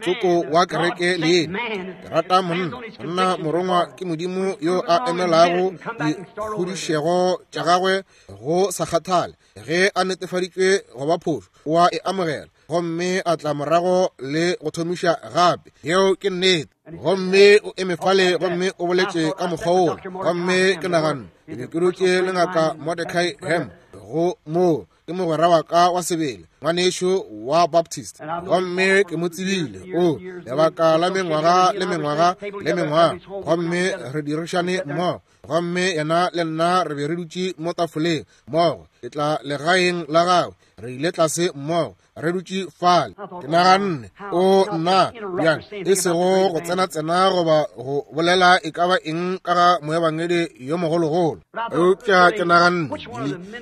tsoko wa kereke le yena. Ke rata monna, monna morongwa ke Modimo yo a emelago dikgodišego tša gagwe go sa kgathale ge a netefaditšwe go ba phošo, o a e amogela gomme a tla morago le go thomiša gape. Yeo ke nnete. Gomme o eme fale gomme o boletše ka mokgwa wola, gomme ke naganne ke be ke dutše le ngaka Mordecai Ham go moo, ke mogwera wa ka wa sebele, ngwanešu wa Baptist, gomme ke mo tsebile o lebaka la mengwaga le mengwaga le mengwaga, gomme re dirišane mmogo, gomme yena le nna re be re dutše mo tafoleng mmogo, ke tla legaeng la gagwe, re ile tlase mmogo, re dutše fale. Ke naganne, o nna bjang, e sego go tsena-tsena goba go bolela e ka ba eng ka ga moebangedi yo mogologolo, eupša ke naganne,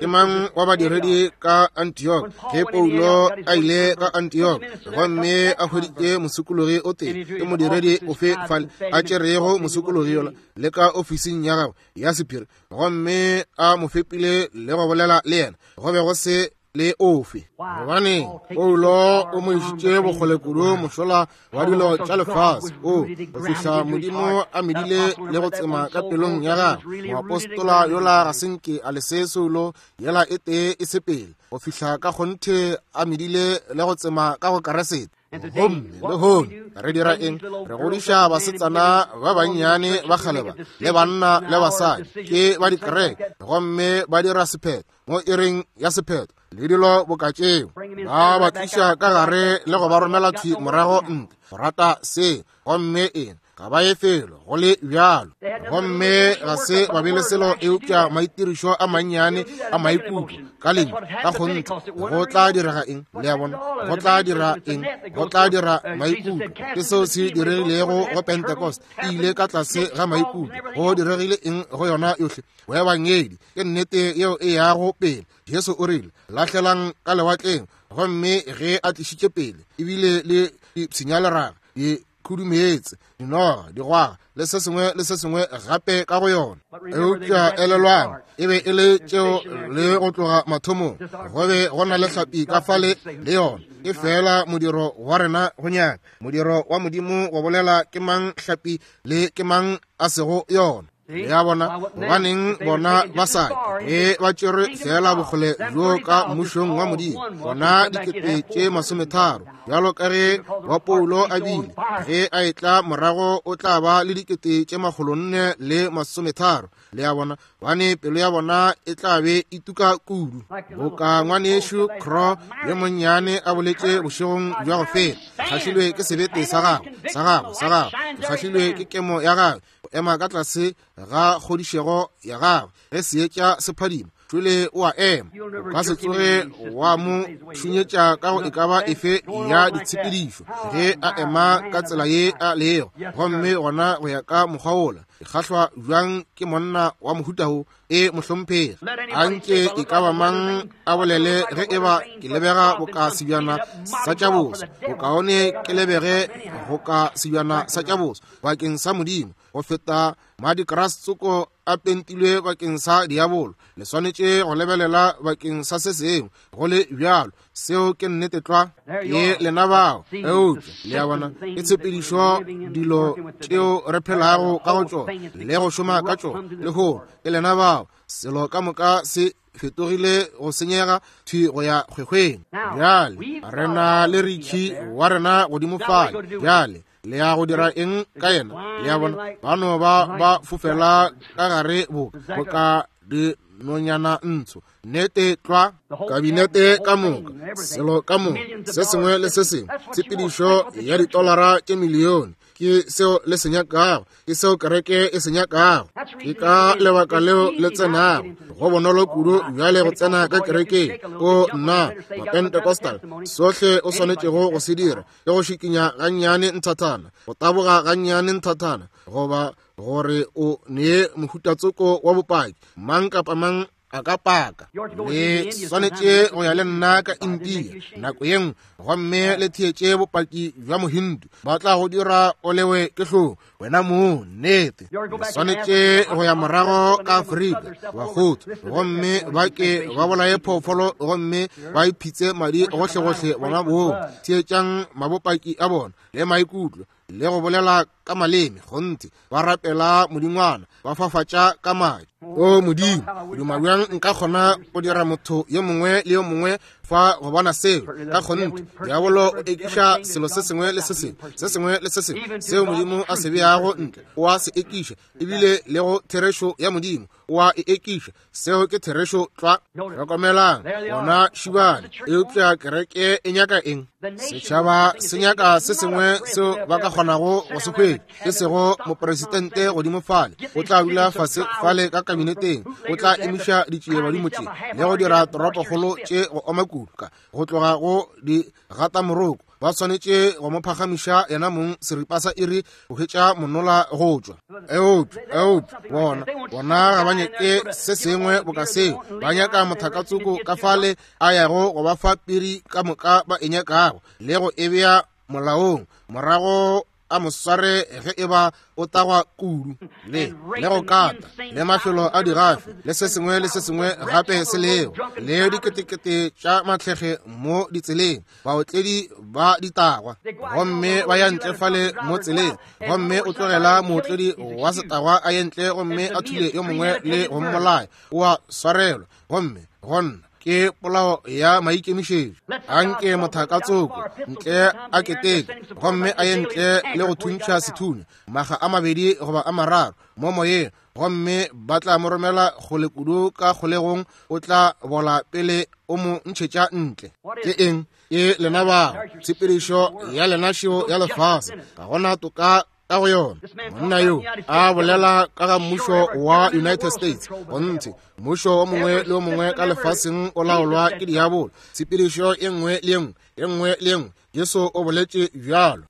ke mang wa badiredi ka Antioch ge Paulo a ile ka Antioch gomme a hweditše mosokologi o tee, ke modiredi ofe fale a tšerego mosokologi yola le ka ofising ya gagwe ya sephiri gomme a mo fepile le go bolela le yena? Go be go se le ofe. Gobaneng, Paulo o mo išitše bokgole kudu mošola wa dilo tša lefase, o go fihla Modimo a medile le go tsema ka pelong ya gagwe. Moapostola yola ga se nke a lese soulo yela e tee e sepele, go fihla ka kgonthe a medile le go tsema ka go Keresete. Gomme lehono re dira eng? Re godiša basetsana ba bannyane ba kgale ba, le banna le basadi, ke ba dikereke, gomme ba dira sephetho mo iring ya sephetho le dilo boka tšeo, ba ba tliša ka gare le go ba romela thwi morago ntle go rata se. Gomme eng? Ga ba ye felo go le bjalo. Gomme ga se ba be le selo eupša maitirišo a mannyane a maikutlo ka lentšu. Ka kgonthe go tla direga eng? Le a bona? Go tla dira eng? Go tla dira maikutlo. Ke seo se diregilego go Pentecost, e ile ka tlase ga maikutlo. Go diregile eng go yona yohle? Boebangedi ke nnete yeo e yago pele. Jesu o rile, lahlelang ka lewatleng. Gomme ge a tlišitše pele, ebile le dipshinyaleraga, dikhudumeetse, dinoga, digwaga, le se sengwe le se sengwe gape ka go yona. Eupša elelwang, e be e le tšeo le go tloga mathomong, go be go na le hlapi ka fale le yona. Ke feela modiro wa rena go nyaka, modiro wa Modimo go bolela ke mang hlapi le ke mang a sego yona. Le a bona? Gobaneng bona ba sa ke ba tšerwe feela bokgole bjo ka mmušong wa Modimo, bona 30,000, bjalo ka ge wa Paulo a bile, ge a etla morago o tla ba le 430,000. Le a bona? Bane pelo ya bona e tla be e tuka kudu. Boka ngwanešu Crow yo monnyane a boletše bošegong bja go feta, kgahlilwe ke sebete sa gagwe, sa gagwe, sa gagwe, ke kgahlilwe ke kemo ya gagwe, go ema ka tlase ga kgodišego ya gagwe. Ge seetša se phadima, tšwele o a ema. O ka se tsoge wa mo šunyetša ka go e ka ba efe ya ditshepedišo ge a ema ka tsela ye a lego. Gomme gona go ya ka mokgwa wola, ke kgahlwa bjang ke monna wa mohuta wo. E mohlomphegi, a nke e ka ba mang a bolele ge e ba ke lebega boka sebjana sa tša boso, bokaone ke lebege goka sebjana sa tša boso bakeng sa Modimo go feta madikrase tsoko a pentilwe bakeng sa diabolo. Le swanetše go lebelela bakeng sa se sengwe go le bjalo. Seo ke nnete tlwa. Ke lena bao. Eupša le a bona, ke tshepedišo dilo tšeo re phelago ka go tšona le go šoma ka tšona lehono. Ke lena bao. Selo ka moka se fetogile go senyega thwi go ya kgwekgweng. Bjale re na le Ricky wa rena godimo fale. Bjale le ya go dira eng ka yena? Le a bona, ba no ba ba fofela ka gare bo boka dinonyana ntsho. Nnete tlwa, kabinete ka moka, selo ka moka, se sengwe le se sengwe, tshepedišo ya ditolara tše milione, ke seo le se nyakago, ke seo kereke e se nyakago. Ke ka lebaka leo le tsenago. Go bonolo kudu bjale go tsena ka kerekeng. O nna, Mapentecostal, sohle o swanetšego go se dira ke go šikinya gannyane nthathana, go taboga gannyane nthathana, goba gore o nee mohutatsoko wa bopaki, mang kapa mang a ka paka. Le swanetše go ya le nna ka India nako ye nngwe gomme le theetše bopaki bja Mohindu. Ba tla go dira o lewe ke hlong wena mong. Nnete. Le swanetše go ya morago ka Afrika, bakgotse, gomme ba ke ba bolaye phoofolo gomme ba iphitse madi gohlegohle bona bong. Theetšang mabopaki a bona le maikutlo le go bolela ka maleme, kgonthe ba rapela modingwana, ba fafatša ka madi. O Modimo, duma bjang nka kgona go dira motho yo mongwe le yo mongwe fa go bona seo. Ka kgonthe diabolo o ekiša selo se sengwe le se sengwe, se sengwe le se sengwe seo Modimo a se beago ntle, o a se ekiša, ebile le go therešo ya Modimo o a e ekiša. Seo ke therešo tlwa. Hlokomelang, bona šibane. Eupša kereke e nyaka eng? Setšhaba se nyaka se sengwe seo ba ka kgonago go se hwetša, e sego mopresidente godimo fale. O tla dula fase fale ka kabineteng, o tla emiša ditšiebadimo tše le go dira toropokgolo tše go oma kudu go tloga go di gata moroko. Ba swanetše go mo phagamiša yena mong seripa sa iri go hwetša monola go tšwa. Eupša, eupša, bona, bona ga ba nyake se sengwe boka seo. Ba nyaka mothakatsoko ka fale a yago go ba fa piri ka moka ba e nyakago le go e bea molaong morago. a mo sware ge e ba o tagwa kudu, le le go kata, le mafelo a digafi, le se sengwe le se sengwe gape se lego, le diketekete tša mahlege mo ditseleng, baotledi ba ditagwa, gomme ba ya ntle fale mo tseleng, gomme o tlogela mootledi wa setagwa a ye ntle gomme a thule yo mongwe le go mmolaya, o a swarelwa, gomme gonna ke polao ya maikemišetšo. Anke mothakatsoko ntle a keteke gomme a ye ntle le go thuntšha sethunya maga a mabedi goba a mararo mo moyeng, gomme ba tla mo romela kgole kudu ka kgolegong, o tla bola pele o mo ntšhetša ntle. Ke eng? Ke lena bao, tshepedišo ya lena šeo ya lefase, ga gona toka ka go yona. Monna yo a bolela ka ga mmušo wa United States, gonthe mmušo o mongwe le o mongwe ka lefaseng o laolwa ke diabolo, tshepedišo e nngwe le e nngwe, e nngwe le e nngwe. Jesu o boletše bjalo.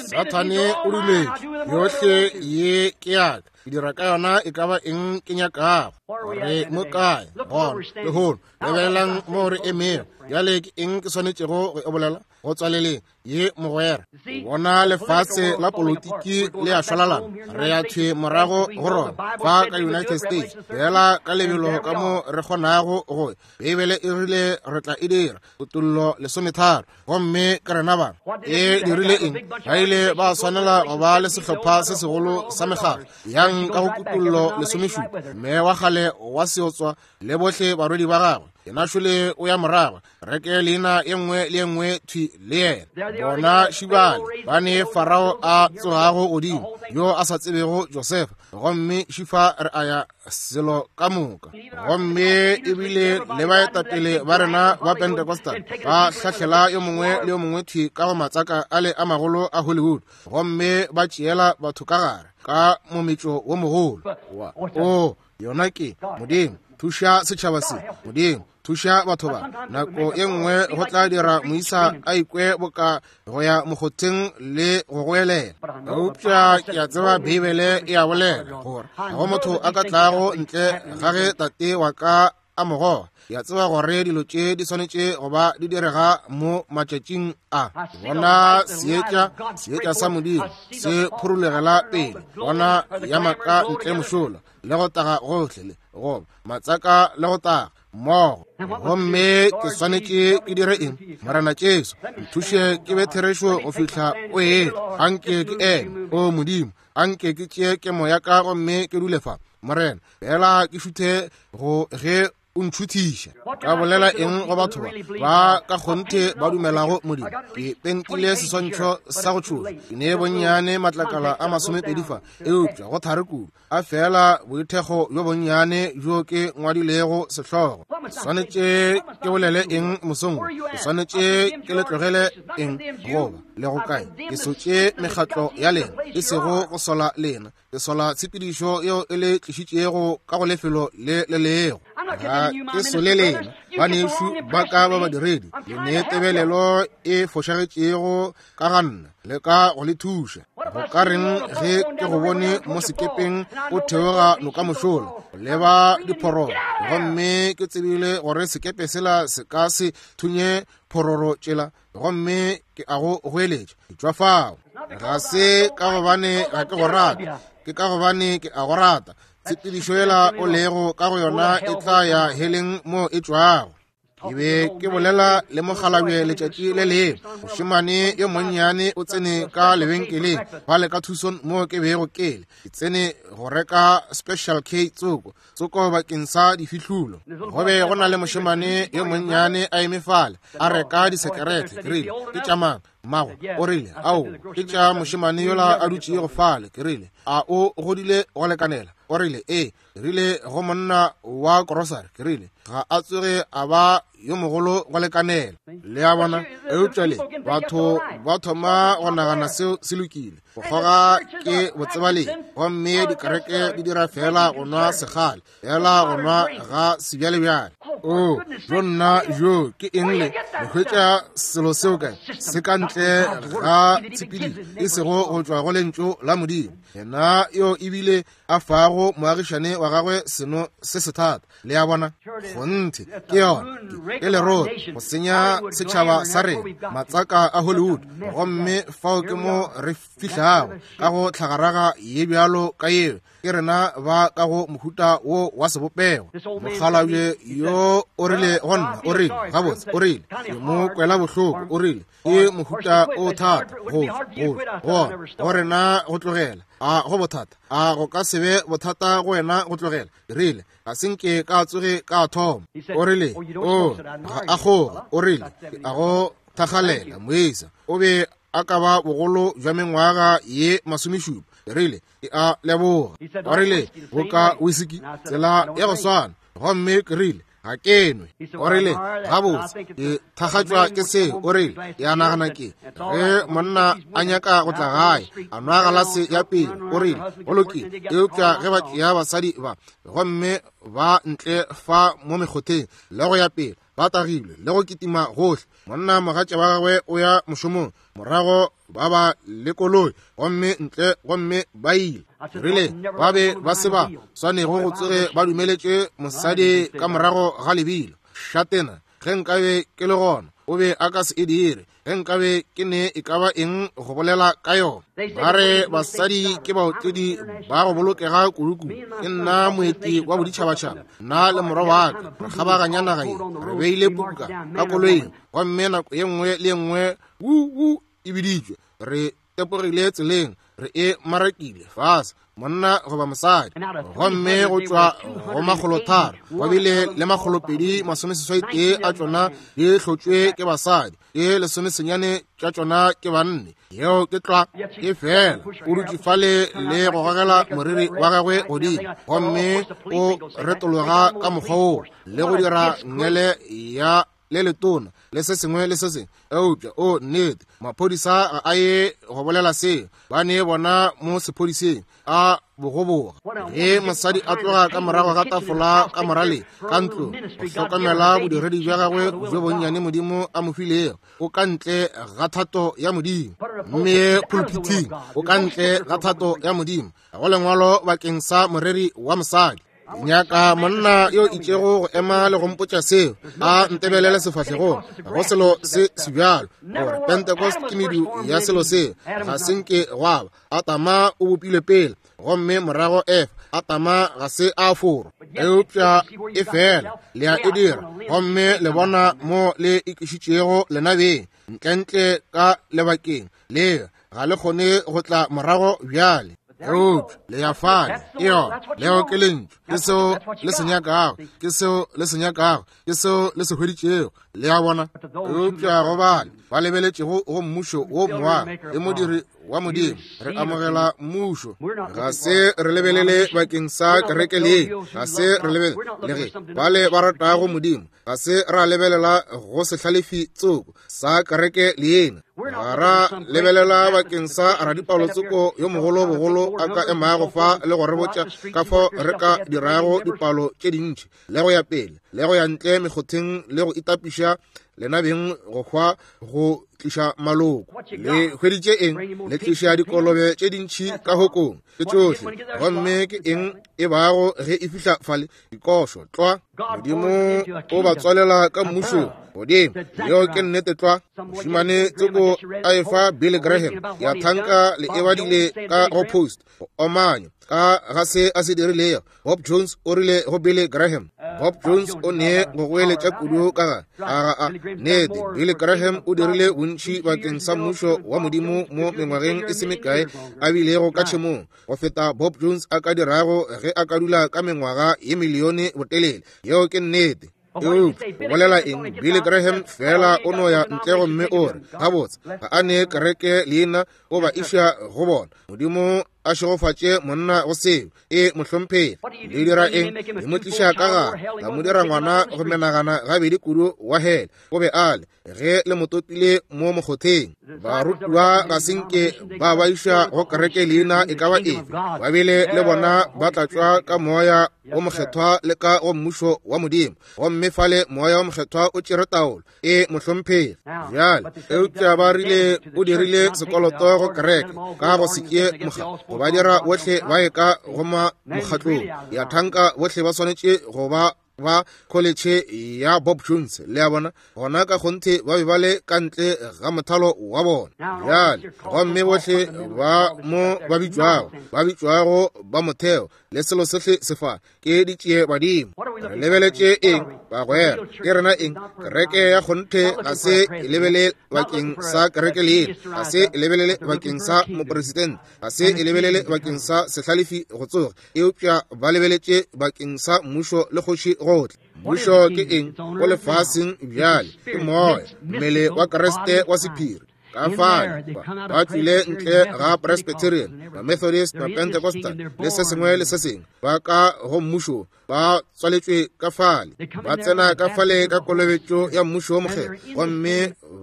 Sathane o dumetše, yohle ye ke yaka, ke dira ka yona e ka ba eng ke nyakago. Re mo kae gona lehono? Lebelelang mo re emego bjale. Ke eng ke swanetšego go e bolela go tswaleleng ye, mogwera? Bona lefase la politiki le a šwalalana, re ya thwe morago go rona fa ka United States, fela ka lebelo ka mo re kgonago go. Beibele e rile re tla e dira, Kutollo 13, gomme ke rena ba. E dirile eng? Ba ile ba swanela go ba le sehlopha se segolo sa mekgatlo yang ka go Kutollo 17, mme wa kgale wa seotswa le bohle barwedi ba gagwe, yena šole o ya morago, reke leina ye nngwe le ye nngwe thwi le yena. Bona šibale ba ne Farao a tsogago godimo, yo a sa tsebego Josefa, gomme šifa re a ya selo ka moka. Gomme ebile le baetapele ba rena ba Pentecostal ba hlahlela yo mongwe le yo mongwe thwi ka go matsaka ale a magolo a Hollywood, gomme ba tšeela batho ka gare ka mometšo wo mogolo wa o yona ke Modimo thuša setšhaba se, Modimo thuša batho ba. Nako ye nngwe go tla dira moisa a ikwe boka go ya mokgotheng le go goelela, eupša ke a tseba Beibele e a bolela gore ga go motho a ka tlago ntle ga ge Tate wa ka a mo goga. Ke a tseba gore dilo tše di swanetše go ba di direga mo matšatšing a. Bona seetša, seetša sa Modimo se phurulegela pele, bona ya maka ntle mošola, le go taga gohle, le goba matsaka le go taga mmogo. Gomme ke swanetše ke dire eng? Morena Jesu, nthuše ke be therešo go fihla o etla. Anke ke eme, o Modimo, anke ke tšee kemo ya ka gomme ke dule fa, Morena, fela ke šuthe go ge o ntšhuthiša. Ka bolela eng go batho ba ba ka kgonthe ba dumelago Modimo? Ke pentile seswantšho sa go tšhoša, ke ne bonnyane matlakala a 20 fa, eupša go thari kudu, a fela boithekgo bjo bonnyane bjo ke ngwadilego sehlogo. Swanetše ke bolele eng mosong wo? Ke swanetše ke le tlogele eng goba le go kae? Ke sotše mekgatlo ya lena, e sego go sola lena, ke sola tshepedišo yeo e le tlišitšego ka go lefelo le le lego. Ga ke sole lena, banešu ba ka ba badiredi, le ne tebelelo e fošagetšego ka ga nna, le ka go le thuša. Go ka reng ge ke go bone mo sekepeng o theoga noka mošola leba diphororo, gomme ke tsebile gore sekepe sela se ka se thunye phororo tšela, gomme ke a go goeletša, tšwa fao. Ga se ka gobane ga ke go rate, ke ka gobane ke a go rata. Tshepedišo yela o lego ka go yona e tla ya heleng mo e tšwago. Ke be ke bolela le mokgalabje letšatši le lengwe. Mošemane yo monnyane o tsene ka lebenkeleng fale ka Tucson mo ke bego ke le. Ke tsene go reka Special K tsoko, tsoko bakeng sa difihlulo. Go be go na le mošemane yo monnyane a eme fale a reka disekerete. Ke rile, ke tša mang? Mmago o rile, ao, ke tša mošemane yola a dutšego fale. Ke rile, a o godile go lekanela? O rile, ee. Ke rile go monna wa korosari, ke rile, ga a tsoge a ba yo mogolo go lekanela. Le a bona? Eupša le batho ba thoma go nagana seo se lokile. Go kgoga ke botsebalegi, gomme dikereke di dira feela go nwa segale, feela go nwa ga sebjalebjale. O, jo nna, jo, ke eng le? Le hwetša selo seo kae? Se ka ntle ga tshepedišo, e sego go tšwa go Lentšu la Modimo. Yena yo ebile a fago moagišane wa gagwe seno se sethata. Le a bona? Kgonthe, ke yona. Ke lerotho go senya setšhaba sa rena, matsaka a Hollywood. Gomme fao ke mo re fihlago ka go tlhagaraga ye bjalo ka yeo. Ke rena ba ka go mohuta wo wa sebopego. Mokgalabje yo o rile go nna, o rile, gabotse, o rile, ke mo kwela bohloko, o rile, ke mohuta o thata go go go go rena go tlogela. A go bothata? A go ka se be bothata go wena go tlogela? Ke rile, ga se nke ka tsoge ka thoma. O rile, o ga a kgoga. O rile, ke a go thakgalela, moisa. O be a ka ba bogolo bja mengwaga ye masomešupa. Ke rile, ke a leboga. O rile, boka wisiki, tsela ya go swana. Gomme ke rile, ga ke nwe. O rile, gabotse, ke thakgatšwa ke seo. O rile, ke a nagana ke ge monna a nyaka go tla gae a nwa galase ya pele. O rile, go lokile, eupša ge ba tšea basadi ba gomme ba ntle fa mo mekgotheng le go ya pele, ba tagilwe le go kitima gohle, monna mogatša wa gagwe o ya mošomong, morago ba ba le koloi gomme ntle gomme ba ile. Rile ba be ba se ba swanego go tsoge ba dumeletše mosadi ka morago ga lebilo. Šatena, ge nkabe ke le gona, o be a ka se e dire. Ge nkabe ke ne e ka ba eng go bolela ka yona. Ba re basadi ke baotledi ba go bolokega kudukudu. Ke nna moeti wa boditšhabatšhaba, nna le morwa wa ka re kgabaganya naga ye, re beile puku ka ka koloing, gomme nako ye nngwe le ye nngwe wu wu e biditšwe, re tepogile tseleng, re e marakile fase, monna goba mosadi. Gomme go tšwa go makgolotharo go bile le makgolopedi masomeseswai tee a tšona di hlotšwe ke basadi, ke lesomesenyane tša tšona ke banne. Yeo ke tlwa. Ke fela o dutše fale le go gogela moriri wa gagwe godimo, gomme o retologa ka mokgwa woo le go dira ngele ya le letona le se sengwe le se sengwe. Eupša o nnete, maphodisa ga a ye go bolela seo, ba ne bona mo sephodiseng a bogoboga. Ge mosadi a tloga ka morago ga tafola ka moraleng ka ntlong go hlokomela bodiredi bja gagwe bjo bonnyane Modimo a mo filego, o ka ntle ga thato ya Modimo. Mme pulpithing o ka ntle ga thato ya Modimo. Ga go lengwalo bakeng sa moreri wa mosadi. Ke nyaka monna yo itšego go ema le go mpotša seo, a ntebelele sefahlegong. Ga go selo se sebjalo gore Pentecost ke medu ya selo seo. Ga se nke gwa ba. Adama o bopilwe pele, gomme morago Efa. Adama ga se a forwa, eupša e fela le a e dira, gomme le bona mo le ikišitšego lena beng ntlentle ka lebakeng le ga le kgone go tla morago bjale. Eupša le ya fale, ke yona. Leo ke lentšu, ke seo le se nyakago, ke seo le se nyakago, ke seo le se hweditšego. Le a bona? Eupša go bale ba lebeletšego go mmušo wo moago le modiri wa Modimo, re amogela mmušo. Ga se re lebelele bakeng sa kereke le, ga se re lebelele le ge bale ba ratago Modimo, ga se ra lebelela go sehlalefi tsoko sa kereke leena, ga ra lebelela bakeng sa radipalo tsoko yo mogolo bogolo a ka emago fa le go re botša ka fao re ka dirago dipalo tše dintši le go ya pele le go ya ntle mekgotheng le go itapiša lena beng go hwa go tliša maloko. Le hweditše eng? Le tliša dikolobe tše dintši ka hokong ke tšohle. Gomme ke eng e bago ge e fihla fale? Dikošo tlwa. Modimo o ba tswalela ka mmušong godimo. Yeo ke nnete tlwa. Mošemane tsoko a efa Billy Graham ya thanka le e badile ka go Post go omanya ka ga se a se dirilego. Bob Jones o rile go Billy Graham. Bob Jones o ne go goeletša kudu ka ga a ga a nnete. Billy Graham o dirile bontši bakeng sa mmušo wa Modimo mo mengwageng e se mekae a bilego ka tšhemong go feta Bob Jones a ka dirago ge a ka dula ka mengwaga ye milione botelele. Yeo ke nnete. Eupša o bolela eng? Billy Graham fela o no ya ntle gomme o re, gabotse, ga a ne kereke leina, o ba iša go bona. Modimo a šegofatše monna go seo. E, mohlomphegi. Le dira eng? Le mo tliša ka gare, la mo dira ngwana go menagana gabedi kudu wa hele. O be a le ge le mo topile mo mokgotheng. Barutiwa ga se nke ba ba iša go kereke leina e ka ba efe. Ba bile le bona ba tlatšwa ka Moya wo Mokgethwa le ka go Mmušo wa Modimo, gomme fale Moya wo Mokgethwa o tšere taolo. E, mohlomphegi. Bjale, eupša ba rile o dirile sekoloto go kereke ka go se tšee moga. ba dira bohle ba ye ka go mokgatlong ya thanka, bohle ba swanetše go ba ba kholetšhe ya Bob Jones. Le a bona, gona ka kgonthe ba be ba le ka ntle ga mothalo wa bona bjale. Gomme bohle ba mo ba bitšwago, ba bitšwago ba motheo le selo sohle se fa, ke ditšie badimo. Re lebeletše eng, bagwera? Ke rena eng? Kereke ya kgonthe ga se e lebele bakeng sa kereke leina, ga se e lebelele bakeng sa mopresidente, ga se e lebelele bakeng sa sehlalefi go tsoga, eupša ba lebeletše bakeng sa mmušo le kgoši gotle. Mmušo ke eng go lefaseng bjale? Ke moya, mmele wa Kriste wa sephiri. Ka fale ba tšwile ntle ga Presbyterian, ba-Methodist, ba-Pentecostal le se sengwe le se sengwe, ba ka go mmušo, ba tswaletšwe ka fale, ba tsena ka fale ka kolobetšo ya mmušo wo mokgethwa, gomme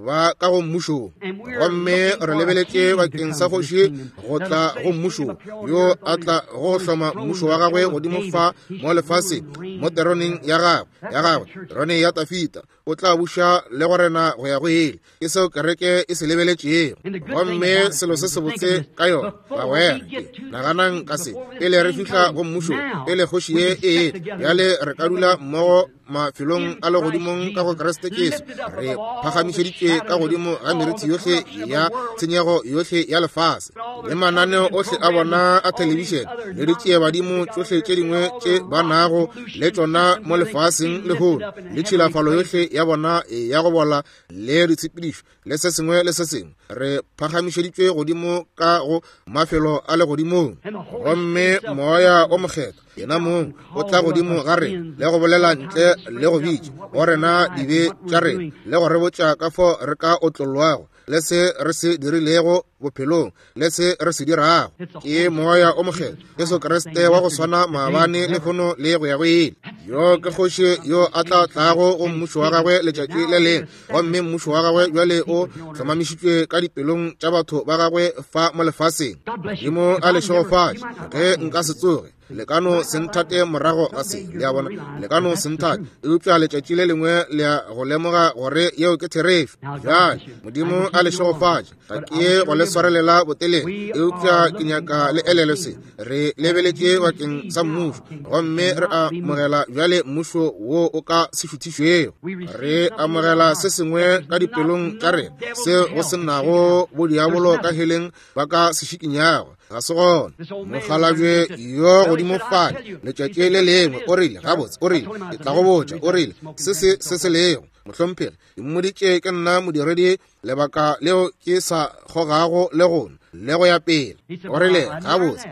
ba ka go mmušo. Gomme re lebeletše bakeng sa kgoši go tla go mmušo, yo a tla go hloma mmušo wa gagwe godimo fa mo lefaseng, mo teroneng ya gagwe, ya gagwe, terone ya Tafita. O tla buša le go rena go ya go ile. Ke seo kereke e se lebeletšego. Gomme selo se sebotse ka yona, bagwera, ke naganang ka se, pele re fihla go mmušo, pele kgoši ye e etla, bjale re ka dula mmogo mafelong a legodimong ka go Kriste Jesu, re phagamišeditšwe ka godimo ga merithi yohle ya tshenyego yohle ya lefase, le mananeo ohle a bona a thelebišene, le ditšiebadimo tšohle tše dingwe tše ba nago le tšona mo lefaseng lehono, le tšhilafalo yohle ya bona ya go bola le ditshepedišo le se sengwe le se sengwe. Re phagamišeditšwe godimo ka go mafelo a legodimong, gomme Moya o Mokgethwa yena mong o tla godimo ga rena le go bolela ntle le go bitša go rena dibe tša rena, le go re botša ka fo re ka otlollwago, le se re se dirilego bophelong, le se re se dirago. Ke Moya o Mokgethwa, Jesu Kriste wa go swana maabane, lehono le go ya go ile. Yo ke kgoši yo a tla tlago go mmušo wa gagwe letšatši le lengwe, gomme mmušo wa gagwe bjale o hlomamišitšwe ka dipelong tša batho ba gagwe fa mo lefaseng. Modimo a le šegofatše. Ge nka se tsoge, le ka no se nthate morago ga se, le a bona, le ka no se nthate, eupša letšatši le lengwe le ya go lemoga gore yeo ke therešo. Bjale Modimo a le šegofatše. Ga ke ye go le swarelela botelele, eupša ke nyaka le elelwe se. Re lebeletše bakeng sa mmušo, gomme re amogela bjale mmušo wo o ka se šuthišwego. Re amogela se sengwe ka dipelong tša rena seo go se nago bodiabolo ka heleng ba ka se šikinyago. Ga se gona. Mokgalabje yo godimo fale letšatši le lengwe o rile, gabotse, o rile, ke tla go botša, o rile, se se se se lego, mohlomphegi, ke mmoditše ke nna modiredi lebaka leo ke sa kgogago le gona le go ya pele. O rile, gabotse,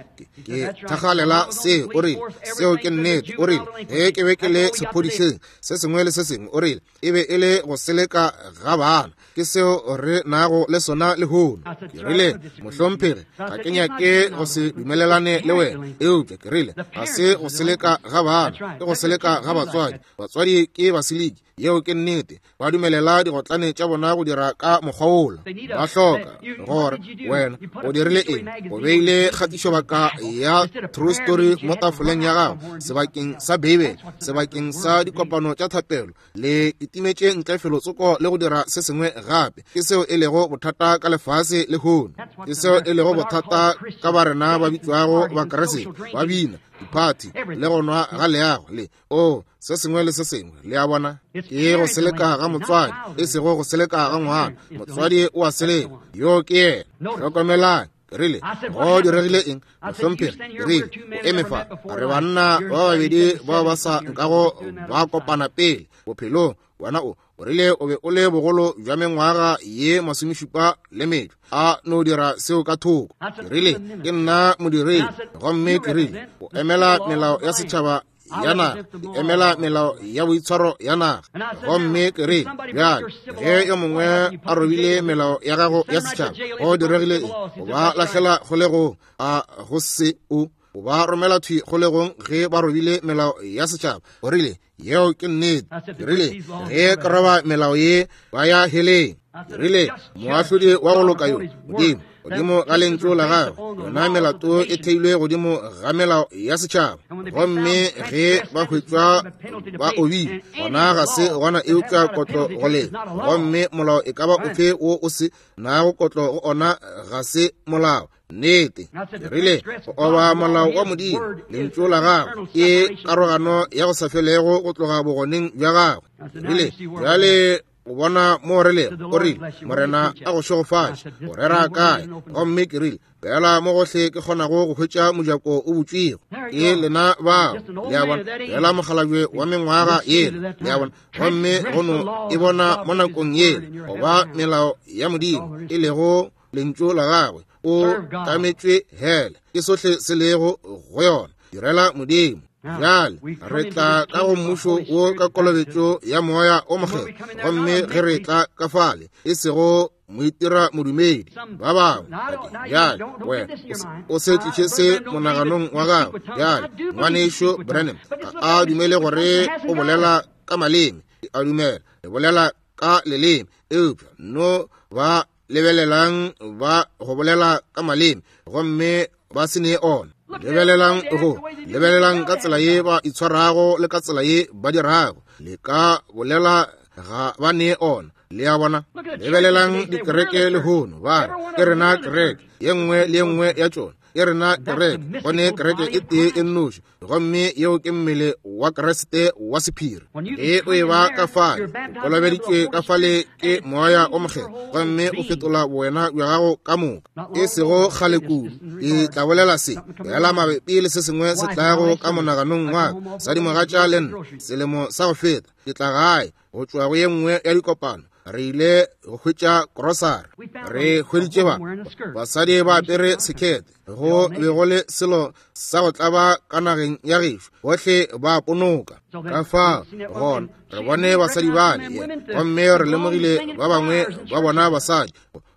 ke thakgalela seo. O rile, seo ke nnete. O rile, ge ke be ke le sephodiseng, se sengwe le se sengwe, o rile, e be e le go seleka ga bana. Ke seo re nago le sona lehono. Ke rile, mohlomphegi, ga ke nyake go se dumelelane le wena, eupša ke rile, ga se go seleka ga bana, ke go seleka ga batswadi. Batswadi ke baseliki. Yeo ke nnete. Ba dumelela digotlane tša bona go dira ka mokgwa wola. Ba hloka gore wena o dirile eng, o beile kgatišobaka ya True Story mo tafoleng ya gago sebakeng sa Beibele, sebakeng sa dikopano tša thapelo, le kitimetše ntle felotsoko le go dira se sengwe gape. Ke seo e lego bothata ka lefase lehono. Ke seo e lego bothata ka ba rena ba bitšwago Bakriste, ba bina diphathi le go nwa ga leago le o se sengwe le se sengwe. Le a bona, ke go seleka ga motswadi, e sego go seleka ga ngwana. Motswadi o a seleka, yo ke yena. Hlokomelang, ke rile, go diregile eng, mohlomphegi? Ke rile, o eme fa, re banna ba babedi bao ba sa nkago ba kopana pele bophelong. Wena o o rile o be o le bogolo bja mengwaga ye masomešupa le metšo, a no dira seo ka thoko. Ke rile, ke nna modiredi, gomme ke rile, o emela melao ya setšhaba ya naga, ke emela melao ya boitshwaro ya naga. Gomme ke rile, bjale ge yo mongwe a robile melao ya gago ya setšhaba, go diregile eng? O ba lahlela kgolegong, a go se o o ba romela thwi kgolegong ge ba robile melao ya setšhaba. O rile, yeo ke nnete. Ke rile, ge ke roba melao ye, ba ya heleng. Ke rile, moahlodi wa go loka yo, Modimo, godimo ga lentšu la gagwe, yona melato e theilwe godimo ga melao ya setšhaba. Gomme ge ba hwetšwa ba obile, gona ga se gona eupša kotlo go lena. Gomme molao e ka ba ofe wo o se nago kotlo go ona ga se molao. Nnete. Ke rile, Go oba molao wa Modimo, Lentšu la Gagwe, ke karogano ya go sa felego go tloga bogoneng bja Gagwe. Ke rile, Bjale o bona mo re lego. O rile, Morena a go šegofatše. O rera kae? Gomme ke rile, Fela mo gohle ke kgonago go hwetša mojako o butšwego. Ke lena bao, le a bona, fela mokgalabje wa mengwaga yela, le a bona. Gomme go no e bona mo nakong yela, goba melao ya Modimo, e lego Lentšu la Gagwe, o tametšwe hele. Ke sohle se lego go yona. Direla Modimo. Bjale re tla ka go mmušo wo ka kolobetšo ya Moya o Mokgethwa, gomme ge re tla ka fale, e sego moitira modumedi ba bangwe. Bjale wena o se tliše se monaganong wa gago. Bjale ngwanešu Branham ga a dumele gore o bolela ka maleme, a dumela le bolela ka leleme, eupša no ba lebelelang ba go bolela ka maleme gomme ba se ne ona. Lebelelang go lebelelang ka tsela ye ba itshwarago le ka tsela ye ba dirago, le ka bolela ga ba ne ona. Le a bona? Lebelelang dikereke lehono, ba re ke rena kereke, ye nngwe le ye nngwe ya tšona ke rena kereke. Go ne kereke e tee e nnoši, gomme yeo ke mmele wa Kriste wa sephiri. Ge o e ba ka fale, o kolobeditšwe ka fale ke Moya o Mokgethwa, gomme o fetola bowena bja gago ka moka. E sego kgale kudu, ke tla bolela se fela mabapi le se sengwe se tlago ka monaganong wa ka. Sadimogatša le nna, selemo sa go feta, ke tla gae go tšwa go ye nngwe ya dikopano. Re ile go hwetša krosari, re hweditše ba basadi ba apere sekete, go be go le selo sa go tlaba ka nageng ya gešo, bohle ba ponoka. Ka fao gona re bone basadi bale, gomme re lemogile ba bangwe ba bona basadi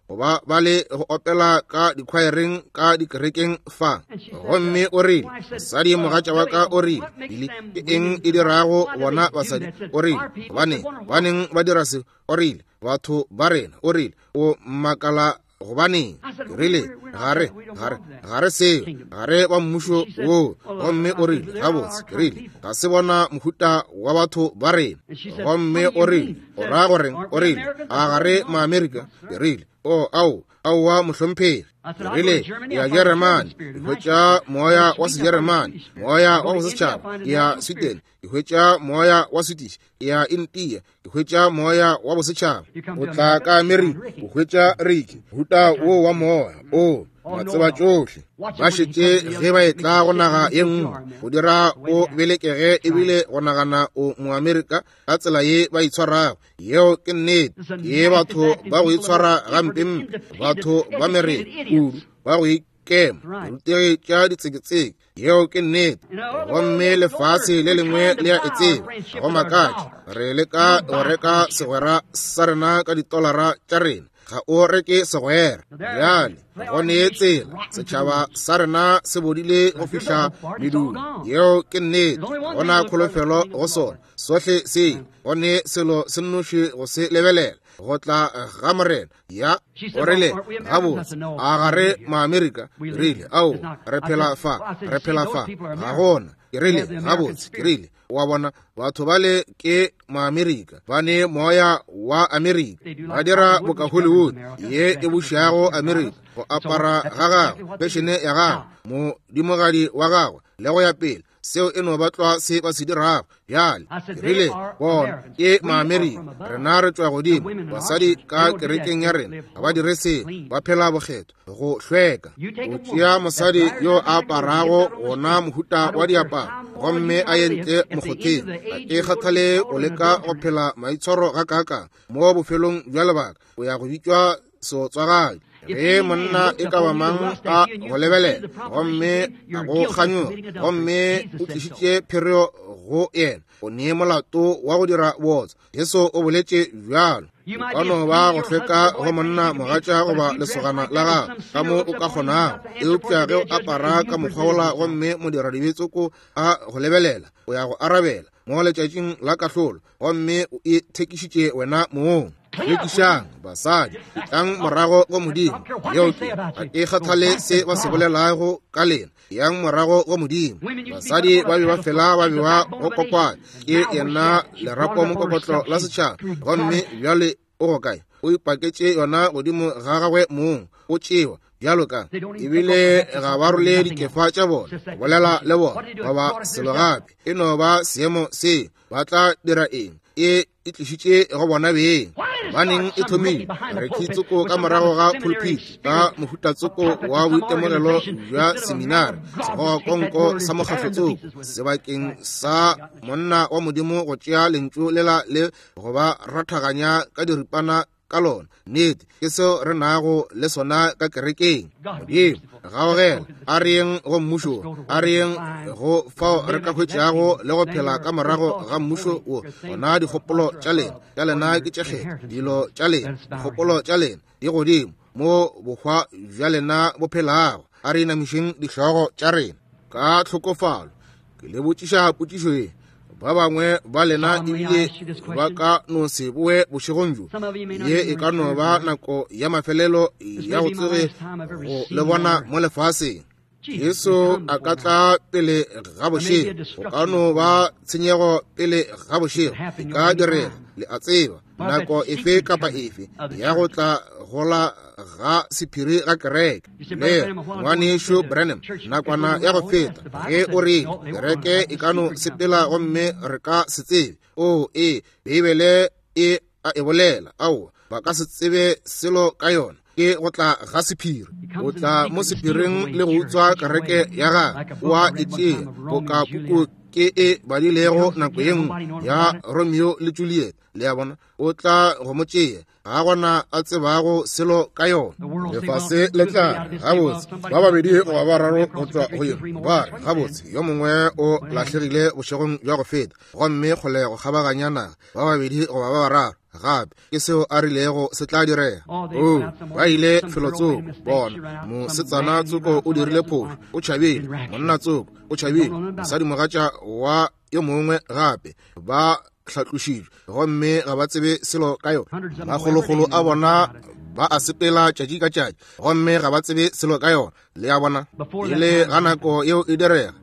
goba ba le go opela ka dikhwaereng ka dikerekeng fa. Gomme o rile, mosadi mogatša wa ka o rile, Billy, ke eng e dirago bona basadi? O rile, gobaneng, gobaneng ba dira se? O rile, batho ba rena. O rile, o makala gobaneng? Ke rile, ga re, ga re, ga re seo, ga re ba mmušo woo. Gomme o rile, gabotse, ke rile, ga se bona mohuta wa batho ba rena. Gomme o rile, o ra goreng? O rile, a ga re Maamerika? Ke rile, o, ao, aowa, mohlomphegi. Ke rile, ke ya Jeremane, ke hwetša moya wa Sejeremane, moya wa bosetšhaba. Ke ya Sweden, ke hwetša moya wa Swedish. Ke ya India, ke hwetša moya wa bosetšhaba. O tla ka Amerika, o hwetša Ricky, mohuta wo wa moya, o matseba tšohle. Ba šetše ge ba etla go naga ye nngwe, go dira o belekege ebile go nagana o Moamerika ka tsela ye ba itshwarago. Yeo ke nnete. Ke batho ba go itshwara gampempe, batho ba mere kudu, ba go ikema, dirutegi tša ditseketseke. Yeo ke nnete. Gomme lefase le lengwe le a e tseba. Ga go makatše re leka go reka segwera sa rena ka ditolara tša rena. Ga o reke segwera. Bjale go ne tsela, setšhaba sa rena se bodile go fihla medung. Yeo ke nnete. Gona kholofelo go sona. Sohle se go ne selo se nnoši go se lebelela, go tla ga Morena. Ya, o rile, gabotse, a ga re Maamerika? Rile, ao, re phela fa, re phela fa, ga gona. Ke rile, gabotse, ke rile, wa bona, batho bale ke Maamerika, ba ne moya wa Amerika, ba dira boka Hollywood ye e bušago Amerika, go apara ga gagwe, fešene ya gagwe, modimogadi wa gagwe, le go ya pele. Seo e no ba tlwa se ba se dirago bjale. Ke rile, bona ke Maamerika, rena re tšwa godimo. Basadi ka kerekeng ya rena ga ba dire seo, ba phela bokgethwa, go hlweka. O tšea mosadi yo a aparago wona mohuta wa diaparo gomme a ye ntle mokgotheng, ga ke kgathale o leka go phela maitshwaro gakaakang, mo bofelong bja lebaka o ya go bitšwa seotswagadi. Ge monna e ka ba mang a go lebelela gomme a go kganyoga gomme o tlišitše phereo go yena, o ne molato wa go dira bootswa. Jesu o boletše bjalo. O ka no ba go hlweka go monna mogatša goba lesogana la gago ka mo o ka kgonago, eupša ge o apara ka mokgwa wola gomme modiradibe-tsoko a go lebelela, o ya go arabela mo letšatšing la kahlolo, gomme o ithekišitše wena mong. Hlwekišang basadi, etlang morago go Modimo. Yeo ke, ga ke kgathale se ba se bolelago ka lena, yang morago go Modimo. Basadi ba be ba fela ba bewa go kokwane ke yena lerapo mokokotlo la setšhaba, gomme bjale o go kae? O ipaketše yona godimo ga gagwe mong, o tšewa bjalo ka ebile ga ba role dikefa tša bona go bolela le bona goba selo gape. E no ba seemo se. Ba tla dira eng? E e tlišitše go bona beng. Gobaneng e thomile? Re tsoko ka morago ga pulpit ka mohuta tsoko wa boitemogelo bja seminari, segogakonko sa mokgahlo tsoko, sebakeng sa monna wa Modimo go tšea lentšu lela le go ba rathaganya ka diripana ka lona. Nnete, ke seo re nago le sona ka kerekeng. Modimo, gaogela, a re yeng go mmušo, a re yeng go fao re ka hwetšago le go phela ka morago ga mmušo wo. Gona dikgopolo tša lena, tša lena ke tše kgethwa, dilo tša lena, dikgopolo tša lena di godimo mo bohwa bja lena bo phelago. A re inamišeng dihlogo tša rena ka tlhokofalo. Ke le botšiša potšišo ye. Ba bangwe ba lena ebile ba ka no se boe bošegong bjo. Ye e ka no ba nako ya mafelelo ya go tsoge go le bona mo lefaseng. Jesu a ka tla pele ga bošego, go ka no ba tshenyego pele ga bošego, e ka direga, le a tseba, nako efe kapa efe ya go tla gola ga sephiri ga kereke. Le ngwanešu Branham, nakwana ya go feta, ge o re kereke e ka no sepela gomme re ka se tsebe. O e, Beibele e a e bolela. Aowa, ba ka se tsebe selo ka yona. Ke go tla ga sephiri, o tla mo sephiring le go utswa kereke ya gagwe, o a e tšea boka puku ke e badilego nako ye nngwe ya Romeo le Juliet. Le a bona, o tla go mo tšea, ga gona a tsebago selo ka yona. Lefase le tla re, gabotse, ba babedi goba bararo go tšwa go yena, ba re, gabotse, yo mongwe o lahlegile bošegong bja go feta, gomme kgole go kgabaganya naga, ba babedi goba ba bararo gape. Ke seo a rilego se tla direga. Oo, ba ile felotsoko, bona, mosetsana tsoko o dirile phošo, o tšhabile, monna tsoko o tšhabile, mosadimogatša wa yo mongwe gape, ba hlatlošitšwe gomme ga ba tsebe selo ka yona. Makgolokgolo a bona ba a sepela tšatši ka tšatši gomme ga ba tsebe selo ka yona. Le a bona, pele ga nako yeo e direga,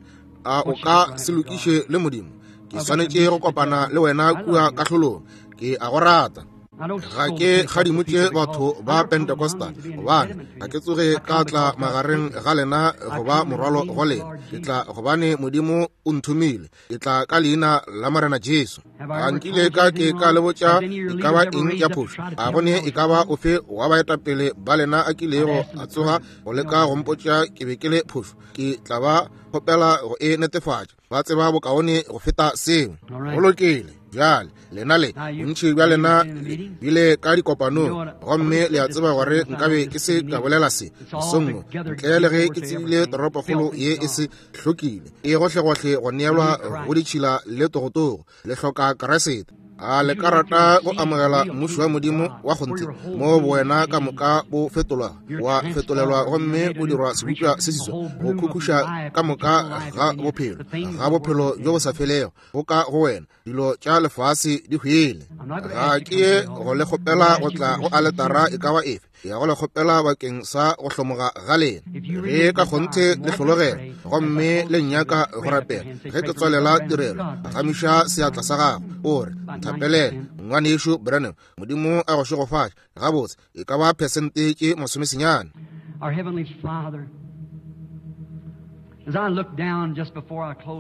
a o ka se lokiše le Modimo? Ke swanetše go kopana le wena kua kahlolong. Ke a go rata. Ga ke kgadimotše batho ba Pentecostal, gobane ga ke tsoge ka tla magareng ga lena go ba morwalo go lena. Ke tla gobane Modimo o nthomile. Ke tla ka leina la Morena Jesu. A nkile ka ke ka le botša e ka ba eng ya phošo? A go ne e ka ba ofe wa baetapele ba lena a kilego a tsoga go leka go mpotša ke be ke le phošo? Ke tla ba kgopela go e netefatša. Ba tseba bokaone go feta seo. Go lokile. Bjale lena le bontši bja lena le bile ka dikopanong, gomme le a tseba gore nkabe ke se ka bolela se mosong wo ntle le ge ke tsebile toropokgolo ye e se hlokile, e gohlegohle go neelwa go ditšhila le togotogo. Le hloka Kriste. A le ka rata go amogela mmušo wa Modimo wa kgonthe, mo bowena ka moka bo fetolwa, wa fetolelwa gomme o dirwa sebopša se seswa, go khukhuša ka moka ga bophelo, ga bophelo bjo bo sa felego go ka go wena? Dilo tša lefase di hwele. Ga ke ye go le kgopela go tla go aletara e ka ba efe, ke ya go le kgopela bakeng sa go hlomoga ga lena. Ge ka kgonthe le hlologela gomme le nnyaka go rapela, ge ke tswalela tirelo, phagamiša seatla sa gago o re, nthapelele, Ngwanešu Branham. Modimo a go šegofatše. Gabotse, e ka ba phesente tše masomesenyane.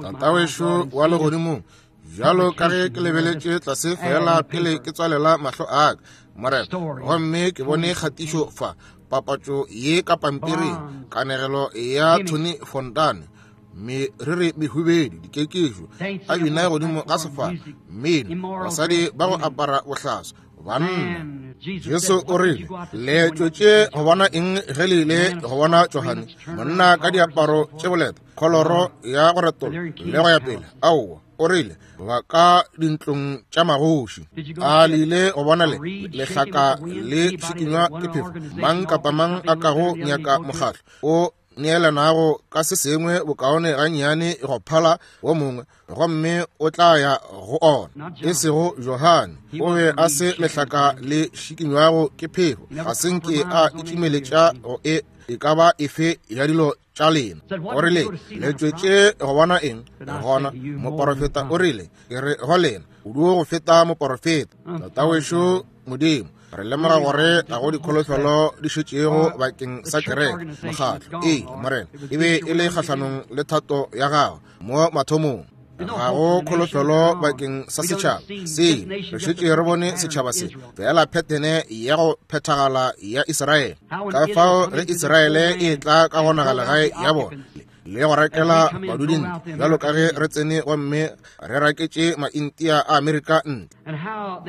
Tatawešo wa legodimong, bjalo ka ge ke lebeletše tlase fela pele ke tswalela mahlo a ka, Morena, gomme ke bone kgatišo fa, papatšo ye ka pampiring, kanegelo ya Tony Fontane, meriri mehubedu, dikekišo, a bina godimo ga sefala, mmino, basadi ba go apara bohlaswa, banna. Jesu o rile, le tšwetše go bona eng ge le ile go bona Johane, monna ka diaparo tše boleta, kholoro ya go retola le go ya pele? Aowa, o rile, ba ka dintlong tša magoši. A le ile go bona le lehlaka le šikinywa ke phefo? Mang kapa mang a kago nyaka mokgatlo o neelanago ka se sengwe bokaone gannyane go phala wo mongwe, gomme o tla ya go ona. E sego Johane, o be a se lehlaka le šikinywago ke phefo, ga se nke a itšimeletša go e e ka ba efe ya dilo tša lena. O rile, le tšwetše go bona eng? Gona moporofeta o rile, ke re go lena, o duo go feta moporofeta. Tatawešo Modimo, Re lemoga gore ga go dikholofelo di šetšego bakeng sa kereke, mokgatlo. Ee, Morena, e be e le kgahlanong le thato ya Gago mo mathomong. Ga go kholofelo bakeng sa setšhaba se. Re šetše re bone setšhaba se fela phethene ya go phethagala ya Israele. Ka fao ge Israele e tla ka go nagalegae ya bona le go rakela badudi ntle, bjalo ka ge re tsene gomme re raketše Maintia a Amerika ntle,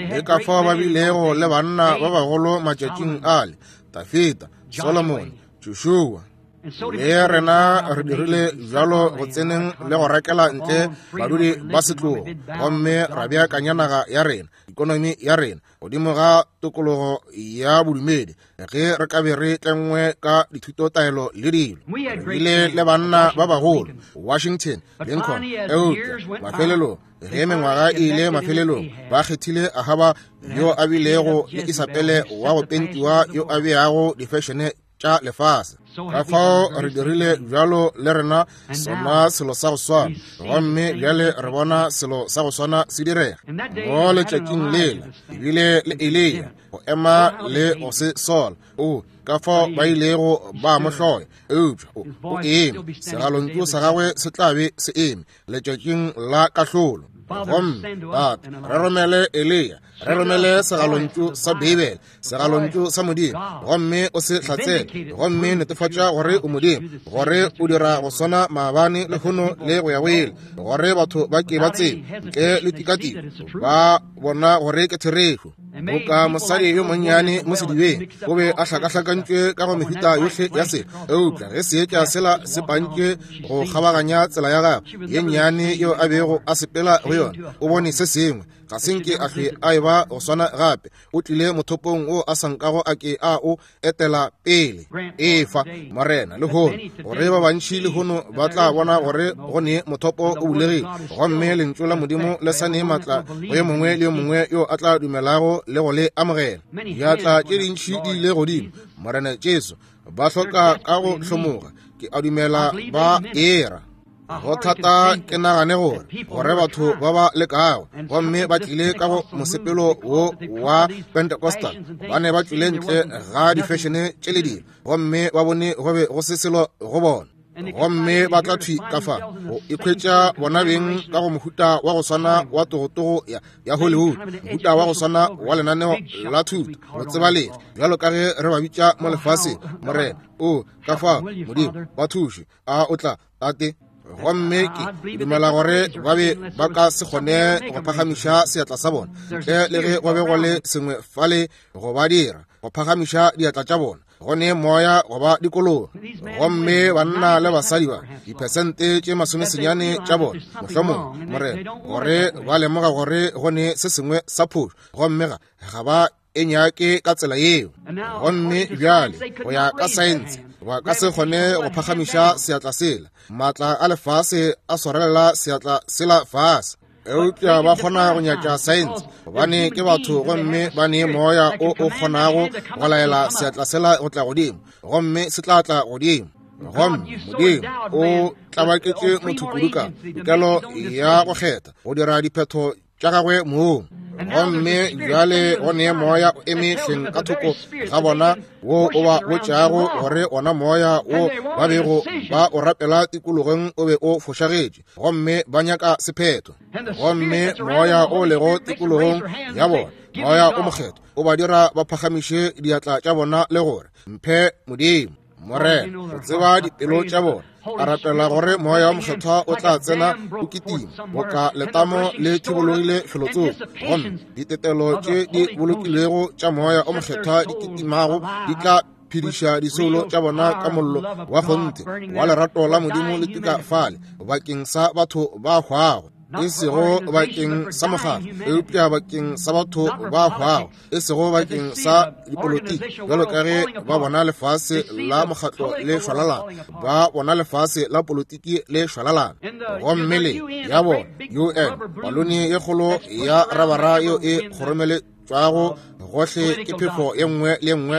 le ka fao ba bilego le banna ba bagolo matšatšing ale, Dafida, Solomone, Joshua. Le rena re dirile bjalo go tseneng le go rakela ntle badudi ba setlogo, gomme ra beakanya naga ya rena, ikonomi ya rena, godimo ga tokologo ya bodumedi, ge re ka be re tlengwe ka dithutotaelo le dilo. Re bile le banna ba bagolo, Washington, Lincoln, eupša mafelelong, ge mengwaga e ile mafelelong, ba kgethile Ahaba yo a bilego le Isabele wa go pentiwa yo a beago difešene tša lefase. Ka fao re dirile bjalo le rena, sona selo sa go swana, gomme bjale re bona selo sa go swana se direga. Mo letšatšing lela ebile le Eliya go ema le go se sola, o ka fao ba ilego ba mo hloya, eupša o eme, segalontšu sa gagwe se tla be se eme letšatšing la kahlolo. Gomme Tate, re romele Eliya, re romele segalontšu sa Beibele, segalontšu sa Modimo, gomme o se hlatsele, gomme netefatša gore o Modimo, gore o dira go swana maabane, lehono le go ya go ile, gore batho ba ke ba tsebe ntle le tikatiko, ba bona gore ke therešo. Boka mosadi yo monnyane mo sedibeng, o be a hlakahlakantšwe ka go mehuta yohle ya selo, eupša ge seetša sela se pantšwe go kgabaganya tsela ya gagwe ye nnyane yeo a bego a sepela go yona, o bone se sengwe. Ga se nke a hlwe a eba go swana gape. O tlile mothopong wo a sa nkago a ke a o etela pele. Efa, Morena, lehono, gore ba bantši lehono ba tla bona gore go ne mothopo o bulegile, gomme Lentšu la Modimo le sa ne maatla go yo mongwe le yo mongwe yo a tla dumelago le go le amogela. Diatla tše dintši di ile godimo, Morena Jesu, ba hloka ka go hlomoga. Ke a dumela ba era. Go thata ke nagane gore gore batho ba ba lekago gomme ba tlile ka go mosepelo wo wa Pentecostal, ba ne ba tšwile ntle ga difešene tše le dilo, gomme ba bone go be go se selo go bona, gomme ba tla thwi ka fa go ikhwetša bona beng ka go mohuta wa go swana wa togotogo ya Hollywood, mohuta wa go swana wa lenaneo la thuto go tsebalegi bjalo ka ge re ba bitša mo lefaseng. Morena, o ka fa Modimo ba thuše. A o tla, Tate? Gomme ke dumela gore ba be ba ka se kgone go phagamiša seatla sa bona ntle le ge go be go le sengwe fale go ba dira go phagamiša diatla tša bona, go ne moya go ba dikologa. Gomme banna le basadi ba diphesente tše masomesenyane tša bona, mohlomongwe, Morena, gore ba lemoga gore go ne se sengwe sa phošo, gomme ga ba e nyake ka tsela yeo. Gomme bjale go ya ka saense ba ka se kgone go phagamiša seatla sela, maatla a lefase a swarelela seatla sela fase, eupša ba kgona go nyatša saense gobane ke batho, gomme ba ne moya o o kgonago go laela seatla sela go tla godimo, gomme se tla tla godimo. Gomme Modimo o tlabaketše motho kudu ka tokelo ya go kgetha go dira diphetho tša gagwe mong. Gomme bjale go ne moya o eme hleng ka thoko ga bona wo o ba botšago gore ona moya wo ba bego ba o rapela tikologong o be o fošagetše, gomme ba nyaka sephetho. Gomme moya o lego tikologong ya bona, moya o mokgethwa, o ba dira ba phagamiše diatla tša bona le gore, Mphe Modimo. Morena, o tseba dipelo tša bona. A rapela gore moya wa mokgethwa o tla tsena o kitima boka letamo le thibologile felotsoko, gomme ditetelo tše di bolokilwego tša moya o mokgethwa di kitimago di tla phediša disoulo tša bona ka mollo wa kgonthe wa lerato la Modimo le tuka fale bakeng sa batho ba hwago, e sego bakeng sa mokgatlo, eupša bakeng sa batho ba hwago, e sego bakeng sa dipolotiki, bjalo ka ge ba bona lefase la mokgatlo le šwalalana, ba bona lefase la politiki le šwalalana. Gomme le ya bona UN, palone ye kgolo ya rabara yeo e kgoromeletšwago gohle ke phefo ye nngwe le ye nngwe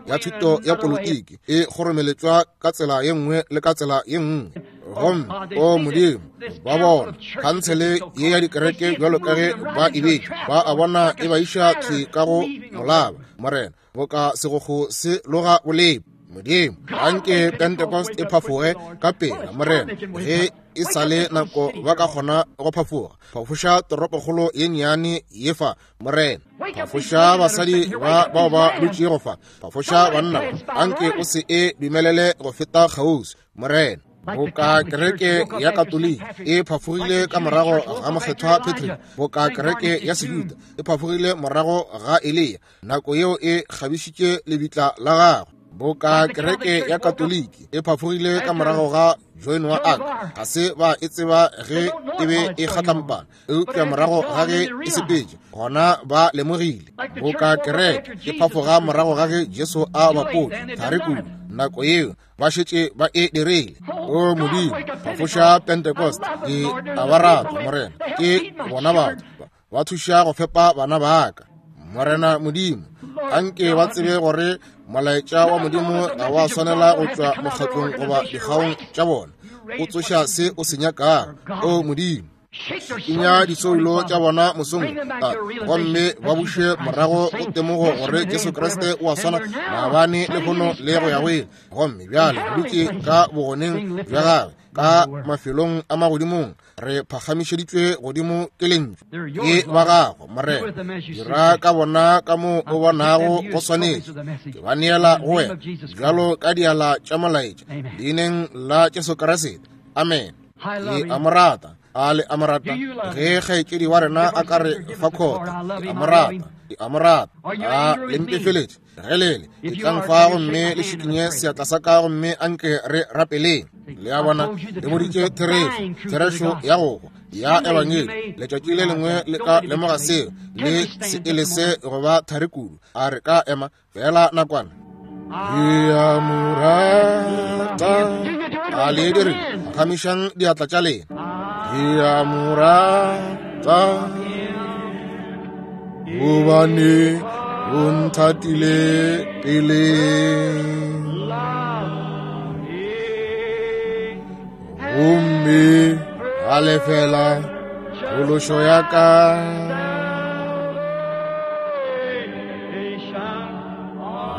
ya thuto ya politiki, e kgoromeletšwa ka tsela ye nngwe le ka tsela ye nngwe. Gomme, o Modimo, ba bona khansele ye ya dikereke bjalo ka ge ba e betše, ba a bona e ba iša thwi ka go molaba, Morena, boka segokgo se loga bolepo. Modimo, anke Pentecost e phafoge ka pela, Morena, ge e sa le nako ba ka kgona go phafoga. Phafoša toropokgolo ye nnyane ye fa, Morena. Phafoša basadi ba bao ba dutšego fa. Phafoša banna ba. Anke o se e dumelele go feta kgauswi, Morena. Boka kereke ya Katoliki e phafogile ka morago ga Mokgethwa Patrick, boka kereke ya Sejuda e phafogile morago ga Eliya, nako yeo e kgabišitše lebitla la gagwe. Boka kereke ya Katoliki e phafogile ka morago ga Joan wa Arc, ga se ba e tseba ge e be e kgatlampana, eupša morago ga ge e sepetše, gona ba lemogile. Boka kereke e phafoga morago ga ge Jesu a bapotšwe thari kudu, nako yeo ba šetše ba e dirile. O Modimo, phafoša Pentecost. Ke a ba rata, Morena. Ke bona batho ba thuša go fepa bana ba ka. Morena Modimo, anke ba tsebe gore molaetša wa Modimo ga wa swanela go tšwa mokgatlong goba dikgaong tša bona. O tsoša se o se nyakago. O Modimo, šikinya disoulo tša bona mosong gomme ba buše morago go temogo gore Jesu Kriste o a swana maabane, lehono le go ya go ile. Gomme bjale re dutše ka bogoneng bja gagwe ka mafelong a magodimong, re phagamišeditšwe godimo ke Lentšu. Ke ba gago, Morena. Dira ka bona ka mo o bonago go swanetše. Ke ba neela go wena bjalo ka diala tša molaetša, leineng la Jesu Kriste. Amen. Ke a mo rata. A le a mo rata? Ge kgaetšedi wa rena a ka re fa khota, ke a mo rata, ke a mo rata. A le mpefeletše? Ge lele, etlang fa gomme le šikinye seatla sa ka gomme anke re rapeleng. Le a bona, le boditše therešo, therešo ya go hwa ya Ebangedi. Letšatši le lengwe le ka lemoga seo, le se e lese go ba thari kudu. A re ka ema fela nakwana? Ke a mo rata. A le dire, phagamišang diatla tša lena. Ke a mo rata gobane o nthatile pele. Gomme a lefela phološo ya ka.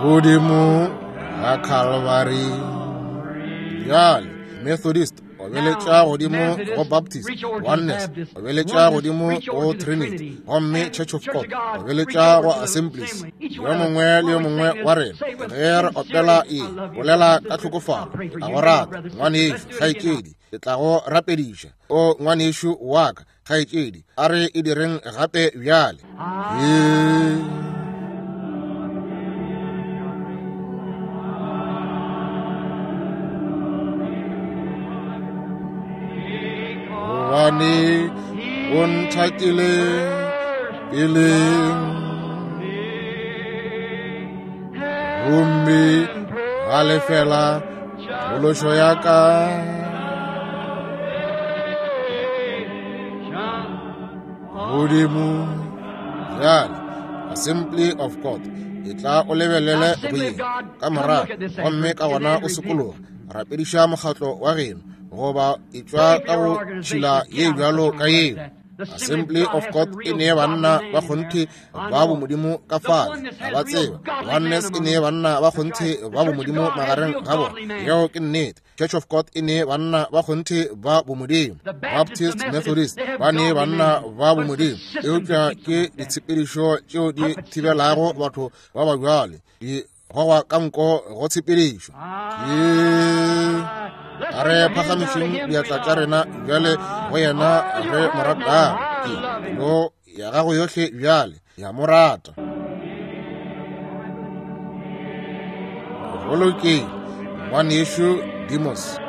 Godimo ga Calvary. Bjale, Methodist obeletša godimo go Baptist, Oneness obeletša godimo go Trinity, gomme Church of God obeletša go Assemblies. Yo mongwe le yo mongwe wa rena ge re opela e bolela ka tlhokofalo, a go rata ngwanešu, kgaetšedi, ke tla go rapediša. O ngwanešu wa ka, kgaetšedi, a re e direng gape bjale. Gobane o nthatile pele, gomme ga lefela phološo ya ka. Godimo bjale, Assembly of God, e tla o lebelele go ye ka morago, gomme ka gona o sokologa, rapediša mokgatlo wa geno, goba e tšwa ka go tšhila ye bjalo ka yeo. Assembly of God e nee banna ba kgonthe ba bomodimo ka fale, ga ba tseba. Oneness e nee banna ba kgonthe ba bomodimo magareng ga bona. Yeo ke nnete. Church of God e nee banna ba kgonthe ba bomodimo. Baptist, Methodist ba nee banna ba bomodimo, eupša ke ditshepedišo tšeo di thibelago batho ba ba bjale di gogwa ka nko go tshepedišo. Ke a re phagamišeng diatla tša rena bjale go yena re mo ratago. Ke pelo ya gago yohle bjale ya mo rata. Go lokile, ngwanešu Demos.